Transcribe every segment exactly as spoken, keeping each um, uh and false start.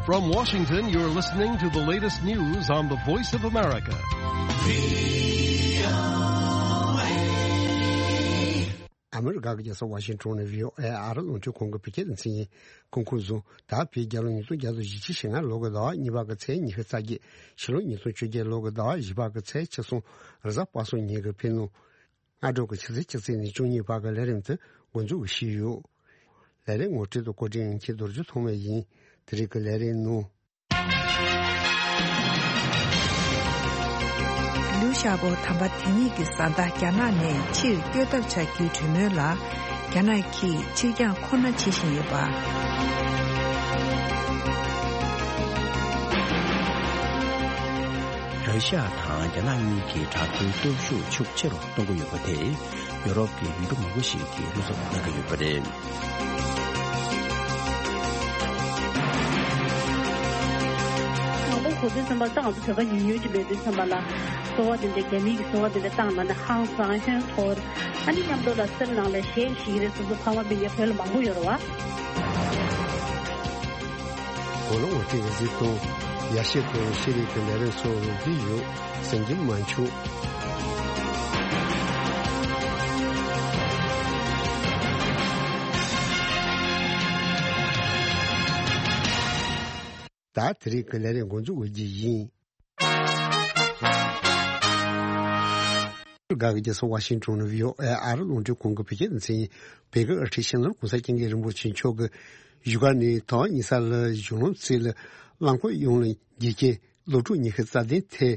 From Washington, you're listening to the latest news on the Voice of America. ཨ་མི་རི་ཀ་གི་རྒྱལ་ས་ཝ་ཤིང་ཊོན་ནས་ཝི་ཨོ་ཨེ་ཨ་རི་རླུང་འཕྲིན་ཁང་གི་བོད་སྐད་སྡེ་ཚན་ཡིན། གོང་འཁོད་བཟུང་ད་བོད་རྒྱལ་ལོ་ཉིས་སྟོང་བརྒྱ་དང་བཞི་བཅུ་ཞེ་ལྔ་ལོ་གི་ཟླ་བ་གཉིས་པ་གི་ཚེས་ཉི་ཤུ་རྩ་བརྒྱད། ཕྱི་ལོ་ཉིས་སྟོང་བཅོ་བརྒྱད་ལོ་གི་ཟླ་བ་བཞི་པ་གི་ཚེས་ཆིག་སོང་རེས་གཟའ་པ་སངས་ཉིན་གྱི་ཕྱི་ནང་སྔ་དྲོ་གི་ཆུ་ཚོད་བཅུ་གཅིག་ནས་བཅུ་གཉིས་བར་གྱི་ལས་རིམ་དེ་འགོ་འཛུགས་ཞུས་ཡོད། ལས་རིམ་ངོ་སྤྲོད་དང་བཀོད་སྒྲིག་ཡིན་མཁན་རྡོ་རྗེ་ཐོགས་མེད་ཡིན། དེ་རིང་གི་ལས་རིམ་ནང་། ལིའུ་ཞའོ་པོ་དམ་པ་དེ་ཉིད་ཀྱི་བཟའ་ཟླ་རྒྱ་ནག་ནས་ཕྱིར་བསྐྱོད་ཐབས་བྱ་རྒྱུའི་གྲོས་མོལ་ལ་རྒྱ་ནག་གིས་ཕྱིར་འགྱངས་ཁོ་ན་བྱེད་བཞིན་ཡོད་པ། ར་ཤི་ཡ་དང་རྒྱ་ནག་གཉིས་ཀྱི་དྲག་པོའི་སྟོབས་ཤུགས་ཤུགས་ཆེ་རུ་གཏོང་གི་ཡོད་པ་དེས་ཡོ་རོབ་ཀྱི་ཡུལ་གྲུ་མང་པོ་ཞིག་གིས་བློ་འཚབ་གནང་གི་ཡོད་པ་རེད། དང་པོ་གོ་དུས་ཙམ་པ་ད་ང་ཚོ་བོད་པ་ཉུང་ཉུང་ཅིག་མེད་དུས་ཙམ་པ་ལ་གསོལ་བ་དེ་འདྲ་རྒྱ་མི་གི་གསོལ་བ་དེ་འདྲ་བཏང་ན་ནི་ཧང་སང་ཧོན་འཐོར། ཨ་ནི་མཉམ་དུ་ལ་སེམས་ནང་ལ་གཞས་ཤིག་རེད་སོ་སོ་ཕ་མ་སྤུན་ཀྱག་བོད་ལ་མང་པོ་ཡོད་རེད་བ། གོ་ལ་ངོ་སྤྲོད་ཀྱི་གཟིགས་སྟངས་ཡ་ཤེས་དང་ཤེས་རིག་གི་ལས་རིམ་སོགས་རོགས་ཀྱི་ཡོད་གསན་རྒྱུ་མ་འཆུག་ད་དེ་རིང་གི་ལས་རིམ་འགོ་འཛུགས་འོས་ཀྱི་ཡིན། ག་གི་རྒྱལ་ས་ཝ་ཤིང་ཊོན་ནས་ཝི་ཨོ་ཨེ་ཨ་རི་རླུང་འཕྲིན་ཁང་གི་བོད་སྐད་སྡེ་ཚན་ཡིན། བོད་ཀྱི་ཨ་ཁྲིད་ཤིང་ནོར་གོང་ས་སྐྱབས་མགོན་རིན་པོ་ཆེ་མཆོག་གིས་བཞུགས་སྒར་ནས་དོན་དག་གཉིས་ས་ལ་གཞུང་ལམ་རྩེ་ལ་རླངས་འཁོར་གཡུང་ལ་འགྱེལ་རྐྱེན་སློབ་ཕྲུག་ཉི་ཤུ་རྩ་བདུན་ཐེ།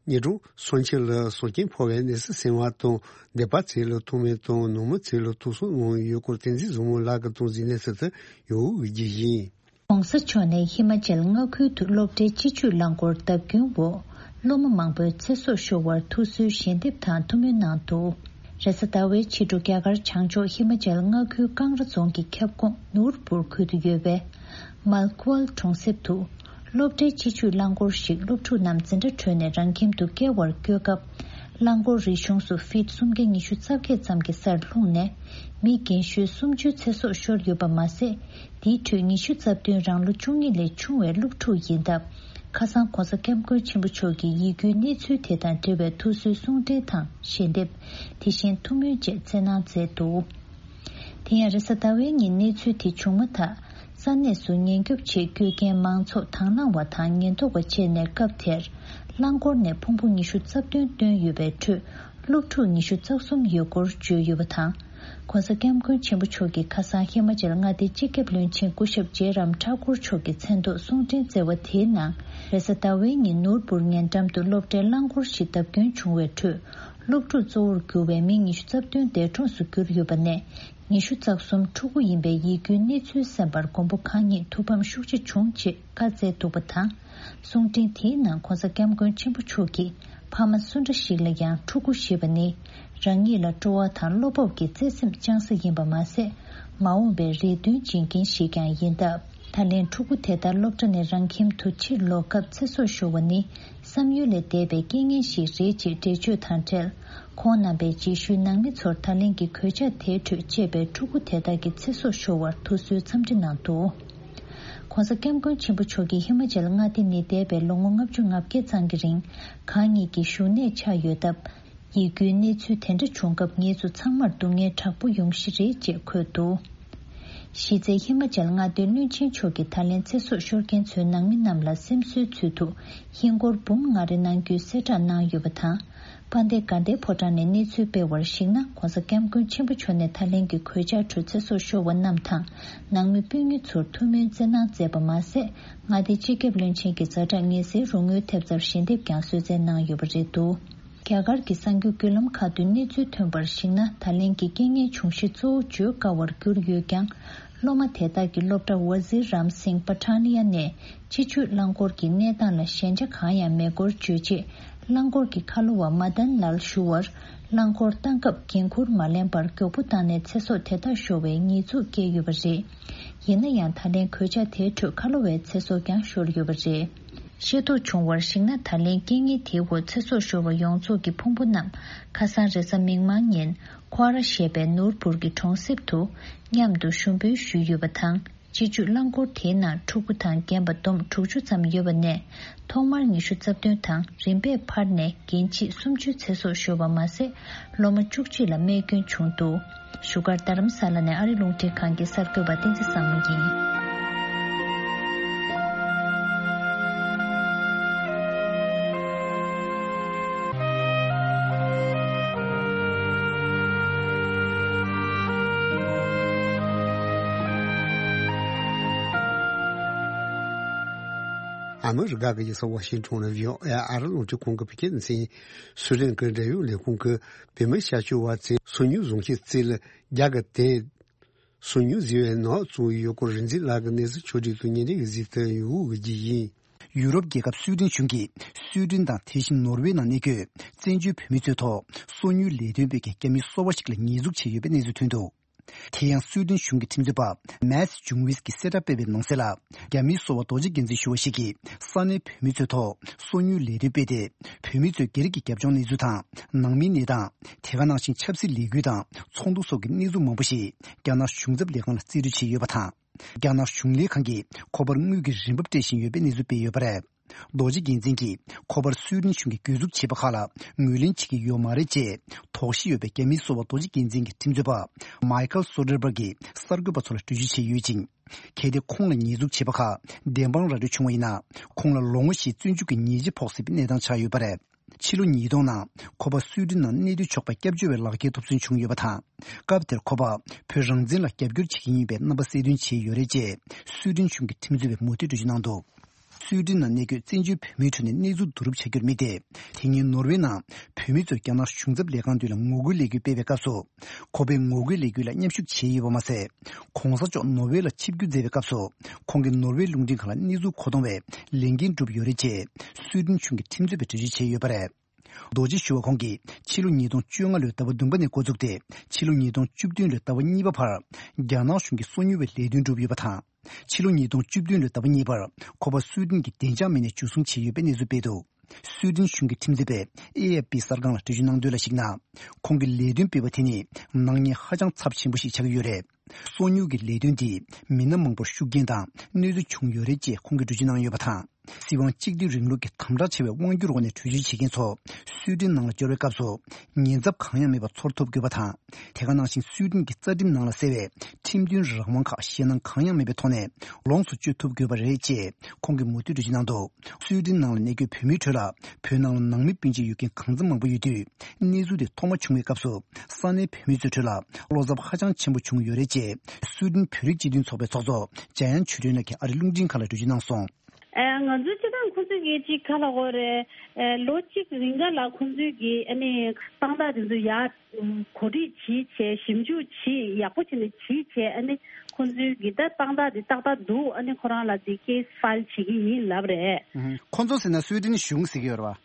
ཉིན་གྲངས་སུམ་ཅུ་ལ་སྲོག་སྐྱོན་ཕོག་པའི་གནས་ཚུལ་གསན་པ་དང་སྡེ་པ་རྩེ་ལ་ཐོག་མེ་དང་ནང་མི་རྩེ་ལ་ཐོག་སོང་གནང་ཡོད་སྐོར་བསྟན་འཛིན་བཟང་མོ་ལགས་ཀྱིས་གཏོང་གཟིགས་གནས་ཚུལ་དུ་ཡོང་འོས་ཀྱི་ཡིན། ྋགོང་ས་མཆོག་ནས་ཧི་མ་ཅལ་མངའ་ཁུལ་དུ་སློབ་གྲྭའི་སྤྱི་སྤྱོད་རླངས་འཁོར་བརྡབ་སྐྱོན་འོག་སློབ་མ་མང་པོའི་ཚེ་སྲོག་ཤོར་བར་ཐུགས་གསོའི་ཞལ་འདེབས་དང་ཐུགས་སྨོན་གནང་འདུག་རེས་གཟའ་ཟླ་བའི་ཕྱི་དྲོ་རྒྱ་གར་བྱང་ཕྱོགས་ཧི་མ་ཅལ་མངའ་ཁུལ་ཀང་ར་རྫོང་གི་ཁྱབ་ཁོངས་ནུར་པུར་ཁུལ་དུ་ཡོད་པའི་མལ་ཀུ་ཨལ་གྲོང་གསེབ་ཏུ། སློབ་གྲྭའི་སྤྱི་སྤྱོད་རླངས་འཁོར་ཞིག་སློབ་ཕྲུག་རྣམས་འཛིན་གྲྭ་གྲོལ་ནས་རང་ཁྱིམ་དུ་བསྐྱལ་བར་བསྐྱོད་སྐབས། རླངས་འཁོར་རིག་གཞུང་སུ་ཕིད་སུམ་བརྒྱ་ཉི་ཤུ་རྩ་བརྒྱད་ཙམ་གྱི་སར་ལྷུང་ནས། མི་རྒན་ཤོས་སུམ་ཅུ་ཚེ་སྲོག་ཤོར་ཡོད་པ་མ་ཟད། དེའི་ཁྲོད་ཉི་ཤུ་རྩ་བདུན་རང་ལོ་བཅུ་གཉིས་ལས་ཆུང་བའི་སློབ་ཕྲུག་ཡིན་སྟབས། ཁ་སང་ྋགོང་ས་ྋསྐྱབས་མགོན་ཆེན་པོ་མཆོག་གིས་ཡིད་སྐྱོའི་གནས་ཚུལ་དེ་དང་འབྲེལ་བའི་ཐུགས་གསོའི་གསུང་འཕྲིན་དང་ཞལ་འདེབས། དེ་བཞིན་ཐུགས་སྨོན་བཅས་སྩལ་གནང་མཛད་འདུག་དེ་ཡང་རེས་གཟའ་ཟླ་བའི་ཉིན་གནས་ཚུལ་དེ་བྱུང་མ་ཐག་ས་གནས་སུ་ཉེན་སྐྱོབ་ཆེད་བསྐྱོད་མཁན་མང་ཚོགས་དང་བླངས་པ་དང་ཉེན་རྟོག་པ་བཅས་ནས་སྐབས་དེར་རླངས་འཁོར་ནས་ཕུང་པོ་ཉི་ཤུ་རྩ་བདུན་བཏོན་ཡོད་པའི་ཁྲོད་སློབ་ཕྲུག་ཉི་ཤུ་རྩ་གསུམ་ཡོད་སྐོར་བརྗོད་ཡོད་པ་དང་། ྋགོང་ས་ྋསྐྱབས་མགོན་ཆེན་པོ་མཆོག་གིས་ཁ་སང་ཧི་མ་ཅལ་མངའ་སྡེའི་སྤྱི་ཁྱབ་བློན་ཆེན་སྐུ་ཞབས་ཇེ་རམ་ཐ་ཀུར་མཆོག་གི་མཚན་ཐོག་གསུང་འཕྲིན་བསྩལ་བ་དེའི་ནང་རེས་གཟའ་ཟླ་བའི་ཉིན་ནོར་བུར་ཉེ་འགྲམ་དུ་སློབ་གྲྭའི་རླངས་འཁོར་ཞིག་བརྡབ་སྐྱོན་བྱུང་བའི་ཁྲོད། སློབ་ཕྲུག་གཙོ་བོར་གྱུར་བའི་མི་ཉི་ཤུ་རྩ་བདུན་འདས་གྲོངས་སུ་གྱུར་ཡོད་པ་ནས། ཉི་ཤུ་རྩ་གསུམ་ཕྲུ་གུ་ཡིན་པའི་ཡིད་སྐྱོའི་གནས་ཚུལ་གསན་པར་མགོན་པོ་གང་ཉིད་ཐུགས་ཕམ་ཤུགས་ཆེ་བྱུང་ཅེས་བཀའ་སྩལ་འདུག་པ་དང་། གསུང་འཕྲིན་དེའི་ནང་ྋགོང་ས་ྋསྐྱབས་མགོན་ཆེན་པོ་མཆོག་གིས་ཕ་མ་སུ་འདྲ་ཞིག་ལ་ཡང་ཕྲུ་གུ་ཞེས་པ་ནི་རང་ཉིད་ལ་སྤྲོ་བ་དང་བློ་སྤོབས་ཀྱི་བརྩེ་སེམས་བཅངས་ས་ཡིན་པ་མ་ཟད། མ་འོངས་པའི་རེ་འདུན་བྱིན་མཁན་ཞིག་ཀྱང་ཡིན་སྟབས། ད་ལན་ཕྲུ་གུ་དེ་དག་སློབ་གྲྭ་ནས་རང་ཁྱིམ་དུ་ཕྱིར་ལོག་སྐབས་ཚེ་སྲོག་ཤོར་བ་ནི། བསམ་ཡུལ་ལས་འདས་པའི་རྐྱེན་ངན་ཞིག་རེད་ཅེས་འགྲེལ་བརྗོད་དང་འབྲེལ། ཁོང་རྣམ་པའི་རྗེས་ཤུལ་ནང་མི་ཚོར་ད་ལན་གྱི་གོད་ཆག་དེའི་ཁྲོད་གཅེས་པའི་ཕྲུ་གུ་དེ་དག་གི་ཚེ་སྲོག་ཤོར་བར་ཐུགས་གསོའི་འཚམས་འདྲི་གནང་འདུག ྋགོང་ས་ྋསྐྱབས་མགོན་ཆེན་པོ་མཆོག་གིས་ཧི་མ་ཅལ་མངའ་སྡེ་ནས་འདས་པའི་ལོ་ངོ་ལྔ་བཅུ་ང་བརྒྱད་ཙམ་གྱི་རིང་གང་ཉིད་ཀྱི་བཞུགས་གནས་ཆགས་ཡོད་སྟབས། ཡིད་སྐྱོའི་གནས་ཚུལ་དེ་འདྲ་བྱུང་སྐབས་ངེད་ཚོ་ཚང་མར་སྡུག་བསྔལ་དྲག་པོ་ཡོང་གཞི་རེད་ཅེས་འཁོད་འདུག་གཞི་རྩའི་ཧི་མ་ཅལ་མངའ་སྡེའི་བློན་ཆེན་མཆོག་གིས་ད་ལན་ཚེ་སྲོག་ཤོར་མཁན་ཚོའི་ནང་མི་རྣམས་ལ་སེམས་གསོའི་ཚུལ་དུ་ཧིན་སྒོར་འབུམ་ལྔ་རེ་གནང་རྒྱུའི་གསལ་བསྒྲགས་གནང་ཡོད་པ་དང་། དཔལ་ལྡན་དགའ་ལྡན་ཕོ་བྲང་ནས་གནས་ཚུལ་སྤེལ་བར་གཞིགས་ན། ྋགོང་ས་ྋསྐྱབས་མགོན་ཆེན་པོ་མཆོག་ནས་ད་ལན་གྱི་གོད་ཆག་ཁྲོད་ཚེ་སྲོག་ཤོར་བ་རྣམས་དང་ནང་མི་སྤུན་ཉེ་ཚོར་ཐུགས་སྨོན་བསྩལ་གནང་མཛད་པ་མ་ཟད། མངའ་སྡེའི་སྤྱི་ཁྱབ་བློན་ཆེན་གྱི་ཛ་དྲག་ངལ་སེལ་རོགས་དངུལ་ཐེབས་རྩར་ཞལ་འདེབས་ཀྱང་གསོལ་སྩལ་གནང་ཡོད་པ་རེད་འདུག་རྒྱ་གར་གྱི་གསར་འགྱུར་བརྒྱུད་ལམ་ཁག་ཏུ་གནས་ཚུལ་ཐོན་པར་གཞིགས་ན། ད་ལན་གྱི་རྐྱེན་ངན་བྱུང་གཞི་གཙོ་བོ་བརྗོད་དཀའ་བར་གྱུར་ཡོད་ཀྱང་། སློབ་མ་དེ་དག་གིས་སློབ་གྲྭ་ཝ་ཛི་རམ་སིང་པ་ཐ་ནི་ཡ་ནས་སྤྱི་སྤྱོད་རླངས་འཁོར་གྱི་གནས་སྟངས་ལ་ཞན་ཆ་གང་ཡང་མེད་སྐོར་བརྗོད་རྗེས། རླངས་འཁོར་གྱི་ཁ་ལོ་བ་མ་དན་ལལ་ཞུ་བར། རླངས་འཁོར་བཏང་སྐབས་འགན་འཁུར་མ་ལེན་པར་མགྱོགས་པོ་བཏང་ནས་ཚེ་སྲོག་དེ་དག་ཤོར་བའི་ཉེས་འཛུགས་བཀལ་ཡོད་པ་རེད། ཡིན་ན་ཡང་། ད་ལན་གོད་ཆག་དེའི་ཁྲོད་ཁ་ལོ་བའི་ཚེ་སྲོག་ཀྱང་ཤོར་ཡོད་པ་རེད། ཤེས་རྟོགས་བྱུང་བར་གཞིགས་ན། ད་ལན་རྐྱེན་ངན་དེའི་འོག་ཚེ་སྲོག་ཤོར་བ་ཡོངས་རྫོགས་ཀྱི་ཕུང་པོ་རྣམས་ཁ་སང་རེས་གཟའ་མིག་དམར་ཉིན་ཁོ་ར་ཞེས་པའི་ནོར་བུར་གྱི་གྲོང་གསེབ་ཏུ་མཉམ་དུ་ཞུ་འབུལ་ཞུས་ཡོད་པ་དང་། སྤྱི་སྤྱོད་རླངས་འཁོར་དེའི་ནང་ཕྲུ་གུ་དང་རྒན་པ་བསྡོམས་དྲུག་ཅུ་ཙམ་ཡོད་པ་ནས། ཐོག་མར་ཉི་ཤུ་རྩ་བདུན་དང་རིམ་པས་འཕར་ནས་རྒན་བྱིས་སུམ་ཅུའི་ཚེ་སྲོག་ཤོར་བ་མ་ཟད། སློབ་མ་བཅུ་གཅིག་ལ་རྨས་སྐྱོན་བྱུང་འདུག་བཞུགས་སྒར་རྡ་རམ་ས་ལ་ནས་ཨ་རི་རླུང་འཕྲིན་ཁང་གི་གསར་འགོད་པ་བསྟན་འཛིན་བཟང་མོ་ཡིན། ཨ་མི་རི་ཀ་གི་རྒྱལ་ས་ཝ་ཤིང་ཊོན་ལ་བྷི་ཨོ་ཨེ་ཨ་རི་རླུང་འཕྲིན་ཁང་གི་བོད་སྐད་སྡེ་ཚན། སུའེ་ཏེན་གྱི་འབྲེལ་ཡོད་ལས་ཁུངས་ཀྱིས་བོད་མི་ཤར་ཕྱོགས་བ་ཚོས་སོ་ཉུལ་བཟུང་བྱས་རྩིས་ལ་རྒྱ་གར་དེ། སོ་ཉུལ་ཟེར་བའི་ནང་བཙུགས་ཡོད་སྐོར་རིག་འཛིན་ལགས་ཀྱིས་གནས་ཚུལ་ཕྱོགས་སྒྲིག་ཏུ་ཉེ་འབྲེལ་གྱི་གཟིགས་ཐོན་ཡོད་ཀྱི་ཡིན། ཡུ་རོབ་རྒྱལ་ཁབ་སུའེ་ཏེན་གཞུང་གིས་སུའེ་ཏེན་དང་དེ་བཞིན་ནོར་ཝེ་ནང་གནས་འཁོད་བཙན་བྱོལ་བོད་མི་ཚོའི་ཐོག་སོ་ཉུལ་ལས་དོན་སྤེལ་མཁན་རྒྱ་མི་སོ་པ་ཞིག་ལ་ཉེས་འཛུགས་བྱས་ཡོད་པའི་གནས་ཚུལ་ཐོན་འདུག་དེ་ཡང་སུའེ་ཏེན་གཞུང་གི་ཁྲིམས་རྩོད་པ་མཱས་ཇུང་ཝིས་ཀྱིས་གསལ་བསྒྲགས་སྤེལ་བའི་ནང་གསལ་ལ། རྒྱ་མིའི་སོ་པ་རྡོ་རྗེ་རྒྱལ་མཚན་ཞུ་བ་ཞིག་གིས་ས་གནས་བོད་མི་ཚོའི་ཐོག་སོ་ཉུལ་ལས་དོན་སྤེལ་ཏེ། བོད་མི་ཚོའི་སྒེར་གྱི་རྒྱབ་ལྗོངས་གནས་ཚུལ་དང་ནང་མིའི་གནས་སྟངས། དེ་ག་ནང་བཞིན་ཆབ་སྲིད་ལས་འགུལ་དང་ཚོགས་འདུ་སོགས་ཀྱི་གནས་ཚུལ་མང་པོ་ཞིག་རྒྱ་ནག་གཞུང་ཚབ་ལས་ཁང་ལ་རྩིས་སྤྲོད་བྱས་ཡོད་པ་དང་། རྒྱ་ནག་གཞུང་ལས་ཁང་གིས་ཁོ་པར་དངུལ་གྱི་རིན་འབབ་སྤྲད་བཞིན་ཡོད་པའི་གནས་ཚུལ་སྤེལ་ཡོད་པ་རེད། རྡོ་རྗེ་རྒྱལ་མཚན་གྱིས་ཁོ་པར་སུའེ་ཏེན་གཞུང་གིས་གྱོད་འཛུགས་བྱས་པ་ཁག་ལ་ངོས་ལེན་བྱེད་ཀྱི་ཡོད་མ་རེད་ཅེས་དོགས་གཞི་ཡོད་པའི་རྒྱ་མིའི་སོ་པ་རྡོ་རྗེ་རྒྱལ་མཚན་གྱི་ཁྲིམས་རྩོད་པ་མའི་ཁལ་སོ་ཌར་བྷར་གྱིས་གསར་འགོད་པ་ཚོ་ལ་འགྲེལ་བརྗོད་བྱས་ཡོད་ཅིང་། གལ་ཏེ་ཁོང་ལ་ཉེས་འཛུགས་བྱས་པ་ཁག་བདེན་དཔང་ར་སྤྲོད་བྱུང་བ་ཡིན་ན། ཁོང་ལ་ལོ་ངོ་བཞིའི་བཙོན་འཇུག་གི་ཉེས་ཆད་ཕོག་སྲིད་པའི་གནས་སྟངས་ཆགས་ཡོད་པ་རེད། ཕྱི་ལོ་ཉིས་སྟོང་ནང་ཁོ་པ་སུའེ་ཏེན་ནང་གནས་སྡོད་ཆོག་པའི་སྐྱབས་བཅོལ་བའི་ལག་ཁྱེར་ཐོབ་ཐོན་བྱུང་ཡོད་པ་དང་། སྐབས་དེར་ཁོ་པ་བོད་རང་བཙན་ལ་རྒྱབ་སྐྱོར་བྱེད་ཀྱི་ཡིན་པའི་རྣམ་པ་གསལ་སྟོན་བྱས་ཡོད་རེད་ཅེས་སུའེ་ཏེན་གཞུང་གི་ཁྲིམས་རྩོད་པས་མུ་མཐུད་འགྲེལ་བརྗོད་གནང་འདུག་སུའེ་ཏེན་ནང་གནས་འཁོད་བཙན་བྱོལ་བོད་མིའི་ཁྲོད་ནས་གནས་ཚུལ་བསྡུ་རུབ་བྱ་རྒྱུར་དམིགས་ཏེ། དེ་སྔོན་ནོར་ཝེ་ནང་བོད་མི་ཚོས་རྒྱ་ནག་གཞུང་ཚབ་ལས་ཁང་མདུན་ལ་ངོ་རྒོལ་ལས་འགུལ་སྤེལ་བའི་སྐབས་སུ། ཁོ་པས་ངོ་རྒོལ་ལས་འགུལ་ལ་མཉམ་ཞུགས་བྱས་ཡོད་པ་མ་ཟད། གོང་ས་མཆོག་ནོར་ཝེ་ལ་ཆིབས་བསྒྱུར་མཛད་པའི་སྐབས་སུ། ཁོང་གིས་ནོར་ཝེ་རླུང་འཕྲིན་ཁང་ལ་གནས་ཚུལ་མཁོ་གཏོང་བའི་ལས་འགན་བསྒྲུབས་ཡོད་རེད་ཅེས་སུའེ་ཏེན་གཞུང་གི་ཁྲིམས་རྩོད་པས་འགྲེལ་བརྗོད་བྱས་ཡོད་པ་རེད། རྡོ་རྗེ་ཞུ་བ་ཁོང་གིས་ཕྱི་ལོ་ཉིས་སྟོང་བཅོ་ལྔ་ལོའི་ཟླ་བ་བདུན་པ་ནས་འགོ་བཙུགས་ཏེ། ཕྱི་ལོ་ཉིས་སྟོང་བཅུ་བདུན་ལོའི་ཟླ་བ་གཉིས་པ་བར། རྒྱ་ནག་གཞུང་གིས་སོ་ཉུལ་བའི་ལས་དོན་བསྒྲུབས་ཡོད་པ་དང་། ཕྱི་ལོ་ཉིས་སྟོང་བཅུ་བདུན་ལོའི་ཟླ་བ་གཉིས་པར་ཁོ་པ་སུའེ་ཏེན་གྱི་བདེ་འཇགས་མི་སྣས་འཇུ་བཟུང་བྱས་ཡོད་པའི་གནས་ཚུལ་སྤེལ་འདུག་སུའེ་ཏེན་གཞུང་གི་ཁྲིམས་རྩོད་པས་ཨེ་ཨེཕ་པི་གསར་ཁང་ལ་འགྲེལ་བརྗོད་གནང་དོན་ལ་གཞིགས་ན། ཁོང་གིས་ལས་དོན་སྤེལ་བ་དེ་ནི་ནག་ཉེས་ཧ་ཅང་ཚབས་ཆེན་པོ་ཞིག་ཆགས་ཀྱི་ཡོད་རེད། སོ་ཉུལ་གྱི་ལས་དོན་འདིས་མི་སྣ་མང་པོར་ཤུགས་རྐྱེན་དང་གནོད་འཚེ་བྱུང་ཡོད་རེད་ཅེས་ཁོང་གིས་འགྲེལ་བརྗོད་གནང་ཡོད་པ་དང་། སྲིད་དབང་གཅིག་སྡུད་རིང་ལུགས་ཀྱི་དམ་དྲག་ཆེ་བའི་དབང་སྒྱུར་འོག་ནས་གྲོས་ཆོད་བྱེད་མཁན་ཚོ་སུའེ་ཏེན་ནང་ལ་འབྱོར་བའི་སྐབས་སུ་ཉེན་ཚབས་གང་ཡང་མེད་པར་ཚོར་ཐུབ་དགོས་པ་དང་། དེ་ག་ནང་བཞིན་སུའེ་ཏེན་གྱི་རྩ་ཁྲིམས་ནང་ལ་གསལ་བའི་ཁྲིམས་མཐུན་རང་དབང་ཁག་ཞེད་སྣང་གང་ཡང་མེད་པའི་ཐོག་ནས་ལོངས་སུ་སྤྱོད་ཐུབ་དགོས་པ་རེད་ཅེས་ཁོང་གིས་མུ་མཐུད་འགྲེལ་བརྗོད་གནང་འདུག་སུའེ་ཏེན་ནང་ལ་གནས་འཁོད་བོད་མིའི་ཁྲོད་ལ་བོད་ནང་ལ་ནང་མི་སྤུན་མཆེད་ཡོད་མཁན་གང་འཚམ་མང་པོ་ཡོད་དུས། གནས་ཚུལ་དེ་ཐོག་མ་བྱུང་བའི་སྐབས་སུ་ས་གནས་བོད་མི་ཚོའི་ཁྲོད་ལ་བློ་འཚབ་ཧ་ཅང་ཆེན་པོ་བྱུང་ཡོད་རེད་ཅེས་སུའེ་ཏེན་བོད་རིགས་སྤྱི་མཐུན་ཚོགས་པའི་ཚོགས་གཙོ་འཇམ་དབྱངས་ཆོས་སྒྲོན་ལགས་ཀྱིས་ཨ་རིའི་རླུང་འཕྲིན་ཁང་ལ་འགྲེལ་བརྗོད་གནང་སོང་། ཨ། ང་ཚོའི་སྤྱི་བཏང་ཁོང་ཚོས་ཀྱི་ཅིག་ག་ལབ་དགོས་རེད། ཨ། ལོ་གཅིག་རིང་ག་ལ་ཁོང་ཚོས་ཀྱི་ཨ་ནི་དཔང་རྟགས་དེ་ཚོ་ཡར་གོ་སྒྲིག་བྱེད་བྱས་ཞིབ་འཇུག་བྱེད་ཡག་པོ་བྱས་ནས་བྱེད་བྱས། ཨ་ནི་ཁོང་ཚོས་ཀྱི་ད་དཔང་རྟགས་དེ་ཏག་ཏག་འདུག་ཨ་ནི་ཁོ་རང་ལ་དེ་ཁེ་སི་ཕའིལ་བྱེད་ཀྱི་ཡིན་ལབ་རེད། ཁོང་ཚོ་ཟེར་ན་སུའེ་ཏེན་གཞུང་ཟེར་གྱི་ཡོད་རེད་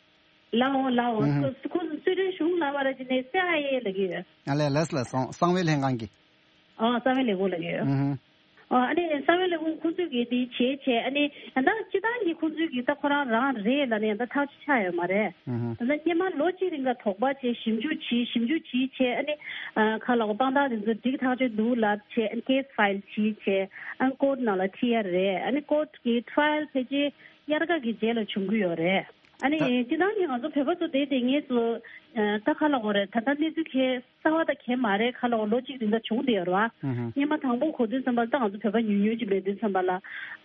བ། ལའོ་ལའོ། ཁོ་ཁོ་སུའེ་ཏེན་གཞུང་ལབ་པ་ར་ཅི་ནས་སི་ཨའི་ཨེ་ལབ་ཀྱི་ཡོད། ཨ་ལས་ལས་ལ་གསང་གསང་བའི་ལྷན་ཁང་གི། ཨ། གསང་བའི་ལས་ཁུངས་ལབ་ཀྱི་ཡོད། ཨ་ནི་གསང་བའི་ལས་ཁུངས་ཁོང་ཚོས་ཀྱི་དེ་བྱས་བྱས། ཨ་ནི་ཡང་ད་སྤྱི་བཏང་གི་ཁོང་ཚོས་ཀྱི་ད་ཁོ་རང་རང་རེད་ལབ་ནས་ཡང་ད་ཐག་གཅོད་ཆགས་ཡོད་མ་རེད། ད་ལྟ་སྔོན་མ་ལོ་གཅིག་རིང་ག་དོགས་པ་བྱས་ཞིབ་འཇུག་བྱས་ཞིབ་འཇུག་བྱས་བྱས། ཨ་ནི་ཨ་ག་ལབ་དགོས། དཔང་རྟགས་དེ་ཚོ་འགྲིག་ཐག་ཆོད་འདུག་ལབ་བྱས། ཨ་ནི་ཁེ་སི་ཕའིལ་བྱས་བྱས། ཨ་ནི་ཀོར་ཊི་ནང་ལ་ཁྲིད་ཡ་རེད། ཨ་ནི་ཀོར་ཊི་གི་ཊ་ར་ཡལ་ཕལ་ཆེར་དབྱར་ཁ་གི་རྗེས་ལ་བྱུང་གི་ཡོད་རེད། ཨ་ནི་ད་སྤྱི་བཏང་གི་ང་ཚོ་བོད་པ་ཚོ་དེ་དེ་ངེས་སུ་ཨ་ད་ག་ལབ་དགོས་རེད། ད་ལྟ་གནས་ཚུལ་ཁེ་གསར་བ་དང་གེ་མ་རེད། ག་ལབ་དགོས། ལོ་གཅིག་རིང་ད་བྱུང་བསྡད་ཡོད་རེད་བ། སྔོན་མ་དང་པོ་གོ་དུས་ཙམ་པ་ལ་ད་ང་ཚོ་བོད་པ་ཉུང་ཉུང་ཅིག་མེད་དུས་ཙམ་པ་ལ།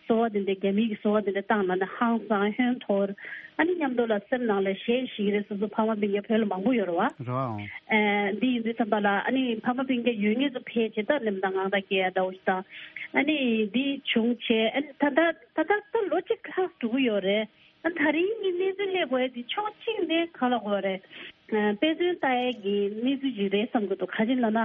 སོ་པ་དེ་འདྲ་རྒྱ་མིའི་གི་སོ་པ་དེ་འདྲ་བཏང་ལབ་ནས་ཧང་སང་ཧོན་འཐོར། ཨ་ནི་མཉམ་དུ་ལ་སེམས་ནང་ལ་ཞེད་ཤིག་རེད། སོ་སོ་ཕ་མ་སྤུན་ཀྱག་བོད་ལ་མང་པོ་ཡོད་རེད་བ། རེད་བ། ཨ་འདི་ཡིན་དུས་ཙམ་པ་ལ་ཨ་ནི་ཕ་མ་སྤུན་ཀྱག་ཡོད་མཁན་ཚོ་ཕལ་ཆེར་ད་ནེམ་དང་ངང་དང་སྐྱེ་ཡ་འདྲ་བོ་ཞིག་དང་། ཨ་ནི་འདི་བྱུང་བྱས། ཨ་ནི་ད་ད་ད་ད་ད་ལོ་གཅིག་ལྷག་འགྲོ་གི་ཡོད་རེད། ཨ་ད་རིང་གི་གནས་ཚུལ་སླེབས་དགོས་ཡ་དེ་ཕྱོགས་གཅིག་ནས་ག་ལབ་དགོས་རེད། ཨ་དཔེ་མཚོན་ལྟ་ཡ་གི་གནས་ཚུལ་ཅིག་རེད་བསམ་གྱི་འདུག་ག་ཅི་ལབ་ན།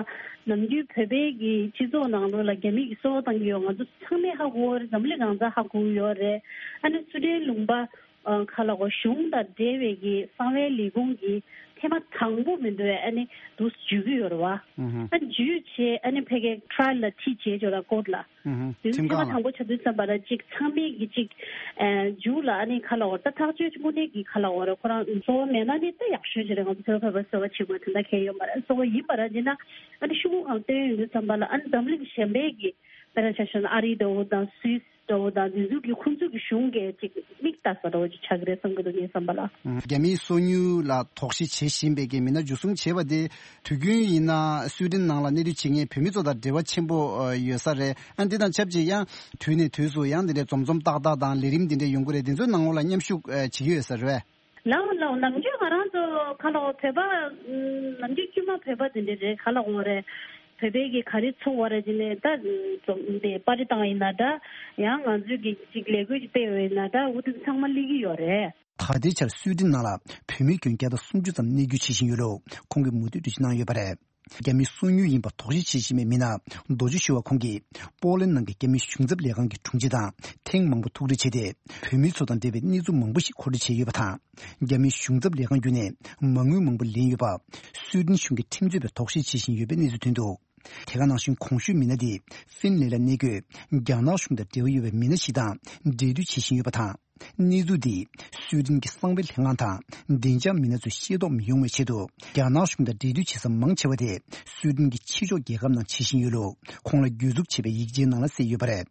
ནམ་རྒྱུན་བོད་པའི་གི་སྤྱི་ཚོགས་ནང་ལོགས་ལ་རྒྱ་མིའི་གི་སོ་པ་བཏང་གི་ཡོད། ང་ཚོ་ཚང་མས་ཧ་གོ་གི་རེད། འཛམ་གླིང་གང་སར་ཧ་གོ་གི་ཡོད་རེད། ཨ་ནི་སུའེ་ཏེན་ལུང་པ་ཨ་ག་ལབ་དགོས། གཞུང་དང་འབྲེལ་བའི་གི་གསང་བའི་ལས་ཁུངས་ཀྱི་ཐེངས་མ་དང་པོ་མི་འདུག་གས། ཨ་ནི་འདུག་འཇུ་གི་ཡོད་རེད་བ། ཨ་འཇུས་བྱས་ཨ་ནི་ཕ་གིའི་ཊ་ར་ཡལ་ལ་ཁྲིད་བྱས་ཅོག་ལ་ཀོར་ཊི་ལ། དེ་ཚོ་ཁྲིམས་ཁང་ལ། ཐེངས་མ་དང་པོ་ཆགས་དུས་ཙམ་པ་ལ་ཅིག་ཚང་མས་ཀྱི་ཅིག་ཨ་མཇུག་ལ་ཨ་ནི་ག་ལབ་དགོས། ད་ཐག་གཅོད་དངོས་གནས་ཀྱི་ག་ལབ་དགོས་རེད། ཁོ་རང་སོ་པ་མེད་ན་ནི་ད་ཡག་ཤོས་ཅིག་རེད། ང་ཚོ་བོད་པ་སོ་པ་བྱེད་དགོས་དེ་འདྲ་གང་ཡང་ཡོད་མ་རེད། སོ་པ་ཡིན་པ་ར་ཅིག་ན་ཨ་ནི་ཤོག་གུ་སྒང་བཏོན་ཡོང་དུས་ཙམ་པ་ལ་ཨ་ནི་འཛམ་གླིང་གཞན་པའི་གི་ དཔེར་ན་ཆ་བཞག་ན་ཨ་རི་འདྲ་བོ་དང་སུད་སི་འདྲ་བོ་དང་འདི་ཚོ་གི་ཁོང་ཚོ་གི་གཞུང་གིས་ཅིག་མིག་ལྟ་ས་འདྲ་བོ་ཅིག་ཆགས་ཀྱི་རེད་བསམ་གྱི་འདུག་ངའི་བསམ་པ་ལ། རྒྱ་མིའི་སོ་ཉུལ་ལ་དོགས་གཞི་བྱེད་བཞིན་པའི་གི་མི་སྣ་འཇུ་བཟུང་བྱས་པ་དེ་དུས་རྒྱུན་ཡིན་ན་སུའེ་ཏེན་ནང་ལ་གནས་སྡོད་བྱེད་མཁན་བོད་མི་ཚོ་དང་འབྲེལ་བ་ཆེན་པོ་ཡོད་ས་རེད། ཨ་འདི་དང་ཆབས་ཅིག་ཡང་དུས་ནས་དུས་སུ་ཡང་འདི་འདྲའི་འཛོམས་འཛོམས་ཏག་ཏག་དང་ལས་རིམ་འདི་འདྲ་ཡོང་གི་རེད། འདི་ཚོའི་ནང་ལོགས་ལ་མཉམ་ཞུགས་བྱེད་ཀྱི་ཡོད་ས་རེད། ལའོ་ལའོ། ནམ་རྒྱུན་ང་རང་ཚོ་ག་ལ་འོ་བོད་པ། ནམ་རྒྱུན་དཀྱུས་མ་བོད་པ་དེ་འདྲ་རེད། ག་ལ་འོ་རེད། བོད་པའི་གི་ག་རེ་ཚོགས་པ་རེད་ཅེ་ནས་ད་འཛོམས་དེ་པར་ཊི་བཏང་ཡིན་ན་འདྲ། ཡང་ང་ཚོའི་གི་ཅིག་ལས་འགུལ་ཅིག་སྤེལ་བ་ཡིན་ན་འདྲ། འུ་དེ་ཚང་མ་སླེབས་ཀྱི་ཡོད་རེད། ད་ལྟའི་ཆར་སུའེ་ཏེན་ནང་ལ་བོད་མི་ཁྱོན་བརྒྱ་དང་སུམ་ཅུ་ཙམ་གནས་སྡོད་བྱེད་བཞིན་ཡོད་ལུགས་ཁོང་གིས་མུ་མཐུད་འགྲེལ་བརྗོད་གནང་ཡོད་པ་རེད། རྒྱ་མིའི་སོ་ཉུལ་ཡིན་པ་དོགས་གཞི་བྱེད་བཞིན་པའི་མི་སྣ་རྡོ་རྗེ་ཞུ་བ་ཁོང་གིས་པོ་ལན་ནང་གི་རྒྱ་མིའི་གཞུང་ཚབ་ལས་ཁང་གི་དྲུང་ཆེ་དང་ཐེངས་མང་པོ་ཐུག་འཕྲད་བྱས་ཏེ། བོད་མི་ཚོ་དང་འབྲེལ་བའི་གནས་ཚུལ་མང་པོ་ཞིག་མཁོ་སྤྲོད་བྱས་ཡོད་པ་དང་། རྒྱ་མིའི་གཞུང་ཚབ་ལས་ཁང་བརྒྱུད་ནས་མ་དངུལ་མང་པོ་ལེན་ཡོད་པ་སུའེ་ཏེན་གཞུང་གིས་ཁྲིམས་རྩོད་པའི་དོགས་གཞི་བྱེད་བཞིན་ཡོད་པའི་གནས་ཚུལ་ཐོན་འདུག་དེ་ག་ནང་བཞིན་གོང་ཞུས་མི་སྣ་དེ་ཧྥིན་ལན་ལ་གནས་འཁོད་རྒྱ་ནག་གཞུང་དང་འབྲེལ་བ་ཡོད་པའི་མི་སྣ་ཞིག་དང་འབྲེལ་མཐུད་བྱེད་བཞིན་ཡོད་པ་དང་། གནས་ཚུལ་འདིས་སུའེ་ཏེན་གྱི་གསང་བའི་ལྷན་ཁང་དང་བདེ་འཇགས་མི་སྣ་ཚོས་ཤེས་རྟོགས་མི་ཡོང་བའི་ཆེད་དུ་རྒྱ་ནག་གཞུང་དང་འབྲེལ་མཐུད་བྱེད་ས་མང་ཆེ་བ་དེ་སུའེ་ཏེན་གྱི་ཕྱི་ཕྱོགས་རྒྱལ་ཁབ་ནང་བྱེད་བཞིན་ཡོད་ལུགས་ཁོང་ལ་གྱོད་འཛུགས་བྱས་པའི་ཡིག་ཆའི་ནང་ལ་གསལ་ཡོད་པ་རེད།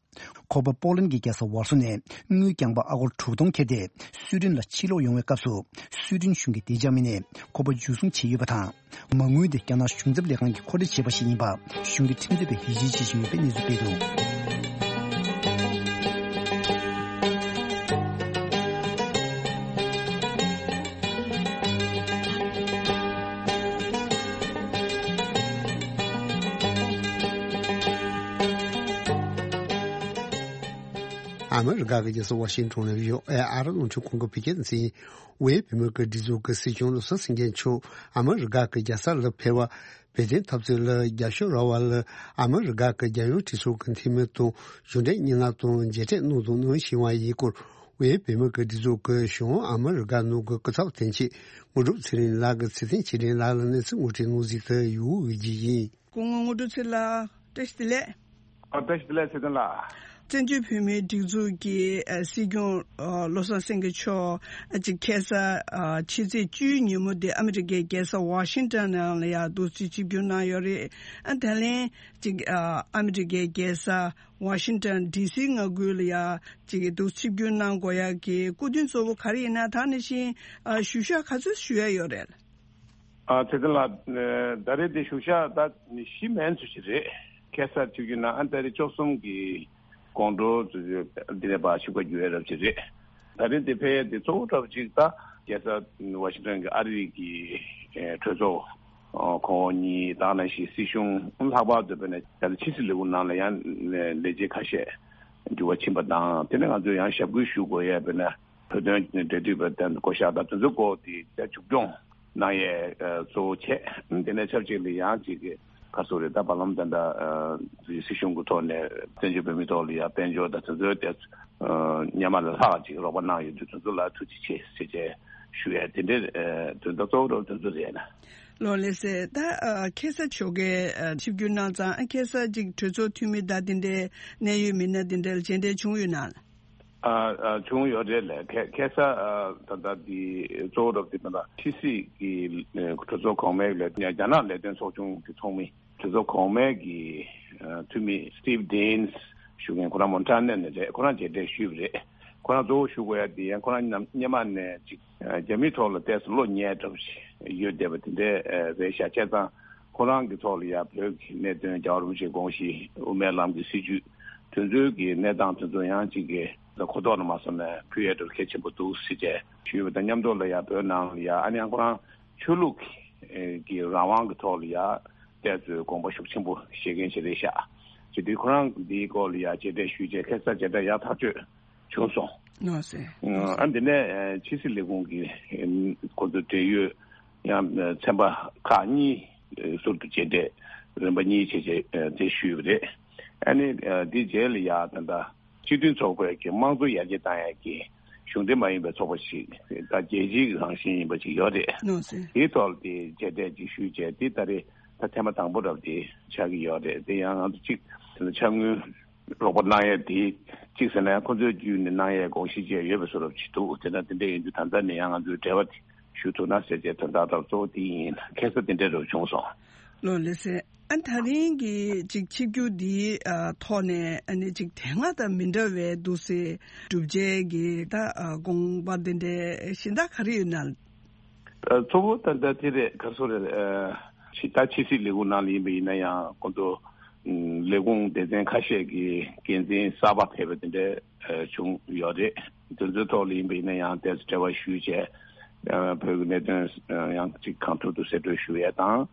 ཁོ་པ་པོ་ལན་གྱི་རྒྱལ་ས་ཝར་སོ་ནས་དངུལ་རྐྱང་པ་ཨ་སྒོར་དྲུག་སྟོང་ཁྱེར་ཏེ་སུའེ་ཏེན་ལ་ཕྱིར་ལོག་ཡོང་བའི་སྐབས་སུ་སུའེ་ཏེན་གཞུང་གི་བདེ་འཇགས་མི་སྣས་ཁོ་པ་འཇུ་བཟུང་བྱས་ཡོད་པ་དང་། མ་དངུལ་དེ་རྒྱ་ནག་གཞུང་ཚབ་ལས་ཁང་གིས་མཁོ་སྤྲོད་བྱས་པ་ཞིག་ཡིན་པ་གཞུང་གི་ཁྲིམས་རྩོད་པས་ཡིད་ཆེས་བྱེད་བཞིན་ཡོད་པའི་གནས་ཚུལ་སྤེལ་འདུག་ཨ་མི་རི་ཀ་གི་རྒྱལ་ས་ཝ་ཤིང་ཊོན་ནས་ཡོད་ཨེ་ཨ་རི་རླུང་འཕྲིན་ཁང་གི་བོད་སྐད་སྡེ་ཚན་ཡིན། ཝེ་བོད་མི་སྒེར་སྒྲིག་འཛུགས་ཀྱི་སྲིད་སྐྱོང་བློ་བཟང་སེང་གེ་མཆོག་ཨ་མི་རི་ཀ་གི་རྒྱལ་ས་ལ་ཕེབས་པ། བོད་དོན་འཐབ་རྩོད་ལ་རྒྱབ་སྐྱོར་རག་པ་ལ་ཨ་མི་རི་ཀ་གི་རྒྱལ་ཡོངས་གྲོས་ཚོགས་ཀྱི་འཐུས་མི་དང་གཞུང་འབྲེལ་སྙན་ངག་དང་མཇལ་འཕྲད་གནང་དང་གནང་བཞིན་པ་ཡིན་སྐོར། ཝེ་བོད་མི་སྒེར་སྒྲིག་འཛུགས་ཀྱི་གཞུང་ཨ་མི་རི་ཀ་ནང་གི་སྐུ་ཚབ་དོན་གཅོད་དངོས་གྲུབ་ཚེ་རིང་ལགས་ཀྱིས་ཚེ་བརྟན་ཆོས་སྒྲོན་ལགས་ལ་གནས་ཚུལ་ངོ་སྤྲོད་གནང་གཟིགས་ཏེ་ཡོད་པའི་རྒྱུ་ཡིན། སྐུ་ངོ་དངོས་གྲུབ་ཚེ་ལགས། བཀྲ་ཤིས་བདེ་ལེགས། ཨ། བཀྲ་ཤིས་བདེ་ལེགས་ཚེ་བརྟན་ལགས། བཙན་བྱོལ་བོད་མིའི་སྒྲིག་འཛུགས་ཀྱི་ཨ་སྲིད་སྐྱོང་ཨ་བློ་བཟང་སེང་གེ་མཆོག་ཨ་ཅིག་ཁ་སང་ཨ་ཕྱི་ཚེས་བཅུའི་ཉིན་མོ་དེ་ཨ་མི་རི་ཀའི་རྒྱལ་ས་ཝ་ཤིང་ཊོན་ནང་ལ་ཡང་འདུག་སེ་ཆིབས་བསྒྱུར་གནང་ཡོད་རེད། ཨ་ད་ལན་ཅིག་ཨ་ཨ་མི་རི་ཀའི་རྒྱལ་ས་ཝ་ཤིང་ཊོན་ཌི་སི་མངའ་ཁུལ་ལ་ཡང་ཅིག་འདུག་ཆིབས་བསྒྱུར་གནང་དགོས་ཡག་གི་སྐུ་དོན་གཙོ་བོ་ག་རེ་ཡིན་ན། ད་ནང་བཞིན་ཨ་ཞུ་ཤག་ག་ཚོད་ཞུ་ཡ་ཡོད་རེད། ཨ་ཚེ་བརྟན་ལགས། ཨ་ད་རེས་དེ་ཞུ་ཤག་ད་བཞི་མན་ཙམ་ཞིག་རེད། ཁ་སང་ཆིབས་བསྒྱུར་གནང་ཨ་ད་རེས་བཅུ་གསུམ་གྱི་དགོང་དྲོ་ཙམ་ཞིག་འདི་ནས་ཕར་ཆིབས་ཁ་བསྒྱུར་ཡ་རབ་ཅིག་རེད། ད་རེས་དེ་ཕེབས་ཡ་དེ་གཙོ་བོ་འདྲ་པོ་ཅིག་ད་རྒྱལ་ས་ཝ་ཤིང་ཊོན་གྱི་ཨ་རི་གི་ཨེ་གྲོས་ཚོགས་ཨ་ཁོངས་གཉིས་དང་ནང་བཞིན་སྲིད་གཞུང་ལྷག་པར་དུ་དཔེར་ན་ད་ལྟ་ཕྱི་སྲིད་ལས་ཁུངས་ནང་ལ་ཡང་ལས་བྱེད་ཁ་ཤས་འགྱུར་བ་ཕྱིན་པ་དང་། དེ་ནས་ང་ཚོས་ཡང་ཞབས་སྐུལ་ཞུ་དགོས་ཡ་དཔེར་ན། བོད་དོན་འབྲེལ་མཐུད་པ་དང་བསྐོ་གཞག་དང་དེ་ཚོའི་སྐོར་དེ་རྒྱ་མཇུག་སྐྱོང་གནང་ཡས་གཙོ་བོ་བྱས། དེ་ནས་ཆབས་ཅིག་ལ་ཡང་ཅིག་གི་ག་ཚོད་རེད་ད་བར་ལམ་དེ་འདྲ་སྲིད་གཞུང་གི་ཐོག་ནས་བཙན་བྱོལ་བོད་མིའི་ཐོག་ལ་ཡང་དཔལ་འབྱོར་དང་དེ་ཚོའི་ཐད་སྔོན་མ་ལས་ལྷག་ཅིག་རོགས་པ་གནང་ཡོད་དུས་དེ་ཚོ་ལ་ཐུགས་རྗེ་ཆེ་ཟེར་བྱས་ཞུ་ཡས་དེ་འདྲའི་དོན་དག་གཙོ་བོ་རོགས་དེ་ཚོ་རེད་ན། ལགས་ལགས་སེ། ད་ཁ་སང་ཆོ་གས་ཆིབས་བསྒྱུར་གནང་ཙང་ཁ་སང་ཅིག་གྲོས་ཚོགས་འཐུས་མི་དང་དེ་འདྲའི་གནད་ཡོད་མི་སྣ་དེ་འདྲ་ལ་མཇལ་འཕྲད་བྱུང་ཡོད་ན། ཨ་ཨ་བྱུང་ཡོད་རེད་ལགས། ཁ་ཁ་སང་ཨ་ད་ལྟ་འདི་གཙོ་བོ་རབ་འདི་ད་ལྟ་ཕྱི་སྲིད་ཀྱི་ཨ་གྲོས་ཚོགས་གོང་མའི་ལས་རྒྱ་ནག་ལས་དོན་ཚོགས་ཆུང་གི་ཚོགས་མི་གྲོས་ཚོགས་གོང་མའི་གི་ཨ་འཐུས་མི་Steve Daines་ཞུ་མཁན་ཁོ་རང་མོན་ཊ་ནའི་ནས་རེད། ཁོ་རང་མཇལ་འཕྲད་ཞུས་པ་རེད། ཁོ་རང་གཙོ་བོ་ཞུ་དགོས་ཡ་འདི་ཡང་ཁོ་རང་ནམ་སྔོན་མ་ནས་ཅིག་ཨ་རྒྱ་མིའི་ཐོག་ལ་ཏོག་ཙམ་བློ་ཉེ་དྲགས་ཡོད་བསྡད་པ་དེ་འདྲ་ཨ་རེད་ཤག་བྱས་ཙང་ཁོ་རང་གི་ཐོག་ལ་ཡ་བོད་ཀྱི་གནད་དོན་རྒྱལ་བ་རིན་པོ་ཆེའི་དགོངས་གཞི་དབུ་མའི་ལམ་གྱི་སྲིད་བྱུས་དེ་ཚོའི་གི་གནས་སྟངས་དེ་ཚོ་ཡང་ཅིག་གི་གོ་རྟོགས་ལ་མ་སོང་ནས་ཕུལ་ཡས་འདྲ་གལ་ཆེན་པོ་འདུག་ཟེར་བྱས་ཞུས་པ་དང་མཉམ་དུ་ལ་ཡ་བོད་ནང་ལ་ཡ་ཨ་ནི་ཡང་ཁོ་རང་ཆོས་ལུགས་ཀྱི་རང་དབང་གི་ཐོག་ལ་ཡ་ཏོག་ཙམ་དགོངས་པ་ཤུགས་ཆེན་པོ་བཞེས་མཁན་ཞིག་རེད་ཤག་བྱས་དུས་ཁོ་རང་འདིའི་སྐོར་ལ་ཡ་མཇལ་འཕྲད་ཞུས་བྱས་ཁ་སང་མཇལ་འཕྲད་ཡག་ཐག་ཆོད་བྱུང་སོང་། ལགས་སེ། ཨ་འདི་ནས་ཕྱི་སྲིད་ལས་ཁུངས་ཀྱི་ཁོ་ཚོ་འབྲེལ་ཡོད་ཡང་ཚན་པ་ཁག་གཉིས་ཟུར་དུ་མཇལ་འཕྲད་རིམ་པ་གཉིས་བྱས་བྱས་དེ་ཞུས་པ་རེད། ཨ་ནི་འདི་རྗེས་ལ་ཡ་ད་ལྟ་སྤྱི་མཐུན་ཚོགས་པའི་གི་དམངས་གཙོ་ཡར་རྒྱས་བཏང་ཡག་གི་གཞུང་འབྲེལ་མ་ཡིན་པའི་ཚོགས་པ་ཞིག་ད་རྒྱལ་སྤྱིའི་རང་བཞིན་ཡིན་པ་ཞིག་ཡོད་རེད། ལགས་སེ། དེའི་ཐོག་ལ་དེ་མཇལ་འཕྲད་ཅིག་ཞུས་བྱས་དེ་ད་རེས་ད་ཐེངས་མ་དང་པོ་རབ་དེ་ཆགས་ཀྱི་ཡོད་རེད། དེ་ཡང་ང་ཚོ་གཅིག་ཕྱག་དངུལ་རོགས་པ་གནང་ཡས་དེ་གཅིག་ཟེར་ན་ཡང་ཁོ་ཚོའི་བརྒྱུད་ནས་གནང་ཡས་དགོངས་གཞི་བཅས་ཡོད་པའི་བཟོ་འདྲ་ཅིག་འདུག་དེ་ན་དེ་འདྲ་ཡིན་དུས་ད་ལྟ་ནས་ཡང་ང་ཚོའི་འབྲེལ་བ་དེ་ཞུ་ཐུབ་ན་ཟེར་བྱས་དོན་དག་ད་གཙོ་བོ་དེ་ཡིན། ཁ་སང་དེ་འདྲ་རུ་བྱུང་སོང་། ལགས་ལགས་སེ། ཨ་ད་རིང་གི་ཅིག་ཆིབས་བསྒྱུར་འདིའི་ཨ་ཐོག་ནས་ཨ་ནི་ཅིག་དེ་སྔ་དང་མི་འདྲ་བའི་འདུག་སེ་གྲུབ་ཆའི་གི་ད་ཨ་དགོངས་པ་འདི་འདྲའི་གཞན་དག་ག་རེ་ཡོད་ན། ཨ་གཙོ་བོ་ད་ལྟ་དེ་རེད། ག་སོ་རེད། ཨ་ཕྱི་ད་ཕྱི་སྲིད་ལས་ཁུངས་ནང་ལ་ཡིན་པ་ཡིན་ན་ཡང་ཁོང་ཚོ་ཨ་ལས་ཁུངས་སྡེ་ཚན་ཁ་ཤས་ཀྱི་འགན་འཛིན་གསར་པ་ཕེབས་པ་དེ་འདྲ་ཨ་བྱུང་ཡོད་རེད། དེ་ཚོའི་ཐོག་ལ་ཡིན་པ་ཡིན་ན་ཡང་ཏོག་ཙམ་འབྲེལ་བ་ཞུས་བྱས་ཨ་བོད་ཀྱི་གནད་དོན་ཨ་ཡང་ཅིག་གང་ཐུབ་ཏུ་གསལ་སྟོན་ཞུ་ཡས་དང་།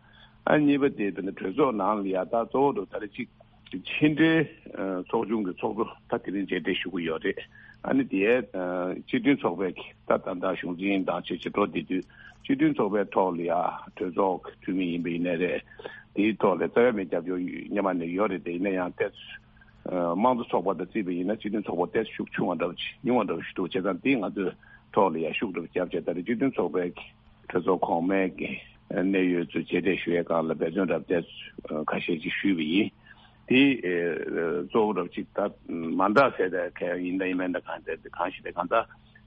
ཨ་གཉིས་པ་དེ་དེ་ནི་གྲོས་ཚོགས་ནང་ལ་ཡ་ད་གཙོ་བོ་དུ་ད་རེས་ཅིག་ཕྱི་འབྲེལ་ཨ་ཚོགས་ཆུང་གི་ཚོགས་གཙོ་ད་དེ་རིང་མཇལ་འཕྲད་ཞུ་གི་ཡོད་རེད། ཨ་ནི་དེའི་ཨ་སྤྱི་མཐུན་ཚོགས་པའི་ད་ད་ལྟ་གཞུང་འཛིན་དང་ཆེས་ཆེ་འགྲོ་བསྡད་དུས་སྤྱི་མཐུན་ཚོགས་པའི་ཐོག་ལ་ཡ་གྲོས་ཚོགས་འཐུས་མི་ཡིན་པ་ཡིན་ནའི་རེད། དེའི་ཐོག་ལ་རྩ་བའི་མི་རྒྱབ་སྐྱོར་སྔོན་མ་ནས་ཡོད་རེད། དེ་ཡིན་ན་ཡང་ཏོག་ཙམ་དམངས་གཙོ་ཚོགས་པ་དང་བརྩིས་པ་ཡིན་ན་སྤྱི་མཐུན་ཚོགས་པ་ཏོག་ཙམ་ཤུགས་ཆུང་བ་འདྲ་བོ་ཞིག་ཉུང་བ་འདྲ་བོ་ཞིག་འདུག་བྱས་ཙང་དེ་ང་ཚོས་ཐོག་ལ་ཡ་ཤུགས་འདྲ་བོ་བརྒྱབ་བྱས་ད་རེས་སྤྱི་མཐུན་ཚོགས་པའི་གྲོས་ཚོགས་གོང་མའི་གི་གནད་ཡོད་ཚོས་མཇལ་འཕྲད་ཞུ་ཡའི་སྒང་ལ་འབད་བརྩོན་རབ་བསྟན་ཁ་ཤས་ཅིག་ཞུས་པ་ཡིན། དེ་གཙོ་བོ་རབ་ཅིག་ད་མ་འདྲ་ཟེར་ད་ག་ཡིན་ད་ཡིན་མིན་ད་གང་ཟེར་གང་ཞིག་ད་གང་ད་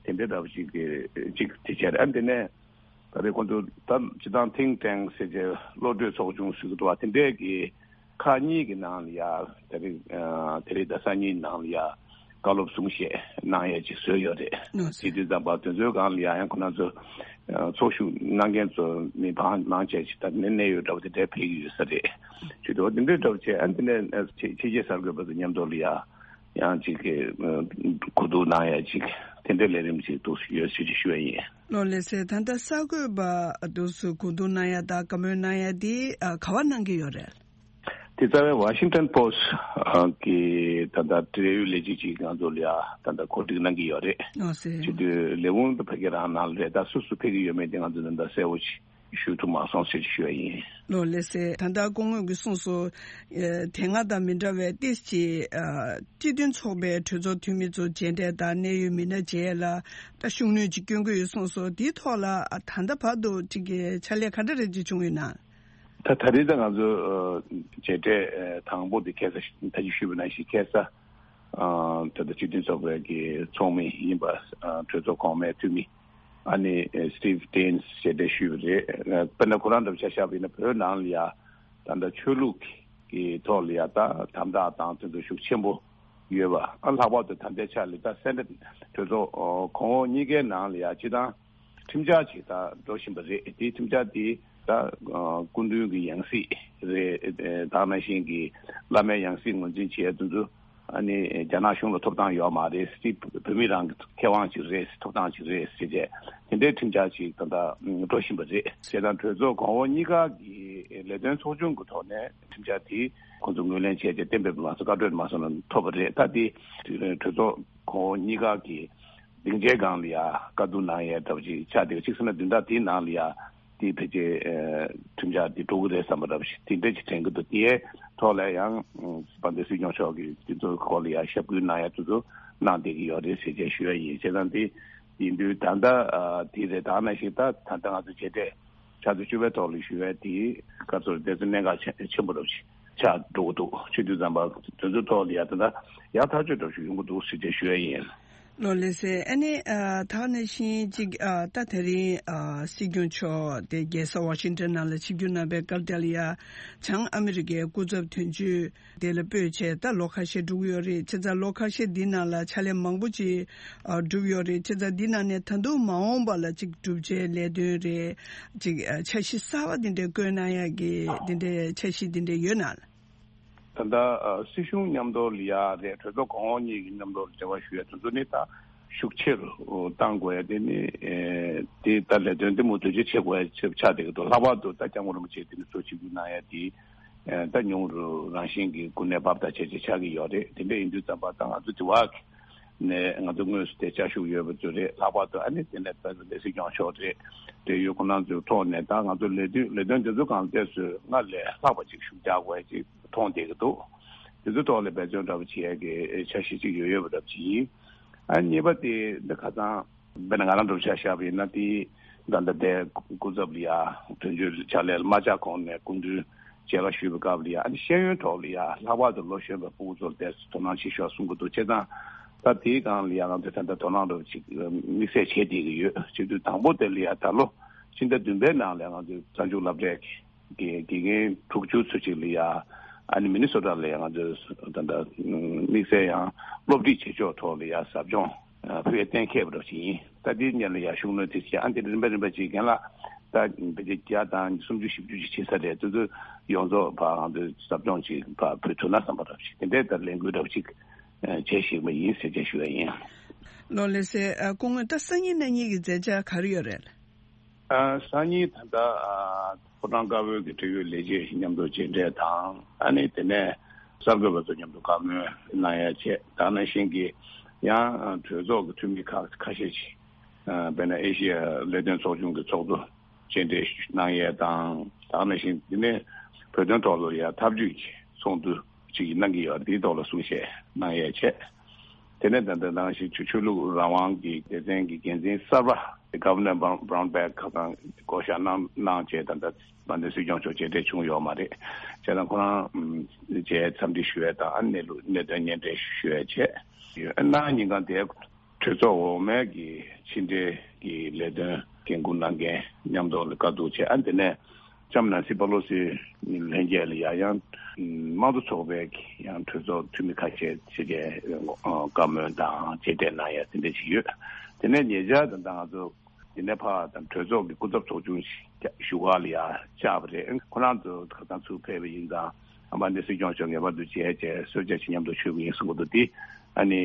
དེ་འདྲའི་རབ་ཅིག་ཅིག་དེ་བྱས་ཨ་དེ་ནས་ད་རེས་ཁོང་ཚོ་ད་སྤྱི་བཏང་think tank ཟེར་བྱས་བློ་གྲོས་ཚོགས་ཆུང་ཟེར་གི་འདུག་བ། དེ་འདྲའི་གི་ཁག་གཉིས་ཀྱི་ནང་ལ་ཡ་དེ་རིང་དེ་རིང་ད་སང་ཉིན་ནང་ལ་ཡ་བཀའ་སློབ་གསུང་བཤད་གནང་ཡས་ཅིག་བཟོས་ཡོད་རེད། ཨོ་ཙི། དེ་དུས་ཙམ་པ་དེ་ཚོའི་སྒང་ལ་ཡ་ཡང་ཁོ་ན་ཚོ་ཚོགས་ཞུགས་གནང་མཁན་ཚོ་མི་བང་མང་ཆེ་ཅིག་ད་ནས་གནད་ཡོད་འདྲ་བོ་དེ་འདྲའི་ཕེབས་ཀྱི་ཡོད་ས་རེད། ཅིག་དེ་འདྲའི་འདྲ་བོ་བྱས་ཨ་དེ་ནས་ཕྱི་རྒྱལ་གསར་འགོད་པ་ཚོ་མཉམ་དུ་ལ་ཡ་ཡང་ཅིག་གི་གོ་བསྡུར་གནང་ཡས་ཅིག་དེ་འདྲའི་ལས་རིམ་ཅིག་འདུག་ཡོད་ཞེས་ཅིག་ཞུ་ཡས་ཡིན། ལགས་ལགས་སེ། ད་ལྟ་གསར་འགོད་པ་འདུག་སེ་གོ་བསྡུར་གནང་ཡ་དང་བཀའ་མོལ་གནང་ཡ་དེ་ཨ་ག་པར་གནང་གི་ཡོད་རེད། དེ་རྩ་བའི་Washington Post་གི་ད་ལྟ་འབྲེལ་ཡོད་ལས་བྱེད་ཅིག་ང་ཚོ་ལ་ཡ་ད་ལྟ་གོ་སྒྲིག་གནང་གི་ཡོད་རེད། ཨོ་ཙི། བྱེད་དུས་ལས་ཁུངས་དུ་ཕ་གི་རང་ནང་ལ་རེད། ད་སུ་སུ་ཕེབས་ཀྱི་ཡོད་མེད་དེ་ང་ཚོ་ད་ལྟ་གསལ་བོ་ཞིག་ཞུ་ཐུབ་མ་སོང་ཟེར་ཞུ་ཡ་ཡིན། ལགས་ལགས་སེ། ད་ལྟ་སྐུ་ངོ་གིས་གསུངས་སོང་། ཨ་དེ་སྔ་དང་མི་འདྲ་བའི་ཏོག་ཙམ་ཅིག་ཨ་སྤྱི་མཐུན་ཚོགས་པའི་གྲོས་ཚོགས་འཐུས་མི་ཚོ་མཇལ་འཕྲད་དང་གནད་ཡོད་མི་སྣ་མཇལ་ཡས་ལ་ད་ཤུགས་སྣོན་ཅིག་སྐྱོན་གྱི་ཡོད་གསུངས་སོང་། དེའི་ཐོག་ལ་ཨ་ད་ལྟ་བར་དུ་ཅིག་གི་ཕྱག་ལས་ག་འདྲ་རེ་ཅིག་བྱུང་ཡོད་ན། ད་ད་རེས་ད་ང་ཚོ་ཨ་མཇལ་འཕྲད་ཨ་དང་པོ་དེ་ཁ་སང་ད་ཅི་ཞུས་པ་ནང་བཞིན་ཁ་སང་ཨ་ད་ལྟ་སྤྱི་མཐུན་ཚོགས་པའི་གི་ཚོགས་མི་ཡིན་པ་ཨ་གྲོས་ཚོགས་གོང་མའི་འཐུས་མི་ཨ་ནི་ཨ་Steve Daines་ཞེས་དེ་ཞུས་པ་རེད། ཨ་དཔེར་ན་ཁོ་རང་འདྲ་བོ་ཆ་བཞག་པ་ཡིན་ན་བོད་ནང་ལ་ཡ་ད་ལྟ་ཆོས་ལུགས་ཀྱི་ཐོག་ལ་ཡ་ད་དམ་དྲག་དང་དེ་ཚོ་ཤུགས་ཆེན་པོ་ཡོད་པ། ཨ་ལྷག་པར་དུ་ད་ལྟའི་ཆ་ལ་ད་སེ་ནེ་ཊི་གྲོས་ཚོགས་ཨ་གོང་འོག་གཉིས་ཀའི་ནང་ལ་ཡ་སྤྱི་བཏང་ཁྲིམས་འཆར་ཅིག་ད་འགྲོ་བཞིན་པ་རེད། དེའི་ཁྲིམས་འཆར་དེ་ད་ཨ་སྐུ་མདུན་གྱི་ཡང་སྲིད་རེད། ཨ་ད་ག་ནང་བཞིན་གྱི་བླ་མའི་ཡང་སྲིད་ངོས་འཛིན་བྱེད་ཡ་དེ་ཚོ་ཨ་ནི་རྒྱ་ནག་གཞུང་ལ་ཐོབ་ཐང་ཡོད་མ་རེད། སྲིད་བོད་མི་རང་གི་ཁེ་དབང་ཅིག་རེད། ཐོབ་ཐང་ཅིག་རེད་ཟེར་བྱས་དེ་འདྲའི་ཁྲིམས་འཆར་ཅིག་ད་ལྟ་འགྲོ་བཞིན་པ་རེད། བྱས་ཙང་གྲོས་ཚོགས་གོང་འོག་གཉིས་ཀ་གི་ལས་དོན་ཚོགས་ཆུང་གི་ཐོག་ནས་ཁྲིམས་འཆར་དེ་ཁོང་ཚོ་ངོས་ལེན་བྱས་ཏེ་གཏན་འབེབས་མ་སོང་། བཀའ་འཁྲོལ་མ་སོང་ན་ཐོབ་པ་རེད། ད་དེ་གྲོས་ཚོགས་གོང་འོག་གཉིས་ཀ་གི་སྡིངས་ཆའི་སྒང་ལ་ཡ་བཀའ་བསྡུར་གནང་ཡས་འདྲ་བོ་ཅིག་ཆགས་བསྡད་ཅིག་སེ་ནེ་ཊི་བདུན་ཕྲག་དེའི་ནང་ལ་ཡ་དེ་ཕལ་ཆེར་ཨ་ཁྲིམས་འཆར་དེ་འགྲོ་གི་རེད་བསམ་པ་འདྲ་བོ་ཞིག་དེ་འདྲ་ཅིག་དྲན་གྱི་འདུག་དེའི་ཐོག་ལ་ཡང་དཔལ་ལྡན་སྲིད་སྐྱོང་མཆོག་གིས་དེ་ཚོའི་སྐོར་ལ་ཡ་ཞབས་སྐུལ་གནང་ཡ་དེ་ཚོ་གནང་བསྡད་ཀྱི་ཡོད་རེད་ཟེར་བྱས་ཞུ་ཡ་ཡིན། བྱས་ཙང་དེ་ཡིན་དུས་ད་ལྟ་ཨ་དེ་རེད། ད་ག་ནང་བཞིན་ད་ད་ལྟ་ང་ཚོ་མཇལ་འཕྲད་ཕྱག་ཚོད་བཅུ་པའི་ཐོག་ལ་ཞུ་བའི་དེ་སྐབས་སུ་དེ་ཚོ་གནད་འགག་ཆེ་ཆེན་པོ་འདྲ་བོ་ཞིག་ཆགས་འགྲོ་གི་འདུག་ཆུ་དུས་ཙམ་པ་དེ་ཚོའི་ཐོག་ལ་ཡ་ད་ལྟ་ཡག་ཐག་ཆོད་འདྲ་བོ་ཞིག་ཡོང་གི་འདུག་ཟེར་བྱས་ཞུ་ཡ་ཡིན། ལགས་ལགས་སེ། ཨ་ནི་ཨ་ད་ག་ནང་བཞིན་ཅིག་ཨ་ད་དེ་རིང་ཨ་སྲིད་སྐྱོང་མཆོག་དེ་རྒྱལ་ས་ཝ་ཤིང་ཊོན་ནང་ལ་ཆིབས་བསྒྱུར་གནང་བའི་སྐབས་དེ་ལ་ཡ་བྱང་ཨ་མི་རི་ཀའི་སྐུ་ཚབ་དོན་གཅོད་དེ་ལ་སྤོས་བྱས་ད་ལོ་ཁ་ཤས་འགྲོ་གི་ཡོད་རེད། བྱས་ཙང་ལོ་ཁ་ཤས་འདི་ནང་ལ་ཕྱག་ལས་མང་པོ་ཅིག་ཨ་བསྒྲུབས་ཡོད་རེད། བྱས་ཙང་འདི་ནང་ནས་ད་དུང་མ་འོངས་པ་ལ་ཅིག་བསྒྲུབ་བྱའི་ལས་དོན་རེད། ཅིག་ཨ་འཆར་གཞི་གསར་པ་འདི་འདྲའི་བཀོད་གནང་ཡག་གི་འདི་འདྲའི་འཆར་གཞི་འདི་འདྲའི་ཡོད་ན། ད་ལྟ་ཨ་སྲིད་གཞུང་མཉམ་དུ་ལ་ཡ་རེད། གྲོས་ཚོགས་གོང་འོག་གཉིས་ཀྱི་མཉམ་དུ་འབྲེལ་བ་ཞུ་ཡ་དེ་ཚོ་ནི་ད་ཤུགས་ཆེ་རུ་གཏང་དགོས་ཡ་དེ་ནི་ཨེ་དེ་ད་ལས་དོན་འདི་མུ་མཐུད་ཅིག་བྱེད་དགོས་ཡ་ཆེ་ཆགས་བསྡད་ཀྱི་འདུག་ལྷག་པར་དུ་ད་སྐྱབས་མགོན་རིན་པོ་ཆེ་དེ་ནི་གཙོ་ཆེ་རྒྱུ་གནང་ཡ་དེ་ཨེ་ད་ཉུང་རུ་རང་བཞིན་གྱི་གོ་གནས་བབ་དང་བཅས་ཅིག་ཆགས་ཀྱི་ཡོད་རེད། དེ་འདྲ་ཡིན་དུས་ཙམ་པ་ད་ང་ཚོ་དེ་བ་གི་ནས་ང་ཚོ་དངོས་སུ་དེ་བཅའ་བཞུགས་ཡོད་པ་ཚོ་རེད། ལྷག་པར་དུ་ཨ་ནི་དེ་ནས་ད་ལྟ་སྲིད་སྐྱོང་མཆོག་རེད། དེ་ཡོད་ཁོ་ན་ཚོའི་ཐོག་ནས་ད་ང་ཚོ་ལས་དོན་ལས་དོན་དེ་ཚོ་གང་ལྟས་སུ་སྔར་ལས་ལྷག་པ་ཅིག་ཤུགས་རྒྱག་དགོས་ཅིག་མཐོང་བསྡད་ཀྱི་འདུག་དེ་ཚོའི་ཐོག་ལ་འབད་བརྩོན་འདྲ་པོ་བྱེད་ཡ་གི་འཆར་གཞི་ཅིག་ཡོད་ཡོད་པ་འདྲ་པོ་ཅིག་ཡིན། ཨ་གཉིས་པ་དེ་འདི་ཁ་སང་དཔེར་ན་ང་རང་འདྲ་པོ་ཆ་བཞག་པ་ཡིན་ན་དེ་ད་ལྟ་དེ་སྐུ་ཚབ་ལ་ཡ་དོན་གཅོད་ཕྱག་ལས་ལ་མ་བཅར་གོང་ནས་སྐུ་མདུན་མཇལ་ཁ་ཞུས་པའི་སྐབས་ལ་ཡ་ཨ་ནི་ཤེས་ཡོན་ཐོག་ལ་ཡ་ལྷག་པར་དུ་ལོ་གཞོན་པའི་ཕྲུ་གུ་ཚོར་དེ་དོ་སྣང་ཆེ་ཤོས་གསུང་གི་འདུག་བྱས་ཙང་ད་དེའི་སྒང་ལ་ཡ་ང་ཚོས་ད་ལྟ་དོ་སྣང་འདྲ་པོ་ཅིག་དམིགས་བསལ་བྱེད་བསྡད་ཀྱི་ཡོད། བྱེད་དུས་དང་པོ་དེ་ལ་ཡ་ད་ལོ་ཕྱི་ཟླ་བདུན་པའི་ནང་ལ་ང་ཚོས་རྩ་འཛུགས་སློབ་གྲྭའི་ གི་དགེ་རྒན་དྲུག་ཅུ་ཚོད་ཅིག་ལ་ཡ། ཨ་ནི་མི་ནི་སོ་ཊ་ལ་ཡ་ང་ཚོས་ད་ལྟ་དམིགས་བསལ་ཡང་སློབ་ཁྲིད་བྱེད་ཕྱོགས་ཐོག་ལ་ཡ་ཟབ་སྦྱོང་ཕུལ་ཡ་གཏན་འཁེལ་བ་འདྲ་ཞིག་ཡིན། ད་དེའི་སྔོན་ལ་ཡ་ཤུགས་སྣོན་དེ་བྱས། ཨ་འདི་རིམ་པ་རིམ་པ་ཅིག་རྒན་ལགས་ད་བེད་སྤྱོད་བརྒྱ་དང་སུམ་ཅུ་བཞི་བཅུ་ཅིག་བྱེད་ས་རེད། དེ་ཚོ་ཡོངས་རྫོགས་ཕར་ང་ཚོས་ཟབ་སྦྱོང་ཅིག་ཕར་ཕུལ་ཐུབ་ན་བསམ་པ་འདྲ་ཞིག་དེ་འདྲའི་ད་ལས་འགུལ་འདྲ་ཞིག་བྱེད་བཞིན་པ་ཡིན་ཟེར་བྱས་ཞུ་ཡ་ཡིན། ལགས་ལགས་སེ། སྐུ་ངོ་ད་སང་ཉིན་གནངས་ཉིན་གྱི་མཛད་འཆར་ག་རེ་ཡོད་རེད། ཨ། སང་ཉིན་ད་ལྟ་ཨ། ཕོ་བྲང་དཀར་པོའི་གི་འབྲེལ་ཡོད་ལས་བྱེད་མཉམ་དུ་མཇལ་འཕྲད་དང་། ཨ་ནི་དེ་ནས་གསར་འགོད་པ་ཚོ་མཉམ་དུ་བཀའ་མོལ་གནང་ཡ་བྱས། ད་ག་ནང་བཞིན་གྱི་ཡང་གྲོས་ཚོགས་ཀྱི་འཐུས་མི་ཁག་ཁ་ཤས་ཤིག་ཨ། དཔེར་ན་ཨེ་ཤི་ཡ་ལས་དོན་ཚོགས་ཆུང་གི་ཚོགས་གཙོ་མཇལ་འཕྲད་གནང་ཡས་དང་། ད་ག་ནང་བཞིན་དེ་ནས་བོད་དོན་ཐོག་ལ་ཡ་ཐབས་ཇུས་ཀྱི་ཚོགས་འདུ་ཅིག་གནང་གི་ཡོད། དེའི་ཐོག་ལ་གསུང་བཤད་གནང་ཡས་བྱས། དེ་ནས་ད་ལྟ་ནང་བཞིན་ཆོས་ཆོས་ལུགས་རང་དབང་གི་སྡེ་ཚན་གྱི་འགན་འཛིན་གསར་པ་Governor Brown- Brownback ཁ་སང་བསྐོ་བཞག་གནང་གནང་བྱས། ད་ལྟ་དམར་མདེལ་སྲིད་སྐྱོང་མཆོག་མཇལ་འཕྲད་བྱུང་ཡོད་མ་རེད། བྱས་ཙང་ཁོ་རང་ཨམ་བྱས་འཚམས་འདྲི་ཞུ་ཡས་དང་། ཨ་གནས་ལུགས་གནད་དོན་སྙན་སྒྲོན་ཞུ་ཡས་བྱས་ཡོད། གནངས་ཉིན་གང་དེ་གྲོས་ཚོགས་འོག་མའི་གི་ཕྱི་འབྲེལ་གྱི་ལས་དོན་འགན་འཁུར་གནང་མཁན་མཉམ་དུ་ལ་བཀའ་བསྡུར་བྱས། ཨ་དེ་ནས་ལྕམ་ནན་སི་པ་ལོ་སི་ལྷན་རྒྱས་ལ་ཡ་ཡང་དམངས་གཙོ་ཚོགས་པའི་ཡང་གྲོས་ཚོགས་འཐུས་མི་ཁ་ཤས་ཕྱི་རྒྱལ་བཀའ་མོལ་དང་མཇལ་འཕྲད་གནང་ཡ་དེ་འདྲ་ཞིག་ཡོད། དེ་ནས་ཉེ་ཆར་ད་ལྟ་ང་ཚོ་དེ་ནས་ཕར་ད་གྲོས་ཚོགས་ཀྱི་སྐུ་ཚབ་ཚོགས་ཆུང་ཞིག་བཞུགས་སྒར་ལ་ཡ་བཅར་བ་རེད། ཁོ་རང་ཚོ་ཁ་སང་ཚུར་ཕེབས་པ་ཡིན་ཙང་། ཨ་མ་ནི་སྲིད་སྐྱོང་མཆོག་ངེས་པར་དུ་མཇལ་བྱས་གསོལ་ཇ་ཞིག་མཉམ་དུ་མཆོད་ཀྱི་ཡིན་གསུང་གི་འདུག་དེ་ཨ་ནི་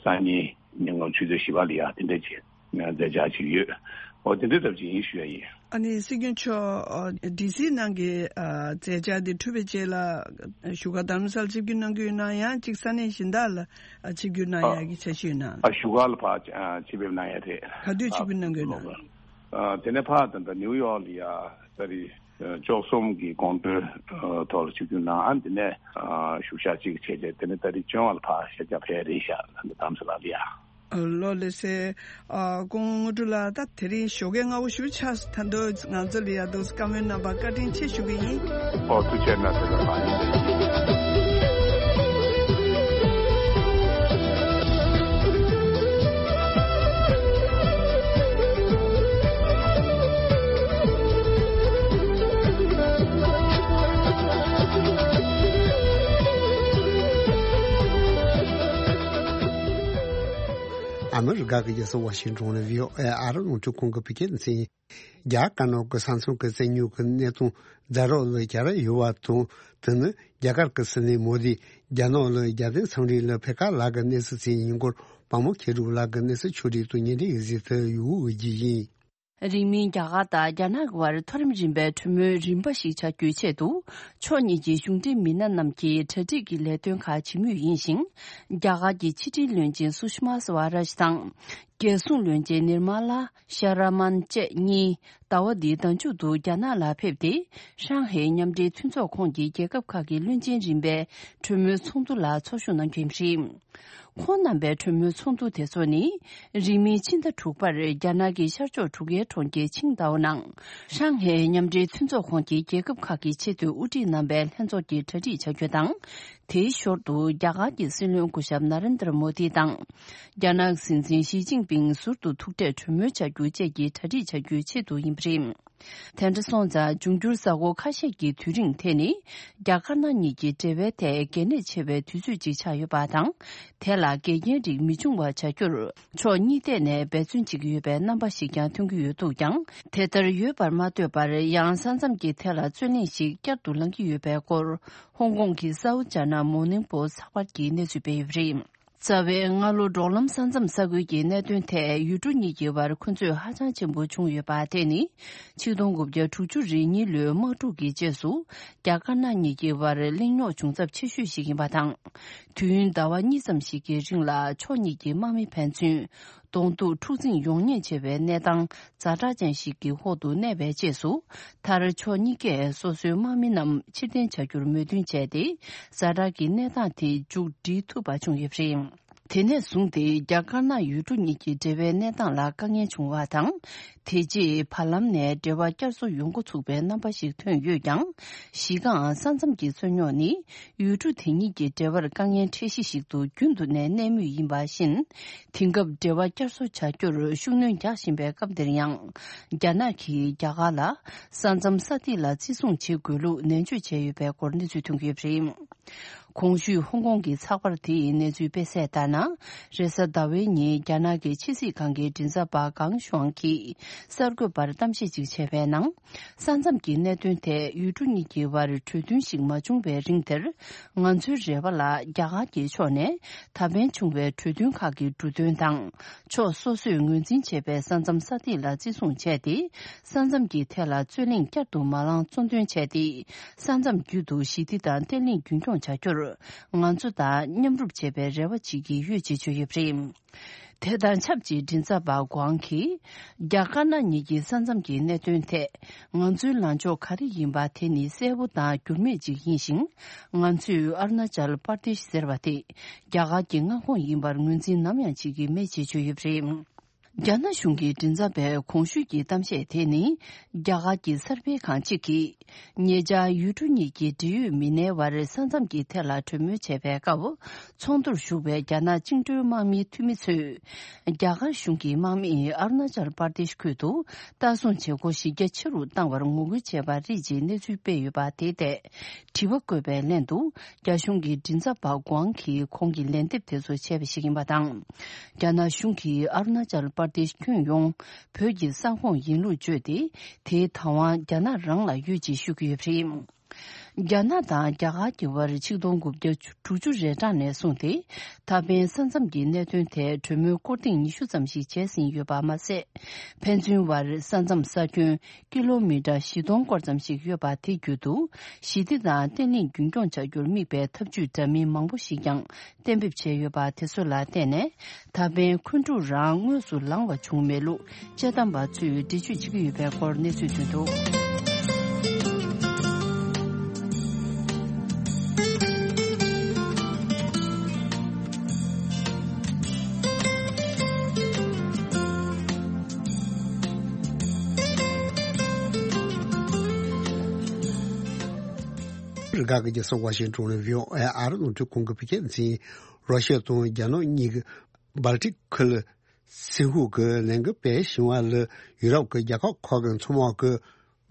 སང་ཉིན་ཉིན་གུང་ཆུ་ཚོད་བཞི་པ་ལ་ཡ་དེ་འདྲ་ཅིག་མཛད་འཆར་ཅིག་ཡོད། འོ་དེ་འདྲ་ཙམ་ཅིག་ཡིན་ཞུ་ཡ་ཡིན། ཨ་ནི་སྲིད་སྐྱོང་མཆོག་ཨ་ཌི་སི་ནང་གི་ཨ་མཛད་འཆར་དེ་གྲུབ་པའི་རྗེས་ལ་བཞུགས་སྒར་རྡ་རམ་ས་ལ་ཆིབས་བསྒྱུར་གནང་གི་ཡོད་ན། ཡང་གཅིག་ས་གནས་གཞན་དག་ལ་ཨ་ཆིབས་བསྒྱུར་གནང་ཡ་གི་འཆར་གཞི་ཡོད་ན། ཨ་བཞུགས་སྒར་ལ་ཕར་ཨ་ཆིབས་ཕེབས་གནང་ཡ་རེད། ག་དུས་ཆིབས་བསྒྱུར་གནང་གི་ཡོད་ན། ཨ་དེ་ནས་ཕར་ད་ལྟ་ནིའུ་ཡོག་ལ་ཡ་ད་རེས་ཨ་བཅུ་གསུམ་གྱི་དགོང་དྲོའི་ཨ་ཐོག་ལ་ཆིབས་བསྒྱུར་གནང་། ཨ་དེ་ནས་ཨ་བཞུགས་ཞག་གཅིག་བྱས་རྗེས་དེ་ནས་ད་རེས་བྱོན་པ་ལ་ཕར་ཤར་རྒྱག་ཕེབས་རེད་ཤག་ད་ལྟ་རྡ་རམ་ས་ལ་ལ་ཡ། ལགས་ལགས་སེ། ཨ་སྐུ་ངོ་དངོས་གྲུབ་ལགས། ད་དེ་རིང་ཞོགས་ཀས་སྔ་པོ་ཞེ་པོ་ཆགས་སོང་། ད་དུང་ང་ཚོ་ལ་ཡ་འདུག་སེ་བཀའ་མོལ་གནང་བར་བཀའ་དྲིན་ཆེ་ཞུ་གི་ཡིན། ཨོ་ཐུགས་རྗེ་གནང་། ཐུགས་རྗེ་གནང་། ཨ་མི་རི་ཀ་གི་རྒྱལ་ས་ཝ་ཤིང་ཊོན་ནས་བྷི་ཨོ་ཨེ་ཨ་རི་རླུང་འཕྲིན་ཁང་གི་བོད་སྐད་སྡེ་ཚན་ཡིན། རྒྱ་དཀར་ནག་གི་ས་མཚམས་ཀྱི་བཙན་ཉུལ་གྱི་གནས་སྟངས་ཛ་དྲག་ལ་གྱར་ཡོད་པ་དང་། དེ་ནི་རྒྱ་གར་གྱི་སྲིད་བློན་མོ་དིས་རྒྱ་ནག་ལ་རྒྱལ་བསྟན་འཚམས་འདྲི་ལ་ཕེབས་ཁ་ལབ་ཀྱི་གནས་ཚུལ་ཅིག་ཡིན་སྐོར་དཔལ་མོ་མཁས་གྲུབ་ལགས་ཀྱི་གནས་ཚུལ་ཕྱོགས་སྒྲིག་ཏུ་ཉན་འདྲི་ཡི་གཟིགས་ཏེ་ཡོད་ཀྱི་ཡིན། རིང་མིན་རྒྱ་གར་དང་རྒྱ་ནག་གི་བར་མཐོ་རིམ་རིམ་པའི་གྲོས་མོལ་རིམ་པ་ཞིག་བྱ་རྒྱུའི་ཆེད་དུ། ཕྱོགས་གཉིས་ཀྱི་གཞུང་འབྲེལ་མི་སྣ་རྣམས་ཀྱིས་གྲ་སྒྲིག་གི་ལས་དོན་ཁག་བྱེད་མུས་ཡིན་ཞིང་། རྒྱ་གར་གྱི་ཕྱི་དྲིལ་བློན་ཆེན་སུ་ཤི་མ་སི་ཝ་རཱཇ་དང་། རྒྱལ་སྲུང་བློན་ཆེན་ནིར་མ་ལ་ཤར་མཱན་བཅས་གཉིས་ཟླ་བ་འདིའི་ཟླ་མཇུག་ཏུ་རྒྱ་ནག་ལ་ཕེབས་ཏེ། ཧྲང་ཧའེ་མཉམ་འབྲེལ་མཐུན་ཚོགས་ཁོངས་ཀྱི་རྒྱལ་ཁབ་ཁག་གི་བློན་ཆེན་རིམ་པའི་གྲོས་མོལ་ཚོགས་འདུ་ལ་ཚོགས་ཞུགས་གནང་རྒྱུ་ཡིན་པ་རེད། ཁོང་རྣམ་པའི་གྲོས་མོལ་ཚོགས་འདུ་དེ་ཚོ་ནི། རིང་མིན་ཕྱི་ཟླ་དྲུག་པར་རྒྱ་ནག་གི་ཤར་ཕྱོགས་འབྲུག་རྒྱལ་གྲོང་ཁྱེར་ཆིང་ཏའོ་ནང་། ཧྲང་ཧའེ་མཉམ་འབྲེལ་མཐུན་ཚོགས་ཁོངས་ཀྱི་རྒྱལ་ཁབ་ཁག་གི་ཆེས་མཐོའི་དབུ་ཁྲིད་རྣམ་པའི་ལྷན་ཚོགས་ཀྱི་གྲ་སྒྲིག་བྱ་རྒྱུ་དང་། དེའི་ཞོར་དུ་རྒྱ་གར་གྱི་སྲིད་བློན་སྐུ་ཞབས་ན་རེན་དྲ་མོ་དི་དང་། རྒྱ་ནག་སྲིད་འཛིན་ཞི་ཅིན་ཕིང་ཟུར་དུ་ཐུག་འཕྲད་གྲོས་མོལ་བྱ་རྒྱུ་བཅས་ཀྱི་གྲ་སྒྲིག་བྱ་རྒྱུའི་ཆེད་དུ་ཡིན་པ་རེད། དེ་འདྲ་སོང་ཙང་། འབྱུང་འགྱུར་གཟའ་འཁོར་ཁ་ཤས་ཀྱི་དུས་རིང་དེ་ནི། རྒྱ་དཀར་ནག་གཉིས་ཀྱི་འབྲེལ་བའི་ཐད་གལ་གནད་ཆེ་བའི་དུས་ཚོད་ཅིག་ཆགས་ཡོད་པ་དང་། དེ་ལ་འགལ་རྐྱེན་རིགས་མི་འབྱུང་བ་བྱ་རྒྱུར། ཕྱོགས་གཉིས་ཐད་ནས་འབད་བརྩོན་བྱེད་ཀྱི་ཡོད་པའི་རྣམ་པ་ཞིག་ཀྱང་ཐོན་གྱི་ཡོད་འདུག་ཀྱང་། དེ་ལྟར་ཡོད་པར་མ་ལྟོས་པར། ཡང་ས་མཚམས་ཀྱི་ཐད་ལ་རྩོད་གླེང་ཞིག་བསྐྱར་དུ་ལངས་ཀྱི་ཡོད་པའི་སྐོར། ཧོང་ཀོང་གི་South China Morning Post ཚགས་པར་གྱིས་གནས་ཚུལ་སྤེལ་ཡོད་པ་རེད། རྩ་བའི་སྔ་ལོ་འབྲོག་ལམ་ས་མཚམས་ས་ཁུལ་གྱི་གནད་དོན་ཐད་ཡུལ་གྲུ་གཉིས་ཀྱི་བར་འཁོན་རྩོད་ཧ་ཅང་ཆེན་པོ་བྱུང་ཡོད་པ་དེ་ནི། ཆིག་སྟོང་དགུ་བརྒྱ་དྲུག་ཅུ་རེ་གཉིས་ལོའི་དམག་འཁྲུག་གི་རྗེས་སུ། རྒྱ་དཀར་ནག་གཉིས་ཀྱི་བར་གླེང་རྙོག་བྱུང་ཚབས་ཆེ་ཤོས་ཤིག་ཡིན་པ་དང་། དུས་ཡུན་ཟླ་བ་གཉིས་ཙམ་ཞིག་གི་རིང་ལ་ཕྱོགས་གཉིས་ཀྱི་དམག་མི་ཕན་ཚུན་གདོང་ཐུག་འཁྲུག་འཛིང་ཡོང་ཉེན་ཆེ་བའི་གནས་སྟངས་ཛ་དྲག་ཅན་ཞིག་གི་འོག་ཏུ་གནས་པའི་རྗེས་སུ། མཐར་ཕྱོགས་གཉིས་ཀས་སོ་སོའི་དམག་མི་རྣམས་ཕྱིར་འཐེན་བྱ་རྒྱུར་མོས་མཐུན་བྱས་ཏེ། ཛ་དྲག་གི་གནས་སྟངས་དེ་མཇུག་སྒྲིལ་ཐུབ་པ་བྱུང་ཡོད་པ་རེད། དེ་ནས་བཟུང་སྟེ་རྒྱ་དཀར་ནག་ཡུལ་གྲུ་གཉིས་ཀྱི་འབྲེལ་བའི་གནས་སྟངས་ལ་དཀའ་ངལ་བྱུང་བ་དང་། དེ་རྗེས་བར་ལམ་ནས་འབྲེལ་བ་བསྐྱར་གསོ་ཡོང་འགོ་ཚུགས་པའི་རྣམ་པ་ཞིག་ཐོན་ཡོད་ཀྱང་། གཞི་རྐང་ས་མཚམས་ཀྱི་རྩོད་རྙོག་ནི་ཡུལ་གྲུ་དེ་གཉིས་ཀྱི་འབྲེལ་བར་དཀའ་ངལ་འཕྲད་གཞི་ཞིག་ཏུ་རྒྱུན་དུ་ནས་གནས་མུས་ཡིན་པ་བཞིན། དེང་སྐབས་འབྲེལ་བ་བསྐྱར་གསོ་བྱ་རྒྱུར་ཤུགས་སྣོན་རྒྱག་བཞིན་པའི་སྐབས་འདིར་ཡང་། རྒྱ་ནག་གིས་རྒྱ་གར་ལ་ས་མཚམས་ས་ཐིག་ལ་བརྩི་སྲུང་བྱེད་དགོས་ལུགས་ནན་བརྗོད་བྱས་ཡོད་པའི་སྐོར་གནས་ཚུལ་ཐོན་གྱི་ཡོད་པ་རེད། གོང་ཞུས་ཧོང་ཀོང་གི་ཚགས་པར་དེའི་གནས་ཚུལ་སྤེལ་གསལ་ལྟར་ན། རེས་གཟའ་ཟླ་བའི་ཉིན་རྒྱ་ནག་གི་ཕྱི་སྲིད་ཁང་གི་མགྲིན་ཚབ་པ་ཀང་ཤུའང་གིས་གསར་འགོད་པར་གཏམ་བཤད་ཅིག་བྱས་པའི་ནང་། ས་མཚམས་ཀྱི་གནད་དོན་ཐད་ཡུལ་གྲུ་གཉིས་ཀྱི་བར་གྲོས་མཐུན་ཞིག་མ་བྱུང་བའི་རིང་དེར། ང་ཚོའི་རེ་བ་ལ་རྒྱ་གར་གྱི་ཕྱོགས་ནས་ད་ཕན་བྱུང་བའི་གྲོས་མཐུན་ཁག་གི་འབྲུ་དོན་དང་། ཕྱོགས་སོ་སོས་ངོས་འཛིན་བྱས་པའི་ས་མཚམས་ས་ཐིག་ལ་བརྩི་སྲུང་བྱས་ཏེ། ས་མཚམས་ཀྱི་ཐད་ལ་རྩོད་གླེང་བསྐྱར་དུ་མ་ལངས་གཙོ་འདོན་བྱས་ཏེ། ས་མཚམས་བརྒྱུད་དུ་ཞི་བདེ་དང་བརྟན་ལྷིང་རྒྱུན་འཁྱོངས་བྱ་རྒྱུར། ང་ཚོ་དང་མཉམ་རུབ་བྱེད་པའི་རེ་བ་བྱེད་ཀྱི་ཡོད་ཅེས་བརྗོད་ཡོད་པ་རེད། དེ་དང་ཆབས་ཅིག་མགྲིན་ཚབ་པ་ཀང་གིས། རྒྱ་དཀར་ནག་གཉིས་ཀྱི་ས་མཚམས་ཀྱི་གནད་དོན་ཐད། ང་ཚོའི་ལངས་ཕྱོགས་ག་རེ་ཡིན་པ་དེ་ནི་གསལ་པོ་དང་འགྱུར་མེད་ཅིག་ཡིན་ཞིང་། ང་ཚོས་ཨ་རུ་ན་ཅལ་པར་དེཤ་ཟེར་བ་དེ། རྒྱ་གར་གྱི་མངའ་ཁོངས་ཡིན་པར་ངོས་འཛིན་ནམ་ཡང་བྱེད་ཀྱི་མེད་ཅེས་བརྗོད་ཡོད་པ་རེད། རྒྱ་ནག་གཞུང་གི་མགྲིན་ཚབ་པས་གོང་ཞུས་ཀྱི་གཏམ་བཤད་དེ་ནི། རྒྱ་གར་གྱི་གསར་སྤེལ་ཁང་གཅིག་གིས། ཉེ་ཆར་ཡུལ་གྲུ་གཉིས་ཀྱི་འབྲེལ་ཡོད་མི་སྣའི་བར་ས་མཚམས་ཀྱི་ཐད་ལ་གྲོས་མོལ་བྱས་པའི་སྐབས། ཚོགས་འདུར་ཞུགས་པའི་རྒྱ་ནག་བཅིངས་འགྲོལ་དམག་མིའི་འཐུས་མི་ཚོས། རྒྱ་གར་གཞུང་གི་དམག་མིས་ཨ་རུ་ན་ཅལ་པར་དེཤ་ཁུལ་དུ་ལྟ་སྲུང་བྱེད་སྒོ་གཞི་རྒྱ་ཆེ་རུ་བཏང་བར་ངོ་རྒོལ་བྱས་པ་རེད་ཅེས་གནས་ཚུལ་སྤེལ་ཡོད་པ་དེ་ཐད། དྲི་བ་བཀོད་པའི་ལན་དུ། རྒྱ་གཞུང་གི་མགྲིན་ཚབ་པ་ཀང་གིས་ཁོང་གི་ལན་འདེབས་དེ་ཚོ་བྱས་པ་ཞིག་ཡིན་པ་དང་། རྒྱ་ནག་གཞུང་གིས་ཨ་རུ་ན་ཅལ་པར་དེཤ་ཁྱོན་ཡོངས་བོད་ཀྱི་ས་ཁོངས་ཡིན་ལུགས་བརྗོད་དེ། དེའི་བདག་དབང་རྒྱ་ནག་རང་ལ་ཡོད་ཅེས་ཞུ་གི་ཡོད་པ་རེད། རྒྱ་ནག་དང་རྒྱ་གར་གྱི་བར་ཆིག་སྟོང་དགུ་བརྒྱ་དྲུག་ཅུ་རེ་གྲངས་ནས་བཟུང་སྟེ། ད་ཕན་ས་མཚམས་ཀྱི་གནད་དོན་ཐད་གྲོས་མོལ་སྐོར་ཐེངས་ཉི་ཤུ་ཙམ་ཞིག་བྱས་ཟིན་ཡོད་པ་མ་ཟད། ཕན་ཚུན་བར་ས་མཚམས་ས་ཁྱོན་ཀི་ལོ་མི་ཊར་བཞི་སྟོང་སྐོར་ཙམ་ཞིག་ཡོད་པ་དེ་བརྒྱུད་དུ། ཞི་བདེ་དང་བརྟན་ལྷིང་རྒྱུན་འཁྱོངས་བྱ་རྒྱུར་དམིགས་པའི་ཐབས་ཇུས་འདྲ་མིན་མང་པོ་ཞིག་ཀྱང་གཏན་འབེབས་བྱས་ཡོད་པ་དེ་ཚོ་ལ་བརྟེན་ནས། ད་ཕན་འཁོན་འཁྲུག་རང་དངོས་སུ་ལངས་པ་བྱུང་མེད་ལུགས་དཔྱད་གཏམ་པ་ཚོས་འགྲེལ་བརྗོད་བྱེད་ཀྱི་ཡོད་པའི་སྐོར་གནས་ཚུལ་ཐོན་འདུག། རྒྱ་གར་གྱི་ས་ཝ་ཤིང་ཏོན་ནས་ཝི་ཨོ་ཨེ་ཨ་རི་རླུང་འཕྲིན་ཁང་གི་བོད་སྐད་སྡེ་ཚན། རོ་ཤི་ཡ་དང་རྒྱ་ནག་གཉིས་ཀྱིས་སྦལ་ཏིག་ཁུལ་སིན་ཧུ་གི་ལས་འགུལ་སྤེལ་བཞིན་པ་ལ་ཡུ་རོབ་ཀྱི་རྒྱལ་ཁབ་ཁག་གི་མཚོ་དམག་གིས་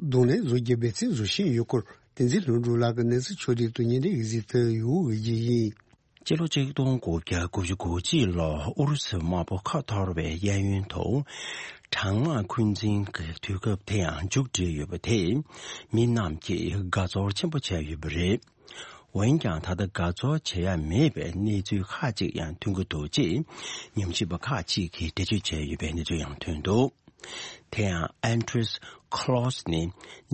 གདོང་ལེན་བཟོ་རྒྱུའི་འབད་བརྩོན་བཟོ་བཞིན་ཡོད་སྐོར། བསྟན་འཛིན་ལྷུན་གྲུབ་ལགས་ཀྱིས་གནས་ཚུལ་ཕྱོགས་སྒྲིག་ཏུ་སྙན་སྒྲོན་ཡིག་གཟིགས་ཕུལ་ཡོད་པ་ཞིག་ཡིན། སྤྱི་ལོ་ཆིག་སྟོང་དགུ་བརྒྱ་དགུ་བཅུ་གོ་གཅིག་ལོར་ཨུ་རུ་སུའི་དམག་དཔུང་ཁ་འཐོར་བའི་གཡས་གཡོན་དུ། གྲང་དམག་འཁོན་འཛིན་གྱི་དུས་སྐབས་དེ་ཡང་མཇུག་བསྒྲིལ་ཡོད་པ་དེས། མི་རྣམས་ཀྱིས་དགའ་ཚོར་ཆེན་པོ་བྱས་ཡོད་པ་རེད། འོན་ཀྱང་། ད་ལྟ་དགའ་ཚོར་བྱེད་ཡ་མེད་པའི་གནས་ཚུལ་ཁག་ཅིག་ཡང་ཐོན་གྱི་འདུག་ཅེས་ཉམས་ཞིབ་པ་ཁག་ཅིག་གིས་འགྲེལ་བརྗོད་བྱས་ཡོད་པའི་གནས་ཚུལ་ཡང་ཐོན་འདུག། དེ་ཡང་། ཨན་ཏྲིས་ཁ་ལོ་སི་ནི་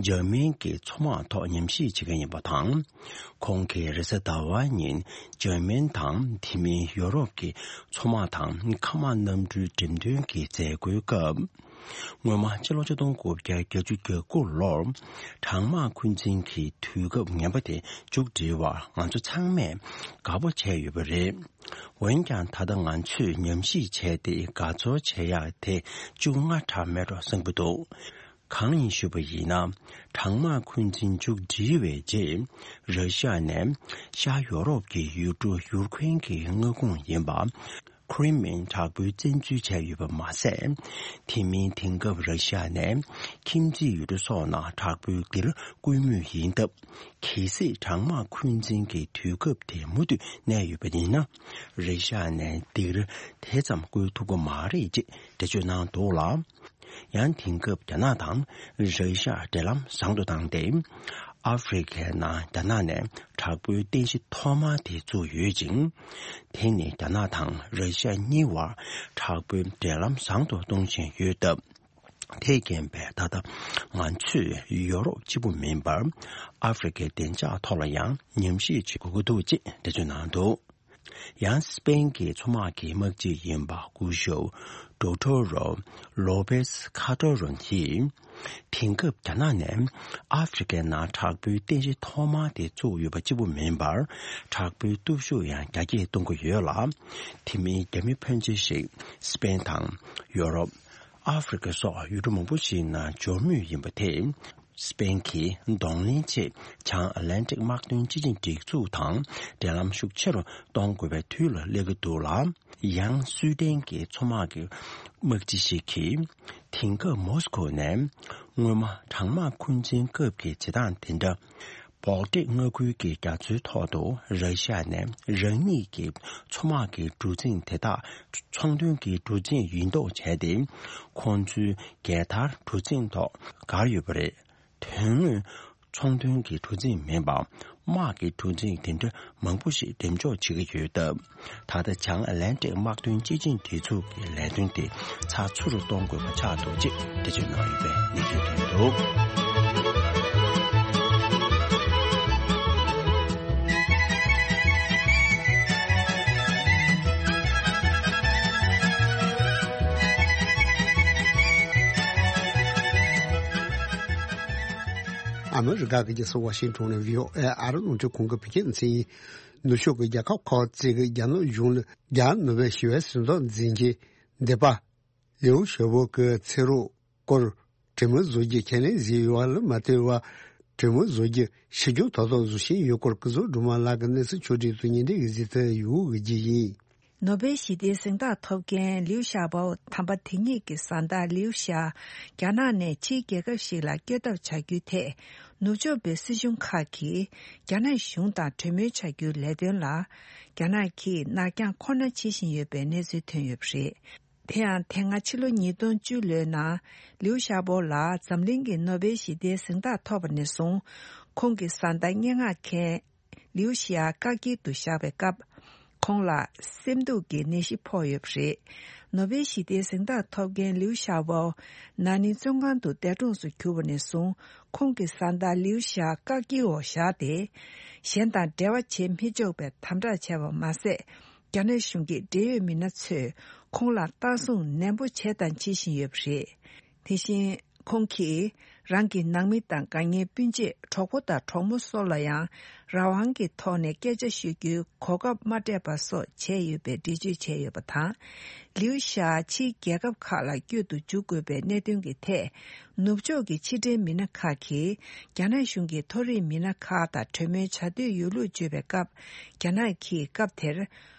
འཇར་མན་གྱི་མཚོ་དམག་ཐོག་ཉམས་ཞིབ་བྱེད་མཁན་ཡིན་པ་དང་། ཁོང་གིས་རེས་གཟའ་ཟླ་བ་ཉིན་འཇར་མན་དང་དེ་མིན་ཡོ་རོབ་ཀྱི་མཚོ་དམག་དང་མཁའ་དམག་གནམ་གྲུའི་འགྲེམས་སྟོན་གྱི་མཛད་སྒོའི་སྐབས། སྔོན་མ་སྤྱི་ལོ་ཆིག་སྟོང་དགུ་བརྒྱ་བརྒྱད་ཅུ་གྱ་དགུ་ལོར་གྲང་དམག་འཁོན་འཛིན་གྱི་དུས་སྐབས་ངན་པ་དེ་མཇུག་སྒྲིལ་བར་ང་ཚོ་ཚང་མས་དགའ་པོ་བྱས་ཡོད་པ་རེད། འོན་ཀྱང་། ད་ལྟ་ང་ཚོས་ཉམས་ཞིབ་བྱས་ཏེ་དགའ་ཚོར་བྱེད་ཡག་དེ་ཅུང་སྔ་དྲགས་མེད་འགྲོ་བསམ་གྱི་འདུག། གང་ཡིན་ཞུས་པ་ཡིན་ན། གྲང་དམག་འཁོན་འཛིན་མཇུག་བསྒྲིལ་བའི་རྗེས། ར་ཤི་ཡ་ནས་ཤར་ཡོ་རོབ་ཀྱི་ཡུལ་གྲུ་ཡུར་ཁུན་གྱི་མངའ་ཁོངས་ཡིན་པ། ཁི་རི་མིན་དྲག་པོའི་བཙན་འཛུལ་བྱས་ཡོད་པ་མ་ཟད། དེ་མིན་དེང་སྐབས་ར་ཤི་ཡ་ནས་ཁྱིམ་མཚེས་ཡུལ་གྲུ་སོགས་ནང་དྲག་པོའི་སྒེར་བསྐུལ་མུས་ཡིན་སྟབས། གལ་སྲིད་གྲང་དམག་འཁོན་འཛིན་གྱི་དུས་སྐབས་དེ་མུ་མཐུད་གནས་ཡོད་པ་ཡིན་ན། ར་ཤི་ཡ་ནས་སྒེར་དེ་ཙམ་བསྐུལ་ཐུབ་ཀྱི་མ་རེད་ཅེས་འགྲེལ་བརྗོད་གནང་འདུག་ལ། ཡང་དེང་སྐབས་རྒྱ་ནག་དང་ར་ཤི་ཡ་འབྲེལ་ལམ་བཟང་དུ་བཏང་སྟེ། ཨ་ཧྥེ་རི་ཁའི་ནང་རྒྱ་ནག་ནས་དྲག་པོའི་རྟེན་གཞི་ཐོག་མ་དེ་བཙུགས་ཡོད་ཅིང་། དེ་ནི་རྒྱ་ནག་དང་ར་ཤི་ཡ་གཉིས་བར་དྲག་པོའི་འབྲེལ་ལམ་བཟང་དུ་གཏོང་བཞིན་ཡོད་སྟབས། དེས་རྐྱེན་པས་ད་ལྟ་ང་ཚོས་ཡོ་རོབ་གཅིག་པུ་མིན་པར། ཨ་ཧྥེ་རི་ཁའི་བདེ་འཇགས་ཐོག་ལ་ཡང་ཉམས་ཞིབ་བྱེད་དགོས་ཀྱི་འདུག་ཅེས་འགྲེལ་བརྗོད་གནང་འདུག། ཡང་སི་པེན་གྱི་མཚོ་དམག་གི་དམག་སྤྱི་ཡིན་པ་སྐུ་ཞབས་ཌོག་ཊོ་རོ་ལོ་པེས་ཁ་ཏོ་རོ་ཡིས། དེང་སྐབས་རྒྱ་ནག་ནས་ཨ་ཧྥེ་རི་ཁའི་ནང་དྲག་པོའི་རྟེན་གཞི་ཐོག་མ་དེ་བཙུགས་ཡོད་པ་གཅིག་པུ་མིན་པར། དྲག་པོའི་སྟོབས་ཤུགས་ཡང་རྒྱ་སྐྱེད་གཏོང་གི་ཡོད་ལ། དེ་མིན་རྒྱ་མི་ཕོན་ཆེ་ཞིག་སི་པེན་དང་ཡོ་རོབ། ཨ་ཧྥེ་རི་ཁ་སོགས་ཡུལ་གྲུ་མང་པོ་ཞིག་ནང་འབྱོར་མུས་ཡིན་པ་དེས། སི་པེན་གྱིས་གདོང་ལེན་ཆེད་བྱང་ཨ་ལན་ཏིག་དམག་དོན་སྤྱི་ཆིངས་སྒྲིག་འཛུགས་དང་འབྲེལ་ལམ་ཤུགས་ཆེ་རུ་གཏོང་དགོས་པའི་དུས་ལ་སླེབས་ཀྱི་འདུག་ལ། ཡང་སུའེ་ཏེན་གྱི་མཚོ་དམག་གི་དམག་སྤྱི་ཞིག་གིས། དེང་སྐབས་མོ་སི་ཁོ་ནས་སྔོན་མ་གྲང་དམག་འཁོན་འཛིན་སྐབས་ཀྱི་བྱེད་སྟངས་དེ་འདྲ། བོལ་ཏིག་མངའ་ཁུལ་གྱི་རྒྱ་མཚོའི་ཐོག་ཏུ་ར་ཤི་ཡ་ནས་རང་ཉིད་ཀྱི་མཚོ་དམག་གི་གྲུ་གཟིངས་དེ་དག་ཚོང་དོན་གྱི་གྲུ་གཟིངས་ཡིན་མདོག་བྱས་ཏེ། ཁོང་ཚོའི་རྒྱལ་དར་གྲུ་གཟིངས་ཐོག་བཀར་ཡོད་པ་རེད། དོན་དངོས་ཚོང་དོན་གྱི་གྲུ་གཟིངས་མིན་པར་དམག་གི་གྲུ་གཟིངས་དེ་འདྲ་མང་པོ་ཞིག་འགྲེམས་འཇོག་བྱེད་ཀྱི་ཡོད་སྟབས། ད་ལྟ་བྱང་ཨ་ལན་ཏིག་དམག་དོན་སྤྱི་ཆིངས་སྒྲིག་འཛུགས་ཀྱི་ལས་དོན་དེ་ཚགས་ཚུད་དུ་གཏོང་དགོས་པ་ཆགས་འདུག་ཅེས་འགྲེལ་བརྗོད་གནང་ཡོད་པའི་གནས་ཚུལ་ཐོན་འདུག། ཨ་མི་རི་ཀ་གི་རྒྱལ་ས་ཝ་ཤིང་ཊོན་ནས་བྷི་ཨོ་ཨེ་ཨ་རི་རླུང་འཕྲིན་ཁང་གི་བོད་སྐད་སྡེ་ཚན་ཡིན། ནུབ་ཕྱོགས་ཀྱི་རྒྱལ་ཁབ་ཁག་ཅིག་གིས་རྒྱ་ནག་གཞུང་ལ་རྒྱ་ནོ་བེལ་ཞི་བའི་གཟེངས་རྟགས་འཛིན་མཁན་སྡེ་པ་ལིའུ་ཞའོ་པོ་གི་ཚེ་སྲོག་སྐོར་གྲོས་མོལ་བཟོ་རྒྱུ་ཁས་ལེན་བཟོས་ཡོད་པ་ལ་མ་ལྟོས་པར། གྲོས་མོལ་བཟོ་རྒྱུ་ཕྱིར་འགྱངས་ཏག་ཏག་བཟོ་བཞིན་ཡོད་སྐོར་སྐུ་ཚབ་སྒྲོལ་མ་ལགས་ཀྱིས་གནས་ཚུལ་ཕྱོགས་བསྒྲིགས་སུ་སྙན་སྒྲོན་གྱིས་གཟིགས་ཚུལ་ཡོད་གི་རྒྱུ་ཡིན། ནོ་བེལ་ཞི་བདེའི་གཟེངས་རྟགས་ཐོབ་མཁན་ལིའུ་ཞའོ་པོ་དམ་པ་དེ་ཉིད་ཀྱི་བཟའ་ཟླ་ལིའུ་ཞའོ་རྒྱ་ནག་ནས་ཕྱིའི་རྒྱལ་ཁབ་ཞིག་ལ་བསྐྱོད་ཐབས་བྱ་རྒྱུའི་ཐད། ནུབ་ཕྱོགས་པའི་སྲིད་གཞུང་ཁག་གིས་རྒྱ་ནག་གཞུང་དང་གྲོས་མོལ་བྱ་རྒྱུའི་ལས་དོན་ལ། རྒྱ་ནག་གིས་ནར་འགྱངས་ཁོ་ན་བྱེད་བཞིན་ཡོད་པའི་གནས་ཚུལ་ཐོན་ཡོད་པ་རེད། དེ་ཡང་དེ་སྔ་ཕྱི་ལོ་ཉིས་སྟོང་བཅུ་ལོའི་ནང་ལིའུ་ཞའོ་པོ་ལ་འཛམ་གླིང་གི་ནོ་བེལ་ཞི་བདེའི་གཟེངས་རྟགས་ཐོབ་པ་ནས་བཟུང་། ཁོང་གི་བཟའ་ཟླ་སྙན་ངག་མཁན་ལིའུ་ཞི་ཡ་བཀག་སྐྱིལ་དུ་བཞག་པའི་སྐབས། ཁོང་ལ་སེམས་སྡུག་གི་ནད་གཞི་ཕོག་ཡོད་པ་རེད། ནོ་བེལ་ཞི་བདེའི་གཟེངས་རྟགས་ཐོབ་མཁན་ལིའུ་ཞའོ་པོ་ན་ནིང་བཙོན་ཁང་དུ་འདས་གྲོངས་སུ་གྱུར་པ་ནས་བཟུང་། ཁོང་གི་བཟའ་ཟླ་ལིའུ་ཞི་ཡ་བཀག་སྐྱིལ་འོག་བཞག་སྟེ། གཞན་དང་འབྲེལ་བ་བྱེད་མི་ཆོག་པའི་དམ་དྲག་བྱས་པ་མ་ཟད། རྒྱ་ནག་གཞུང་གི་འབྲེལ་ཡོད་མི་སྣ་ཚོས་ཁོང་ལ་ལྟ་སྲུང་ནན་པོ་བྱས་དང་བྱེད་བཞིན་ཡོད་པ་རེད། དེ་བཞིན། ཁོང་གིས་རང་གི་ནང་མི་དང་དགའ་ཉེ་སྤུན་མཆེད་གྲོགས་པོ་དང་གྲོགས་མོ་སོགས་ལ་ཡང་རང་དབང་གི་ཐོག་ནས་སྐད་ཆ་ཤོད་རྒྱུའི་གོ་སྐབས་མ་སྤྲད་པ་སོགས་བྱས་ཡོད་པའི་འགྲེལ་བརྗོད་བྱས་ཡོད་པ་དང་། ལིའུ་ཞའོ་ཕྱིའི་རྒྱལ་ཁབ་ཁག་ལ་བསྐྱོད་དུ་འཇུག་དགོས་པའི་གནད་དོན་གྱི་ཐད། ནུབ་ཕྱོགས་ཀྱི་ཕྱི་འབྲེལ་མི་སྣ་ཁག་གིས་རྒྱ་ནག་གཞུང་གི་མཐོ་རིམ་མི་སྣ་ཁག་དང་གྲོས་མོལ་བྱ་འདོད་ཡོད་ལུགས་བརྗོད་པའི་སྐབས། རྒྱ་ནག་གིས་སྐབས་དེར།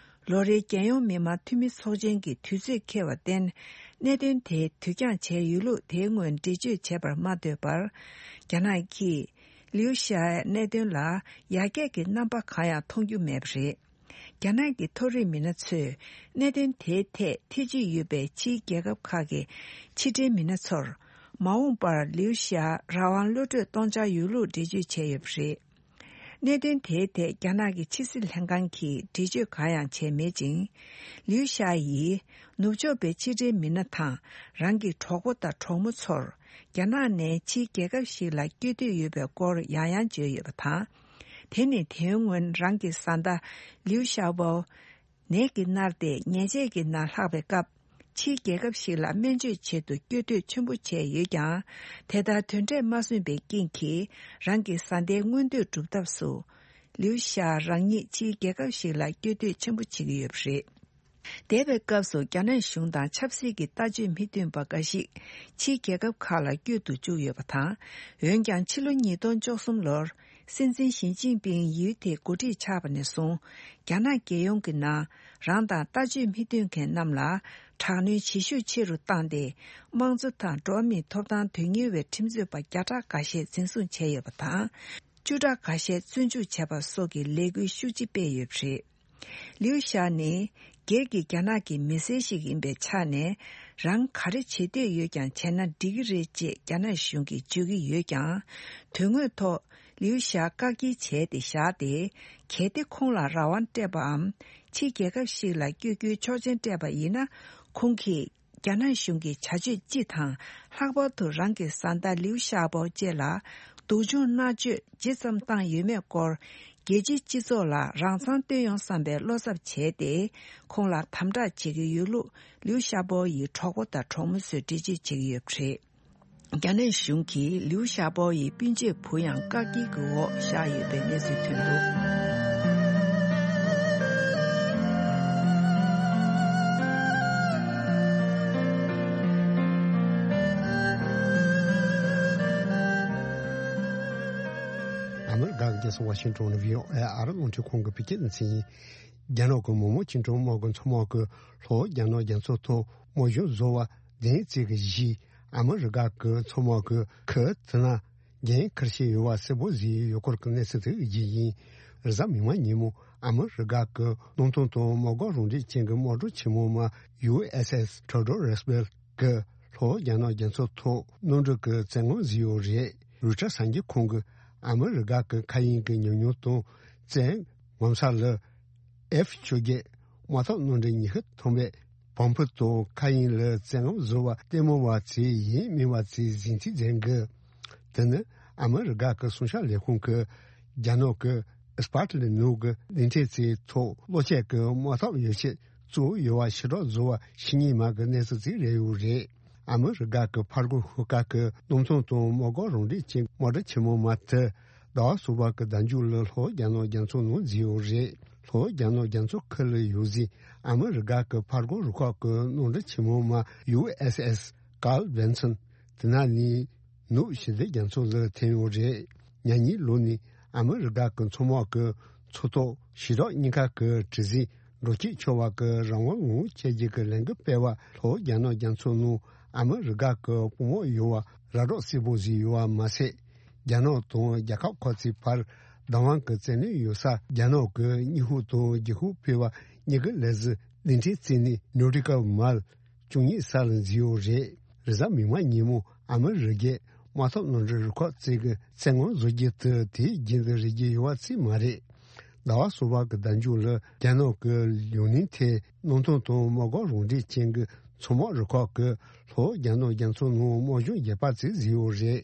ལོ་རེའི་རྒྱལ་ཡོངས་མི་དམངས་འཐུས་མི་ཚོགས་ཆེན་གྱི་དུས་ཚོད་འཁེལ་བར་བརྟེན། གནད་དོན་དེ་དུས་འགྱངས་བྱས་ཡོད་ལུགས་དེའི་སྔོན་འགྲེལ་བརྗོད་བྱས་པར་མ་ལྟོས་པར། རྒྱ་ནག་གིས་ལིའུ་ཞའོའི་གནད་དོན་ལ་ཡར་རྒྱས་ཀྱི་རྣམ་པ་གང་ཡང་མཐོང་རྒྱུ་མེད་པ་རེད། རྒྱ་ནག་གི་མཐོ་རིམ་མི་སྣ་ཚོས་གནད་དོན་དེའི་ཐད་ཐེ་བྱུས་ཡོད་པའི་ཕྱིའི་རྒྱལ་ཁབ་ཁག་གི་ཕྱི་འབྲེལ་མི་སྣ་ཚོར། མ་འོངས་པར་ལིའུ་ཞའོ་རང་དབང་གློད་གྲོལ་གཏོང་འཆར་ཡོད་ལུགས་འགྲེལ་བརྗོད་བྱས་ཡོད་པ་རེད། གནད་དོན་དེའི་ཐད་རྒྱ་ནག་གི་ཕྱི་སྲིད་ལྷན་ཁང་གིས་འགྲེལ་བརྗོད་གང་ཡང་བྱས་མེད་ཅིང་། ལིའུ་ཞའོ་ཡིས་ནུབ་ཕྱོགས་པའི་ཕྱི་འབྲེལ་མི་སྣ་དང་རང་གི་གྲོགས་པོ་དང་གྲོགས་མོ་ཚོར་རྒྱ་ནག་ནས་ཕྱིའི་རྒྱལ་ཁབ་ཞིག་ལ་བསྐྱོད་འདོད་ཡོད་པའི་སྐོར་ཡང་ཡང་བརྗོད་ཡོད་པ་དང་། དེ་ནི་དེའི་སྔོན་རང་གི་བཟའ་ཟླ་ལིའུ་ཞའོ་པོ། ནད་ཀྱིས་མནར་ཏེ་ཉལ་ཆས་ཀྱི་ནང་ལྷག་པའི་སྐབས། ཕྱིའི་རྒྱལ་ཁབ་ཞིག་ལ་སྨན་བཅོས་ཆེད་དུ་བསྐྱོད་འདོད་ཆེན་པོ་བྱས་ཡོད་ཀྱང་། དེ་ལྟར་དོན་འབྲས་མ་སོན་པའི་རྐྱེན་གྱིས། རང་གི་བཟའ་ཟླའི་མངོན་འདོད་སྒྲུབ་ཐབས་སུ། ལིའུ་ཞའོ་རང་ཉིད་ཕྱིའི་རྒྱལ་ཁབ་ཞིག་ལ་བསྐྱོད་འདོད་ཆེན་པོ་བྱེད་ཀྱི་ཡོད་པ་རེད། འདས་པའི་སྐབས་སུ་རྒྱ་ནག་གཞུང་དང་ཆབ་སྲིད་ཀྱི་ལྟ་སྤྱོད་མི་མཐུན་པ་འགའ་ཞིག་ཕྱིའི་རྒྱལ་ཁབ་ཁག་ལ་བསྐྱོད་དུ་བཅུག་ཡོད་པ་དང་། འོན་ཀྱང་ཕྱི་ལོ་ཉིས་སྟོང་བཅུ་གསུམ་ལོར། སྲིད་འཛིན་ཞི་ཅིན་ཕིང་ཡུལ་དེའི་འགོ་ཁྲིད་ཆགས་པ་ནས་བཟུང་། རྒྱ་ནག་རྒྱལ་ཡོངས་ཀྱི་ནང་རང་དང་ལྟ་སྤྱོད་མི་མཐུན་མཁན་རྣམས་ལ་དྲག་གནོན་བྱེད་ཤུགས་ཆེ་རུ་བཏང་སྟེ། དམངས་གཙོ་དང་འགྲོ་བ་མིའི་ཐོབ་ཐང་དོན་གཉེར་བའི་ཁྲིམས་རྩོད་པ་བརྒྱ་ཕྲག་འགའ་ཤས་འཛིན་བཟུང་བྱས་ཡོད་པ་དང་། བཅུ་ཕྲག་འགའ་ཤས་བཙོན་འཇུག་བྱས་པ་སོགས་ཀྱི་ལས་འགུལ་ཤུགས་ཆེ་སྤེལ་ཡོད་པ་རེད། ལིའུ་ཞའོ་ནི་སྒེར་གྱི་རྒྱ་ནག་གི་མི་སེར་ཞིག་ཡིན་པའི་ཆ་ནས། རང་ག་རེ་བྱེད་འདོད་ཡོད་ཀྱང་བྱས་ན་འགྲིག་གི་རེད་ཅེས་རྒྱ་ནག་གཞུང་གིས་བརྗོད་ཀྱི་ཡོད་ཀྱང་། དོན་དངོས་ཐོག་ལིའུ་ཞའོ་བཀག་སྐྱིལ་བྱས་ཏེ་བཞག་སྟེ། གལ་ཏེ་ཁོང་ལ་རང་དབང་སྤྲད་པའམ། ཕྱིའི་རྒྱལ་ཁབ་ཞིག་ལ་བསྐྱོད་རྒྱུའི་ཆོག་མཆན་སྤྲད་པ་ཡིན་ན། ཁོང་གིས་རྒྱ་ནག་གཞུང་གི་བྱ་སྤྱོད་སྤྱི་དང་། ལྷག་པར་དུ་རང་གི་བཟའ་ཟླ་ལིའུ་ཞའོ་པོ་བཅས་ལ་སྡུག་སྦྱོང་མནར་གཅོད་ཇི་ཙམ་བཏང་ཡོད་མེད་སྐོར། རྒྱལ་སྤྱིའི་སྤྱི་ཚོགས་ལ་རང་མཚང་སྟོན་ཡོང་བསམ་པའི་བློ་འཚབ་བྱས་ཏེ། ཁོང་ལ་དམ་དྲག་བྱེད་ཀྱི་ཡོད་ལུགས་ལིའུ་ཤ་པོ་ཡི་གྲོགས་པོ་དང་གྲོགས་མོ་ཚོས་འགྲེལ་བརྗོད་བྱེད་ཀྱི་ཡོད་པ་རེད། རྒྱ་ནག་གཞུང་གིས་ལིའུ་ཤ་པོ་ཡི་སྤུན་མཆེད་བུ་ཡང་བཀག་སྐྱིལ་གྱི་འོག་བཞག་ཡོད་པའི་གནས་ཚུལ་ཐོན་འདུག། ཨ་མི་རི་ཀ་གི་རྒྱལ་ས་ཝ་ཤིང་ཏོན་ནས་བྷི་ཨོ་ཨེ་ཨ་རི་རླུང་འཕྲིན་ཁང་གི་བོད་སྐད་སྡེ་ཚན་ཡིན། རྒྱ་ནག་གི་མི་དམངས་བཅིངས་འགྲོལ་དམག་གི་མཚོ་དམག་གིས་ལྷོ་རྒྱ་ནག་རྒྱ་མཚོ་ཐོག་དམག་སྦྱོང་བཟོ་བ་བདེན་ཚིག་གི་གཞི། ཨ་མི་རི་ཀ་གི་མཚོ་དམག་གི་ཁུལ་དེ་ན་འགན་འཁུར་བཞིན་ཡོད་པ་གསལ་པོ་བཟོས་ཡོད་སྐོར་གྱི་གནས་ཚུལ་དེ་བརྒྱུད་ཡིན། རེས་གཟའ་མིག་དམར་ཉིན་མོ་ཨ་མི་རི་ཀ་གི་གནམ་ཐང་དང་དམག་སྒར་རང་འགྲེལ་ཅན་གྱི་དམག་གྲུ་ཆེན་མོ་མ་ཡུ་ཨེས་ཨེས་ཐེའོ་ཌོ་རོ་སྦེལ་གྱིས་ལྷོ་རྒྱ་ནག་རྒྱ་མཚོ་ཐོག་གནམ་གྲུ་གི་བཙན་དབང་བཟོས་ཡོད་རེད། རོའི་ཊར་གསར་འགྱུར་ཁང་གིས་ཨ་མི་རི་ཀ་གི་མཁའ་དབྱིངས་ཀྱི་ཉམས་མྱོང་དང་བཙན་ངོ་མཚར་ལ། ཨེཕ་བཅོ་བརྒྱད་དམག་འཐབ་གནམ་གྲུ་ཉི་ཤུ་ཐམ་པས་བོད་དོན་དང་མཁའ་དབྱིངས་ལ་བཙན་དབང་བཟོ་བ་ལྟད་མོ་བ་ཚོས་ཡིན་མིན་བ་ཚོས་གཟིགས་ཚིག་མཛད་གི། དེ་ནི་ཨ་མི་རི་ཀ་གི་གསང་བཤད་ལས་ཁུངས་ཀྱིས་རྒྱ་ནག་གི་ཨེ་སི་པཱ་ཊི་ལི་ནོར་གྱི་གླིང་ཕྲན་ཚོའི་ཐོག་གློག་ཆས་ཀྱི་དམག་འཐབ་ཡོ་བྱད་བཙུགས་ཡོད་པ་ཕྱིར་སྒྲོག་བཟོ་བ་ཕྱི་ཉིན་མ་གི་གནས་ཚུལ་ཅིག་རེད་ཡོད་རེད། ཨ་མི་རི་ཀ་གི་ཕར་རྒོལ་ཤོག་ཁག་གི་གནམ་ཐང་དང་དམག་སྒར་རང་འགྲེལ་ཅན་དམག་གྲུ་ཆེན་མོ་མ་དེ་ཟླ་བ་གསུམ་པ་གི་ཟླ་མཇུག་ལ་ལྷོ་རྒྱ་ནག་རྒྱ་མཚོ་ནང་འཛུལ་ཡོད་རེད། ལྷོ་རྒྱ་ནག་རྒྱ་མཚོ་ཁུལ་ལ་ཡོད་ཟིན་ཨ་མི་རི་ཀ་གི་ཕར་རྒོལ་རུ་ཁག་གི་གནམ་གྲུ་ཆེན་མོ་མ་ཡུ་ཨེས་ཨེས་ཀཱརལ་བྷན་སོན་དེ་ན་ནས་ནུབ་ཞི་བདེ་རྒྱ་མཚོ་ལ་ཐོན་ཡོད་རེད། ཉེ་ཉིན་ལོ་ནས་ཨ་མི་རི་ཀ་གི་མཚོ་དམག་གི་མཚོ་ཐོག་ཞི་དྲག་གཉིས་ཀ་གི་གྲུ་གཟིངས་འགྲོ་སྐྱོད་ཆོག་པ་གི་རང་དབང་ངང་བྱས་རྗེས་ཀྱི་ལས་འགུལ་སྤེལ་བ་ལྷོ་རྒྱ་ནག་རྒྱ་མཚོ་ནང་ཨ་མི་རི་ཀ་གི་དཔུང་དམག་ཡོད་པ་ར་སྒྲོག་གསལ་པོ་བཟོས་ཡོད་པ་མ་ཟད། རྒྱ་ནག་དང་རྒྱལ་ཁབ་ཁག་ཅིག་བར་བདག་དབང་གི་བཙན་གནོན་ཡོད་ས་རྒྱ་ནག་གི་སྙི་ཧུ་དང་རྒྱུ་ཧུ་ཕུ་བ་གཉིས་ཀྱི་ལས་གཞི་གླིང་ཕྲན་བརྩིས་ནས་ནོ་ཊི་ཀལ་མལ་བཅུ་གཉིས་ས་ལ་འཛུལ་ཡོད་རེད། རེས་གཟའ་མིག་དམར་ཉིན་མོ་ཨ་མི་རི་ཀས་དམག་འཐབ་གནམ་གྲུ་རུ་ཁག་ཅིག་གི་བཙན་དབང་བཟོ་རྒྱུ་དེ་དེའི་རྒྱུན་དུ་རེད་ཀྱི་ཡོད་པ་ཅིག་མ་རེད། ཟླ་བ་གསུམ་པ་གི་ཟླ་མཇུག་ལ་རྒྱ་ནག་གི་ཡུན་ནན་ཐེ་གནམ་ཐང་དང་དམག་སྒར་རང་འགྲེལ་ཅན་གྱི་མཚོ་དམག་རུ་ཁག་གིས་ལྷོ་རྒྱ་ནག་རྒྱ་མཚོ་ནང་དམག་སྦྱོང་རྒྱས་པ་ཅིག་བཟོས་ཡོད་རེད།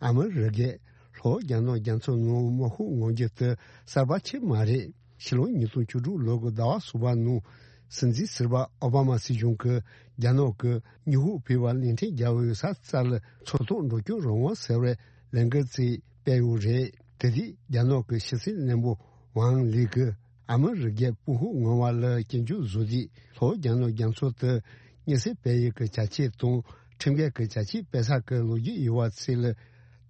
ཨ་མི་རི་ཀས་ལྷོ་རྒྱ་ནག་རྒྱ་མཚོ་ནང་དམག་ཤུགས་མངོན་འགྱུར་དེ་གསར་པ་ཆེ་མ་རེད། ཕྱི་ལོ་ཉིས་སྟོང་བཅུ་དྲུག་ལོ་གི་ཟླ་བ་གསུམ་པ་ནང་སྲིད་འཛིན་ཟུར་པ་ཨོ་བྷ་མ་སྲིད་གཞུང་གིས་རྒྱ་ནག་གི་སྙི་ཧུ་ཕུ་བ་གླིང་ཕྲན་རྒྱལ་པོ་ཡོད་ས་རྩ་ལ་མཚོ་ཐོག་འགྲོ་སྐྱོད་རང་དབང་ཟེར་བའི་ལས་འགུལ་ཅིག་སྤེལ་ཡོད་རེད། དེ་དུས་རྒྱ་ནག་གི་ཕྱི་སྲིད་བློན་པོ་ཝང་ལི་གིས་ཨ་མི་རི་ཀའི་དཔུང་ཤུགས་མངོན་པ་ལ་སྐྱོན་བརྗོད་བཟོ་དུས་ལྷོ་རྒྱ་ནག་རྒྱ་མཚོ་དེ་མཉེན་ཆས་སྤེལ་ཡུལ་གྱི་བྱ་སྤྱོད་དང་ཁྲིམས་འགལ་གྱི་བྱ་སྤྱོད་སྤེལ་ས་གི་ལོ་རྒྱུས་ཡོད་པ་ཚོ་ལ་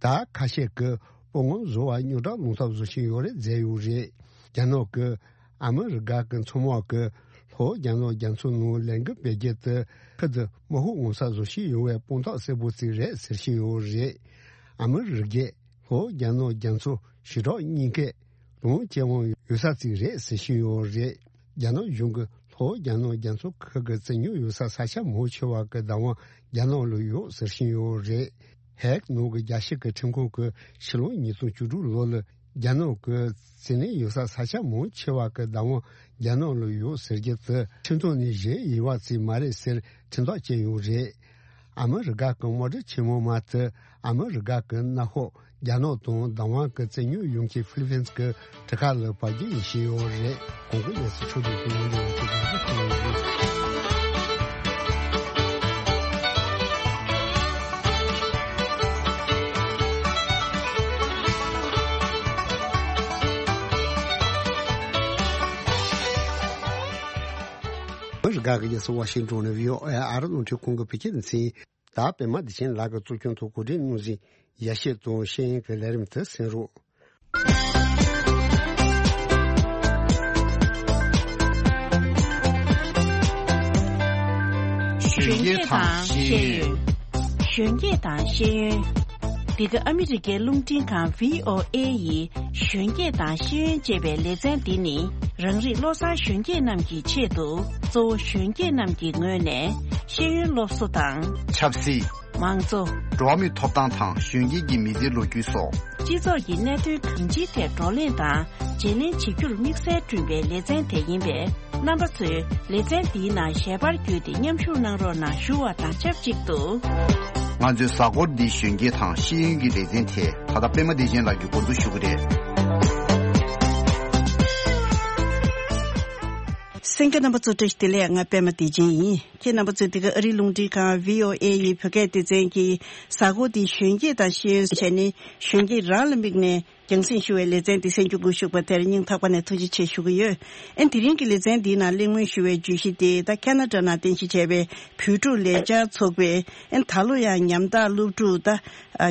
ད་ཁ་ཤས་ཀྱིས་དཔུང་ངོམ་བཟོ་བ་རྙོག་དྲ་སློང་ཐབས་བཟོ་བཞིན་ཡོད་རེད་མཛད་ཡོད་རེད། རྒྱ་ནག་གི་ཨ་མི་རི་ཀ་གི་མཚོ་དམག་གིས་ལྷོ་རྒྱ་ནག་རྒྱ་མཚོ་ནང་ལས་འགུལ་སྤེལ་རྒྱུ་དེ་ཁུལ་དུ་དམག་ཤུགས་མངོན་གསལ་བཟོ་བཞིན་ཡོད་པའི་དཔང་རྟགས་གསལ་པོ་ཅིག་རེད་ཟེར་བཞིན་ཡོད་རེད། ཨ་མི་རི་ཀས་ལྷོ་རྒྱ་ནག་རྒྱ་མཚོ་ཞི་དྲག་གཉིས་ཀས་ལོངས་སྤྱོད་དབང་ཡོད་ས་ཅིག་རེད་ཟེར་བཞིན་ཡོད་རེད། རྒྱ་ནག་གཞུང་གིས་ལྷོ་རྒྱ་ནག་རྒྱ་མཚོ་ཁུལ་གྱི་བཙན་ཉར་ཡོད་ས་ས་ཆ་མང་ཆེ་བ་གི་བདག་དབང་རྒྱ་ནག་ལ་ཡོད་ཟེར་བཞིན་ཡོད་རེད། ཧེག་ནང་གི་རྒྱལ་སྤྱི་གི་ཁྲིམས་ཁང་གིས་ཕྱི་ལོ་ཉིས་སྟོང་བཅུ་དྲུག་ལོ་ལ་རྒྱ་ནག་གི་བཙན་གནོན་ཡོད་ས་ས་ཆ་མང་ཆེ་བ་གི་བདག་དབང་རྒྱ་ནག་ལ་ཡོད་ཟེར་རྒྱུ་དེ་ཁྲིམས་ཐོག་ནས་བཞེས་ཡོད་པ་ཅིག་མ་རེད་ཟེར་ཁྲིམས་ཐག་བཅད་ཡོད་རེད། ཨ་མི་རི་ཀ་གི་དམག་གྲུ་ཆེན་མོ་མ་དེ་ཨ་མི་རི་ཀ་གི་མནའ་ཤོག་རྒྱ་ནག་དང་བདག་དབང་གི་བཙན་ཉར་ཡོང་མཁན་ཧྥི་ལི་ཕིན་གྱི་གྲུ་ཁ་ལ་བབས་རྒྱུ་ཡིན་བཤད་ཡོད་རེད། གོང་གི་གནས་ཚུལ་ཕྱོགས་བསྡུས་ཀྱི་ཡོང་འབྲེལ་ཡོད་ཚུལ་རྒྱང་བསྒྲགས་གནང་ཡོད་རེད། ཨ་མི་རི་ཀ་གི་རྒྱལ་ས་ཝ་ཤིང་ཏོན་ནས་བྷི་ཨོ་ཨེ་ཨ་རི་རླུང་འཕྲིན་ཁང་གི་བོད་སྐད་སྡེ་ཚན། ད་པད་མ་བདེ་ཆེན་ལགས་ཀྱིས་གཙོ་སྐྱོང་དུ་གོ་སྒྲིག་གནང་ཟིན་ཡ་ཤེས་དང་ཤེས་ཡོན་གྱི་ལས་རིམ་དེ་གསན་རོགས། གཞོན་སྐྱེས་དང་ཤེས་ཡོན། གཞོན་སྐྱེས་དང་ཤེས་ཡོན། འདི་ག་ཨ་མི་རི་ཀའི་རླུང་འཕྲིན་ཁང་བྷི་ཨོ་ཨེ་ཡི་གཞོན་སྐྱེས་དང་ཤེས་ཡོན་ཅེས་པའི་ལེ་ཚན་འདི་ནི། རང་རིགས་བློ་བཟང་གཞོན་སྐྱེས་རྣམས་ཀྱི་ཆེད་དུ། གཙོ་བོ་གཞོན་སྐྱེས་རྣམས་ཀྱི་ངོས་ནས་ཤེས་ཡོན་སློབ་གསོ་དང་། ཆབ་སྲིད། མང་གཙོ། འགྲོ་བ་མིའི་ཐོབ་ཐང་དང་གཞོན་སྐྱེས་ཀྱི་མི་ཚེའི་ལོ་རྒྱུས་སོགས། སྤྱི་ཚོགས་ཀྱི་གནད་དོན་གང་ཅིའི་ཐད་བགྲོ་གླེང་དང་བརྗེ་ལེན་བྱེད་རྒྱུར་དམིགས་བསལ་བསྐྲུན་པའི་ལེ་ཚན་དེ་ཡིན་པས། རྣམ་པ་ཚོས་ལེ་ཚན་འདིའི་ནང་ཞལ་པར་བརྒྱུད་དེ་མཉམ་ཞུགས་གནང་རོགས་གནང་ཞུ་བ་དང་ཆབས་ཅིག་ཏུ། ང་ཚོའི་གཟའ་འཁོར་འདིའི་གཞོན་སྐྱེས་དང་ཤེས་ཡོན་གྱི་ལེ་ཚན་དེ་ད་ལྟ་པད་མ་བདེ་ཆེན་ལགས་ཀྱིས་འགོ་འཛུགས་ཞུ་གི་རེད། གསན་མཁན་རྣམ་པ་ཚོ་བཀྲ་ཤིས་བདེ་ལེགས། ང་པད་མ་བདེ་ཆེན་ཡིན། ཁྱེད་རྣམ་པ་ཚོས་འདི་ག་ཨ་རིའི་རླུང་འཕྲིན་ཁང་བྷི་ཨོ་ཨེ་ཡི་བོད་སྐད་སྡེ་ཚན་གྱི་གཟའ་འཁོར་འདིའི་གཞོན་སྐྱེས་དང་ཤེས་ཡོན་བྱས་ནས་གཞོན་སྐྱེས་རང་ལ་དམིགས་ནས་རྒྱང་སྲིང་ཞུ་བའི་ལེ་ཚན་འདི་གསན་རྒྱུ་འགོ་ཞུགས་པ་དེར་སྙིང་ཐག་པ་ནས་ཐུགས་རྗེ་ཆེ་ཞུ་གི་ཡོད། ཨན་དེ་རིང་གི་ལེ་ཚན་འདིའི་ནང་གླེང་མོལ་ཞུ་བའི་བརྗོད་གཞི་དེ་ད་ཁ་ན་ཌ་ནང་རྟེན་གཞི་བྱས་པའི་བོད་ཕྲུག་ལས་འཆར་ཚོགས་པས་ཨན་ད་ལོ་ཡང་ཉམ་ཐག་སློབ་ཕྲུག་ད་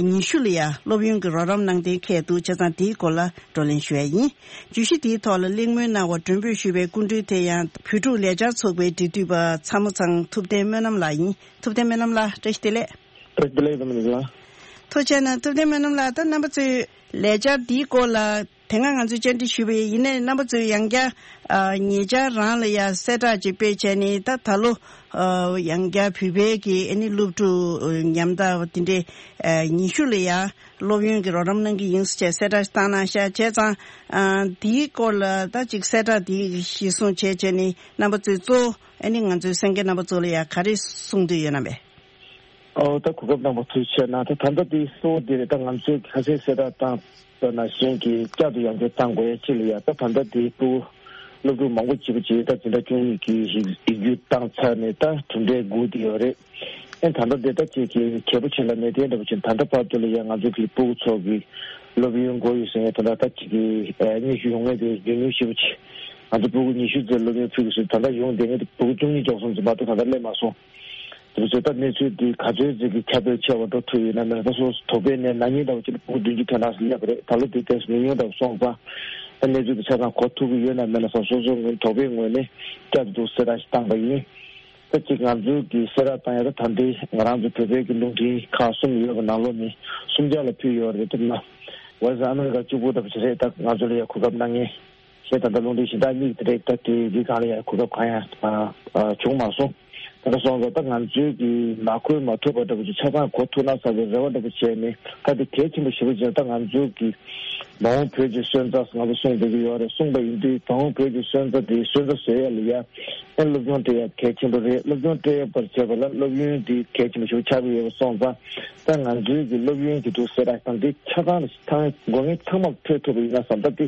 ཉི་ཤུ་ལ་ཡང་སློབ་ཡོན་གྱི་རོགས་རམ་གནང་གཏན་འཁེལ་འདུག་བྱས་ཙང་དེའི་སྐོར་ལ་བགྲོ་གླེང་ཞུ་ཡ་ཡིན། བརྗོད་གཞི་དེའི་ཐོག་ལ་གླེང་མོལ་གནང་བར་མགྲོན་འབོད་ཞུས་པའི་སྐུ་མགྲོན་དེ་ཡང་བོད་ཕྲུག་ལས་འཆར་ཚོགས་པའི་འབྲེལ་མཐུད་པ་ཚ་མོ་ཚང་ཐུབ་བསྟན་སྨོན་ལམ་ལགས་ཡིན། ཐུབ་བསྟན་སྨོན་ལམ་ལགས་བཀྲ་ཤིས་བདེ་ལེགས། བཀྲ་ཤིས་བདེ་ལེགས་རྡོ་མི་ལགས། ཐུགས་རྗེ་གནང་། ཐུབ་བསྟན་སྨོན་ལམ་ལགས། ད་རྣམ་པ་ཚོས་ལས་འཆར་འདིའི་སྐོར་ལ་དེ་སྔ་ང་ཚོས་བཅར་འདྲི་ཞུས་པ་ཡིན་ནའི་རྣམ་པ་ཚོས་ཡང་བསྐྱར་ཨ་ཉེ་ཆར་རང་ལ་ཡང་གསལ་བསྒྲགས་ཅིག་སྤེལ་བྱས་ནས་ད་ད་ལོ་ཨ་ཡང་བསྐྱར་བོད་པའི་གི་ཨ་ནི་སློབ་ཕྲུག་ཉམ་ཐག་དེ་འདྲའི་ཨ་ཉི་ཤུ་ལ་ཡང་སློབ་ཡོན་གྱི་རོགས་རམ་གནང་གི་ཡིན་ཟེར་བྱས་གསལ་བསྒྲགས་བཏང་གནང་ཤག་བྱས་ཙང་ཨ་འདིའི་སྐོར་ལ་ད་ཅིག་གསལ་བསྒྲགས་འདི་གཞིར་བཟུང་བྱས་བྱས་ནས་རྣམ་པ་ཚོས་གཙོ་བོ་ཨ་ནི་ང་ཚོའི་གསན་མཁན་རྣམ་པ་ཚོ་ལ་ཡང་ག་རེ་གསུང་འདོད་ཡོད་ན་པས། ཨོ་ད་གོ་སྐབས་གནང་བ་ཐུགས་རྗེ་ཆེ་གནང་། ད་ད་ལྟ་དེ་གཙོ་བོ་དེ་རེད། ད་ང་ཚོས་ཁ་སང་གསལ་བསྒྲགས་བཏང་པ་ནང་བཞིན་གྱི་བསྐྱར་དུ་ཡང་བསྐྱར་བཏང་དགོས་ཡ་ཅིག་ལ་ཡ། ད་ད་ལྟ་དེ་སློབ་སློབ་ཕྲུག་མང་པོ་ཅིག་པ་ཅིག་ད་འཛིན་གྲྭ་བཅུ་གཉིས་ཀྱི་ཡིག་ཡིག་རྒྱུགས་བཏང་ཚར་ནས་ད་གྲུབ་འབྲས་སྒུག་བསྡད་ཡོད་རེད། ཨེ་ད་ལྟ་དེ་ད་ཅིག་གི་གལ་པོ་ཆེ་ལ་གནས་བརྟན་འདྲ་པོ་ཅིག་ད་ལྟ་བར་དུ་ལ་ཡ་ང་ཚོ་གི་སྤུ་གུ་ཚོ་གི་སློབ་ཡོན་དགོས་ཡོད་ཟེར་ཡ་ད་ལྟ་ད་ཅིག་གི་ཨེ་སྙན་ཞུ་ཡོང་མཁན་དེ་ཉུང་ཉུང་ཞེ་པོ་ཅིག་ང་ཚོ་སྤུ་གུ་ཉི་ཤུ་ཙམ་སློབ་ཡོན་ཕུལ་དགོས་ཟེར་ད་ལྟ་ཡོང་བསྡད་མཁན་དེ་སྤུ་གུ་བཅུ་གཉིས་ལྕོགས་སོང་ཙམ་མ་གཏོགས་ད་ལྟ་སླེབས་མ་སོང་། དེ་ཚོ་ད་གནས་ཚུལ་འདི་ག་ཚོད་ཅིག་གི་ཁྱབ་སྤེལ་ཆེ་བ་འགྲོ་ཐུབ་ཡོད་ན་མེད་ན། ད་སོ་སོ་དོགས་པའི་ནས་ན་ནིང་ལྟ་བུ་ཅིག་ལ་སྤུ་གུ་བདུན་ཅུ་དོན་གྲངས་སུ་སླེབས་པ་རེད། ད་ལོ་འདི་ཏོག་ཙམ་ཉུང་ཉུང་འདྲ་བོ་སོང་ཙང་ད་གནས་ཚུལ་འདི་ཆ་ཚང་གོ་ཐུབ་ཀྱི་ཡོད་ན་མེད་ན་སོ་སོ་སོ་ངོས་དོགས་པའི་ངོས་ནས་བསྐྱར་དུ་གསལ་བསྒྲགས་ཤིག་བཏང་པ་ཡིན། ད་ཅིག་ང་ཚོའི་གི་གསལ་བསྒྲགས་བཏང་ཡ་ད་ད་འདི་ང་རང་ཚོ་བོད་པའི་གི་རླུང་འཕྲིན་ཁག་གསུམ་ཡོད་པ་ནང་ལོགས་ནས་གསུམ་ཆར་ལ་ཕུལ་ཡོད་རེད། ད་ན་ཝོ་ཡི་སི་ཨ་མི་རི་ཀ་གཅིག་པུ་འདྲ་པོ་ཅིག་རེད། ད་ང་ཚོ་ལ་ཡ་གོ་སྐབས་གནང་མཁན། ཞེས་ད་ལྟ་རླུང་འཕྲིན་གཞན་དག་གཉིས་དེ་རེད། ད་དེ་རིགས་གང་ལ་ཡང་གོ་སྐབས་གང་ཡང་ཨ་ཨ་བྱུང་མ་སོང་། ད་ལྟ་སོང་ཙང་ད་ང་ཚོའི་གི་མ་གོ་མ་ཐུབ་པ་འདྲ་པོ་ཅིག་ཆ་ཚང་གོ་ཐུབ་ན་བསམ་པའི་རེ་བ་འདྲ་པོ་བྱས་ནས། ད་དེ་གལ་ཆེན་པོ་ཞེ་པོ་ཅིག་ད་ང་ཚོའི་གི་མ་འོངས་བོད་ཀྱི་སོན་རྩ་ང་ཚོ་གསུངས་བསྡད་ཀྱི་ཡོད་རེད། གསུངས་པ་ཡིན་དུས་མ་འོངས་བོད་ཀྱི་སོན་རྩ་དེ་སོན་རྩ་བཟོ་ཡ་ལ་ཡ་ཨེ་སློབ་སྦྱོང་སྤྲད་ཡ་གལ་ཆེན་པོ་རེད། སློབ་སྦྱོང་སྤྲད་པར་བྱས་པ་ལ་སློབ་ཡོན་དེ་གལ་ཆེན་པོ་ཞེ་པོ་ཆགས་ཀྱི་ཡོད་པ་སོང་ཙང་། ད་ང་ཚོའི་གི་སློབ་ཡོན་གྱི་འདུག་གསལ་བསྒྲགས་དང་དེ་ཆ་ཚང་ལ་ཚང་དགོས་ངེས་ཚང་མར་ཐོས་ཐུབ་པ་ཡིན་ན་བསམ། ད་དེ་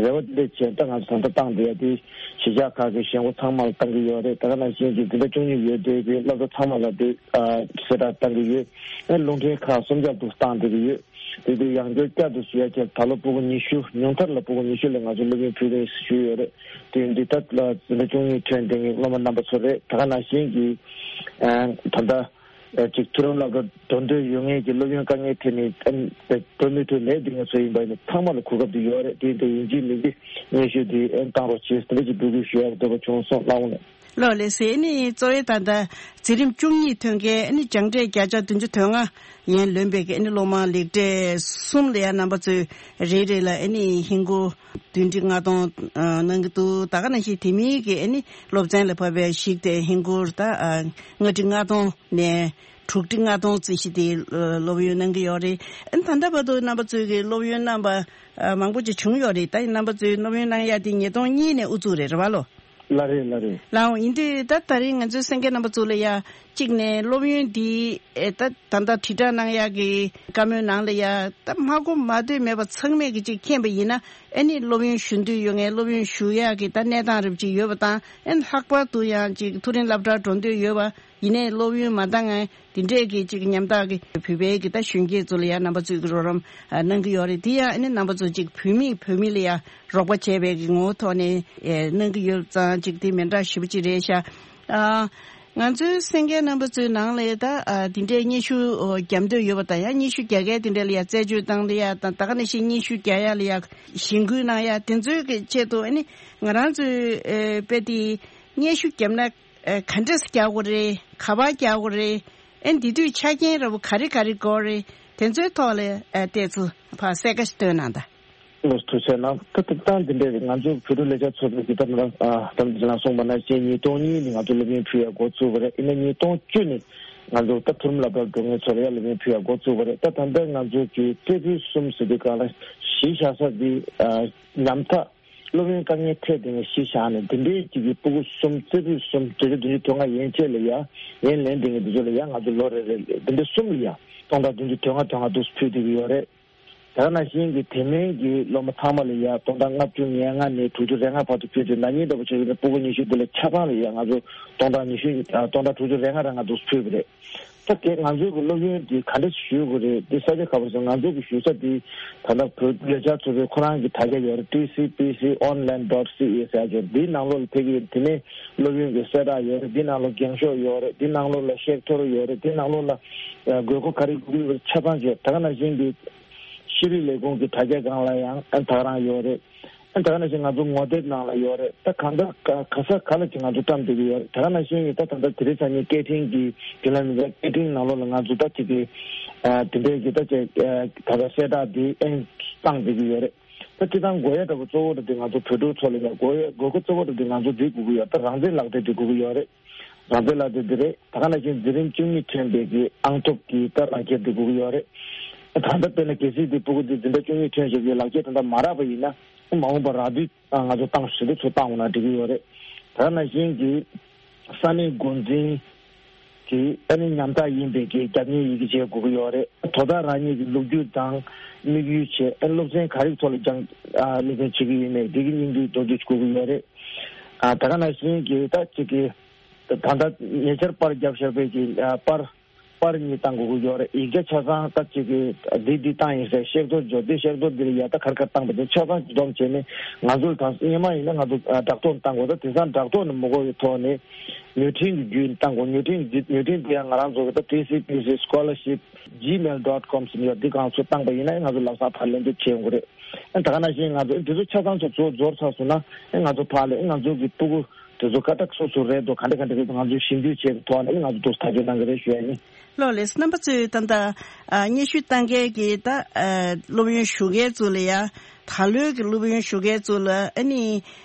རེ་བ་འདི་འདྲས་བྱས། ད་ང་ཚོ་ད་ལྟ་བཏང་བསྡད་ཡ་དེ་གཞིས་ཆགས་ཁག་གི་གཞོན་སྐྱེས་ཚང་མ་ལ་བཏང་གི་ཡོད་རེད། ད་ག་ནང་བཞིན་གྱི་འཛིན་གྲྭ་བཅུ་གཉིས་ཡོད་དེ་གི་སློབ་གྲྭ་ཚང་མ་ལ་དེ་ཨ་གསལ་བསྒྲགས་བཏང་གི་ཡོད། ཨེ་རླུང་འཕྲིན་ཁག་གསུམ་ཆར་དུ་བཏང་བསྡད་ཀྱི་ཡོད། དེ་དུས་ཡང་བསྐྱར་བསྐྱར་དུ་ཞུ་ཡ་བྱས། ད་ལོ་སྤུ་གུ་ཉི་ཤུ་ཉུང་མཐར་ལ་སྤུ་གུ་ཉི་ཤུ་ལ་ང་ཚོ་སློབ་ཡོན་ཕུལ་རེད་ཞུས་ཡོད་རེད། དེ་འདི་ལྟར་ལ་འཛིན་གྲྭ་བཅུ་གཉིས་ཐོན་བསྡད་མཁན་སློབ་མ་རྣམ་པ་ཚོ་རེད། ད་ག་ནང་བཞིན་གྱི་ཨ་ད་ལྟ་ཨ་ཅིག་མཐོ་རིམ་སློབ་གྲྭ་འགྲོ་འདོད་ཡོད་མཁན་གྱི་སློབ་ཡོན་དཀའ་ངལ་འཕྲད་ནས་ཨ་འགྲོ་མི་ཐུབ་མེད་བསྡད་མཁན་ཚོ་ཡིན་པ་ཡིན་ན་ཚང་མ་ལ་གོ་སྐབས་དེ་ཡོད་རེད། དེ་འདི་ཡིན་གཅིག་མིན་གཅིག་སྙན་ཞུ་དེ་ཨ་བཏང་རོགས་བྱེད་ཟེར་འདི་ཅིག་འབོད་སྐུལ་ཞུ་ཡག་འདོད་པ་བྱུང་སོང་། ལགས་འོང་། ལགས་ལགས་སེ། ཨ་ནི་གཙོ་བོའི་ད་ལྟ་འཛིན་རིམ་བཅུ་གཉིས་ཐོན་མཁན་ཨ་ནི་སྦྱངས་འབྲས་བརྒྱ་ཆ་བདུན་ཅུ་དོན་ལྔ་ཡན་ལོན་པའི་གི་ཨ་ནི་སློབ་མ་ལེགས་གྲས་གསུམ་ལ་ཡང་རྣམ་པ་ཚོས་རེ་རེ་ལ་ཨ་ནི་ཧིན་སྒོར་བདུན་ཁྲི་ལྔ་སྟོང་ཨ་གནང་གི་འདུག་ད་ག་ནང་བཞིན་དེ་མིན་གྱི་ཨ་ནི་སློབ་ཚན་ལ་བབས་པའི་གཞི་དེ་ཧིན་སྒོར་ད་ཨ་ལྔ་ཁྲི་ལྔ་སྟོང་ནས་དྲུག་ཁྲི་ལྔ་སྟོང་རྩིས་གཞི་དེ་སློབ་ཡོན་གནང་གི་ཡོད་རེད། ཨ་ནི་ད་ལྟ་བར་དུ་རྣམ་པ་ཚོས་ཀྱི་སློབ་ཡོན་གནང་པ་ཨ་མང་པོ་ཅིག་བྱུང་ཡོད་རེད། ད་ཡིན་རྣམ་པ་ཚོས་སློབ་ཡོན་གནང་ཡ་དེ་ཉིས་སྟོང་གཉིས་ནས་དབུ་ཚུགས་རེད། རེད་བ་ལོ། ལགས་རེད། ལགས་རེད། ལགས་འོང་། ཡིན་དུས་ད་ད་རིང་ང་ཚོའི་གསན་མཁན་རྣམ་པ་ཚོ་ལ་ཡ་གཅིག་ནས་སློབ་ཡོན་འདི་ཨེ་ད་ད་ལྟ་དྲིལ་བསྒྲགས་གནང་ཡག་གི་བཀའ་མོལ་ནང་ལ་ཡ་ད་མ་གོ་མ་ཐོས་མེད་པ་ཚང་མས་གི་གཅིག་མཁྱེན་པ་ཡིན་ན་ཨེ་ནི་སློབ་ཡོན་ཞུ་འདོད་ཡོད་མཁན་སློབ་ཡོན་ཞུ་ཡག་གི་ད་གནས་སྟངས་རབ་ཅིག་ཡོད་པ་དང་ཨེ་ལྷག་པར་དུ་ཡང་ཅིག་མཐོ་རིམ་སློབ་གྲྭར་འགྲོ་འདོད་ཡོད་པ་ཡིན་ནའི་སློབ་ཡོན་མ་འདང་ངེ་འདི་འདྲས་གི་ཅིག་ཉམ་ཐག་གི་བོད་པའི་གི་ད་གཞོན་སྐྱེས་ཚོ་ལ་ཡ་རྣམ་པ་ཚོས་གི་རོགས་རམ་ཨ་གནང་གི་ཡོད་རེད། དེ་ཡང་ཨེ་ནི་རྣམ་པ་ཚོ་ཅིག་བོད་མིས་བོད་མི་ལ་ཡ་རོགས་པ་བྱས་པའི་གི་ངོ་བོ་ཐོག་ནས་ཨེ་གནང་གི་ཡོད་ཙང་ཅིག་དེ་མི་འདྲ་ཞེ་པོ་ཅིག་རེད་ཤག་ཨ་ང་ཚོའི་གསན་མཁན་རྣམ་པ་ཚོའི་ནང་ལ་ད་ཨ་དེ་འདྲའི་སྙན་ཞུ་ཨོ་བརྒྱབ་འདོད་ཡོད་པ་དང་ཡང་སྙན་ཞུ་རྒྱག་མཁན་དེ་འདྲ་ལ་ཡང་རྩད་གཅོད་བཏང་སྟེ་ཡ་དང་ད་ག་ནང་བཞིན་སྙན་ཞུ་རྒྱག་ཡ་ལ་ཡང་གཞེན་སྐུལ་གནང་ཡ་དེ་ཚོའི་གི་ཆེད་དུ་ཨ་ནི་ང་རང་ཚོའི་ཨེ་དཔེ་དེ་སྙན་ཞུ་བརྒྱབ་ན་ཨེ་ག་འདྲས་རྒྱག་དགོས་རེད། ག་པར་རྒྱག་དགོས་རེད། ཨེ་འདི་དུས་ཆ་རྐྱེན་འདྲ་པོ་ག་རེ་ག་རེ་དགོས་རེད། དེ་ཚོའི་ཐོག་ལ་ཨེ་ཏོག་ཙམ་ཕར་གསལ་ཁ་ཞིག་སྟོན་གནང་དང་། ལགས་སོ། ཐུགས་རྗེ་གནང་། ད་ལྟ་སྟངས་འདི་འདྲས་རེད། ང་ཚོ་བོད་ཕྲུག་ལས་འཆར་ཚོགས་པའི་གི་ད་ལྟ་ཨ་ད་ལྟ་ལ་གསུངས་པ་ནང་བཞིན་ཉིས་སྟོང་གཉིས་ནས་ང་ཚོ་སློབ་ཡོན་ཕུལ་ཡ་འགོ་བཙུགས་པ་རེད། ཡིན་ན་ཉིས་སྟོང་བཅུ་ནས་ང་ཚོ་ད་མཐོ་རིམ་སློབ་གྲྭར་འགྲོ་མཁན་ཚོ་ལ་ཡ་སློབ་ཡོན་ཕུལ་ཡ་འགོ་བཙུགས་པ་རེད། ད་ད་ལྟ་ང་ཚོ་གི་རྩེ་ཕུད་གསུམ་ཟེར་དུས་སྒང་ལ་གཞི་བཞག་ས་འདི་ཨ་ཉམ་ཐག་སློབ་ཡོན་དཀའ་ངལ་འཕྲད་བསྡད་མཁན་གཞི་བཞག་ནས་འདི་འདྲའི་ཅིག་གི་སྤུ་གུ་གསུམ་རྩེ་ཕུད་གསུམ་བརྒྱ་ཆ་བདུན་ཅུ་དོན་ལྔ་ཡན་ཆད་ལ་ཡ་ཡན་ལེན་བསྡད་མཁན་འདི་ཚོ་ལ་ཡ་ང་ཚོ་ལོ་རེ་རེ་ལ་འདི་འདྲ་གསུམ་ལ་ཡ་སྟོང་ཕྲག་བདུན་ཅུ་དོན་ལྔ་དོན་ལྔ་འདུག་སེ་ཕུལ་བསྡད་ཀྱི་ཡོད་རེད། ད་ག་ནང་བཞིན་གྱི་དེ་མིན་གྱི་སློབ་མ་ཚང་མ་ལ་ཡ་སྟོང་ཕྲག་ལྔ་བཅུ་ང་ལྔ་ནས་དྲུག་ཅུ་རེ་ལྔ་བར་དུ་ཕུལ་ཏེ། ན་ནིང་ལྟ་བུ་བྱས་ན་ཕྲུ་གུ་ཉི་ཤུ་དེ་ལ་ཆ་ཚང་ལ་ཡ་ང་ཚོ་སྟོང་ཕྲག་ཉི་ཤུ་ཨ་སྟོང་ཕྲག་དྲུག་ཅུ་རེ་ལྔ་རེ་ང་ཚོ་ཕུལ་བ་རེད། ད་དེ་ང་ཚོའི་གི་སློབ་ཡོན་དེ་ག་འདྲ་ཞུ་དགོས་རེད། དེ་ས་ཆ་ག་པར་སོང་། ང་ཚོ་གི་ཞུ་ས་དེ་ད་ལྟ་བོད་ལས་འཆར་ཚོགས་པའི་ཁོ་རང་གི་དྲ་རྒྱ་ཡོད་རེད། T C P C online dot C A ཟེར་ཡ་ཅིག་ཡོད་རེད། དེའི་ནང་ལོགས་ལ་ཕ་གི་དེ་ནས་སློབ་ཡོན་གྱི་གསལ་བསྒྲགས་ཡོད་རེད། དེའི་ནང་ལོགས་འགེངས་ཤོག་ཡོད་རེད། དེའི་ནང་ལོགས་ལ་བཤད་ཐོ་རུ་ཡོད་རེད། དེའི་ནང་ལོགས་ལ་དགོས་མཁོ་ག་རེ་དགོས་ཀྱི་ཡོད་པ་ཆ་ཚང་ཡོད། ད་ག་ནང་བཞིན་གྱི་ཤེས་རིག་ལས་ཁུངས་ཀྱི་དྲ་རྒྱ་སྒང་ལ་ཡང་ད་ག་རང་ཡོད་རེད། ད་ག་ནང་བཞིན་ང་ཚོ་ངོ་དེབ་ནང་ལ་ཡོད་རེད། ད་གང་ལྟར་ག་ག་ས་ག་ལ་ཅིག་ང་ཚོ་བཀྲམ་བསྡད་ཀྱི་ཡོད་རེད། ད་ག་ནང་བཞིན་གྱི་ད་ད་ལྟ་དེ་རིང་སང་ཉིན་སྐད་འཕྲིན་གྱི་བརྒྱུད་ལམ་ཡིན་པ། སྐད་འཕྲིན་ནང་ལོགས་ལ་ང་ཚོ་ད་ཅིག་གི་ཨ་དེ་འདྲའི་གི་ད་ཅིག་ཨ་ད་ལྟ་གསལ་བསྒྲགས་འདི་ཨེ་བཏང་བསྡད་ཀྱི་ཡོད་རེད། ད་སྤྱིར་བཏང་དགོས་ཡ་འདྲ་པོ་གཙོ་བོ་འདྲ་དེ་ང་ཚོ་བོད་ཕྲུག་ཚོ་ལ་ཡ་དགོས་ཡ་དགོས་མཁོ་གཙོ་བོ་འདྲ་དེ་ང་ཚོ་འདི་དགོས་ཀྱི་ཡོད། ད་རང་བཙན་ལག་དེབ་དེ་དགོས་ཀྱི་ཡོད་རེད། རང་བཙན་ལག་དེབ་འདི་རེད། ད་ག་ནང་བཞིན་འཛིན་རིམ་བཅུ་གཉིས་ཐོན་པའི་གི་ཨང་ཐོབ་ཀྱི་ད་ལག་ཁྱེར་འདི་དགོས་ཀྱི་ཡོད་རེད། ད་ལྟ་དཔེར་ན་གལ་སྲིད་འདི་ཕྲུ་གུ་འདི་འཛིན་གྲྭ་བཅུ་གཉིས་ཐོན་བཞག་པའི་ལག་ཁྱེར་དེ་འདྲ་མ་རག་པ་ཡིན་ན། མ་འོངས་པར་རག་དུས་ང་ཚོ་ཏང་ཞུ་དེ་ཚོ་བཏང་འོང་ན་འགྲིག་གི་ཡོད་རེད། ད་ག་ནང་བཞིན་གྱི་ས་གནས་འགོ་འཛིན་གྱི་ཨ་ནི་ཉམ་ཐག་ཡིན་པའི་གི་རྒྱབ་གཉེར་ཡི་གེ་བྱེད་དགོས་ཀྱི་ཡོད་རེད། དོ་བདག་རང་ཉིད་ཀྱི་ལོ་རྒྱུས་དང་དམིགས་ཡུལ་བྱས། ཨ་ནི་སློབ་ཚན་ག་རེ་ཐོག་ལ་སྦྱང་ཨ་སློབ་ཚན་བྱེད་ཀྱི་ཡོད་མེད་འདི་གི་སྙིང་བསྡུས་མདོར་བསྡུས་དགོས་ཀྱི་ཡོད་རེད། ཨ་ད་ག་ནང་བཞིན་གྱི་ད་ཅིག་གི་ད་ལྟ་ཉེ་ཆར་པར་བརྒྱབ་བཞག་པའི་གི་ཨ་པར་པར་གཉིས་བཏང་དགོས་ཀྱི་ཡོད་རེད། ཡིག་ཆ་ཆ་ཚང་ད་ཅིག་གི་འདི་འདི་བཏང་ཡིན་ཟེར་ཤེར་ཐོ་འཇོག་དེ། ཤེར་ཐོ་འདི་ལ་ཡ་ད་ག་རེ་ག་རེ་བཏང་པ་དེ་ཆ་ཚང་སྡོམ་བྱས་ནས་ང་ཚོ་དང་སྔོན་མ་ཡིན་ན་ང་ཚོ་ཨ་བསྒྲགས་གཏོང་བཏང་དགོས། ད་དེང་སང་བསྒྲགས་གཏོང་ནི་མི་དགོས་པའི་ཐོག་ནས་ཉོ་འཕྲིན་གྱི་བརྒྱུད་བཏང་དགོས། ཉོ་འཕྲིན་འདི་ཉོ་འཕྲིན་འདི་ཡང་ང་རང་ཚོ་གི་ད་T C P C scholarship gmail dot com ཟེར་ཡོད། འདི་སྒང་ཚུར་བཏང་པ་ཡིན་ན་ང་ཚོ་ལམ་སང་ཕར་ལན་འདེབས་བྱེད་ཡོང་གི་རེད། ཨ་ད་ག་ནང་བཞིན་ང་ཚོ་འདི་ཚོ་ཆ་ཚང་ཚོ་ཚོ་འབྱོར་ཚར་སོང་ན་ཨ་ང་ཚོ་ཕར་ལ་ཨ་ང་ཚོ་གི་ཕྲུ་གུ་དེ་ཚོ་ཀ་ཐག་སོ་སོ་རེད་འདུག་ག་འདྲ་ག་འདྲ་རེད་འདུག་ང་ཚོ་ཞིབ་འཇུག་བྱས་པའི་ཐོག་ནས་ང་ཚོ་འདུག་ཐག་གཅོད་གནང་གི་རེད་ཞུ་ཡ་ཡིན། ལགས་ལགས། རྣམ་པ་ཚོས་ད་ལྟ་ཨ་སྙན་ཞུ་བཏང་མཁན་གྱི་ད་ཨ་སློབ་ཡོན་ཞུ་མཁན་ཚོ་ལ་ཡ། ད་ལོའི་གི་སློབ་ཡོན་ཞུ་མཁན་ཚོ་ལ་ཨ་ནི་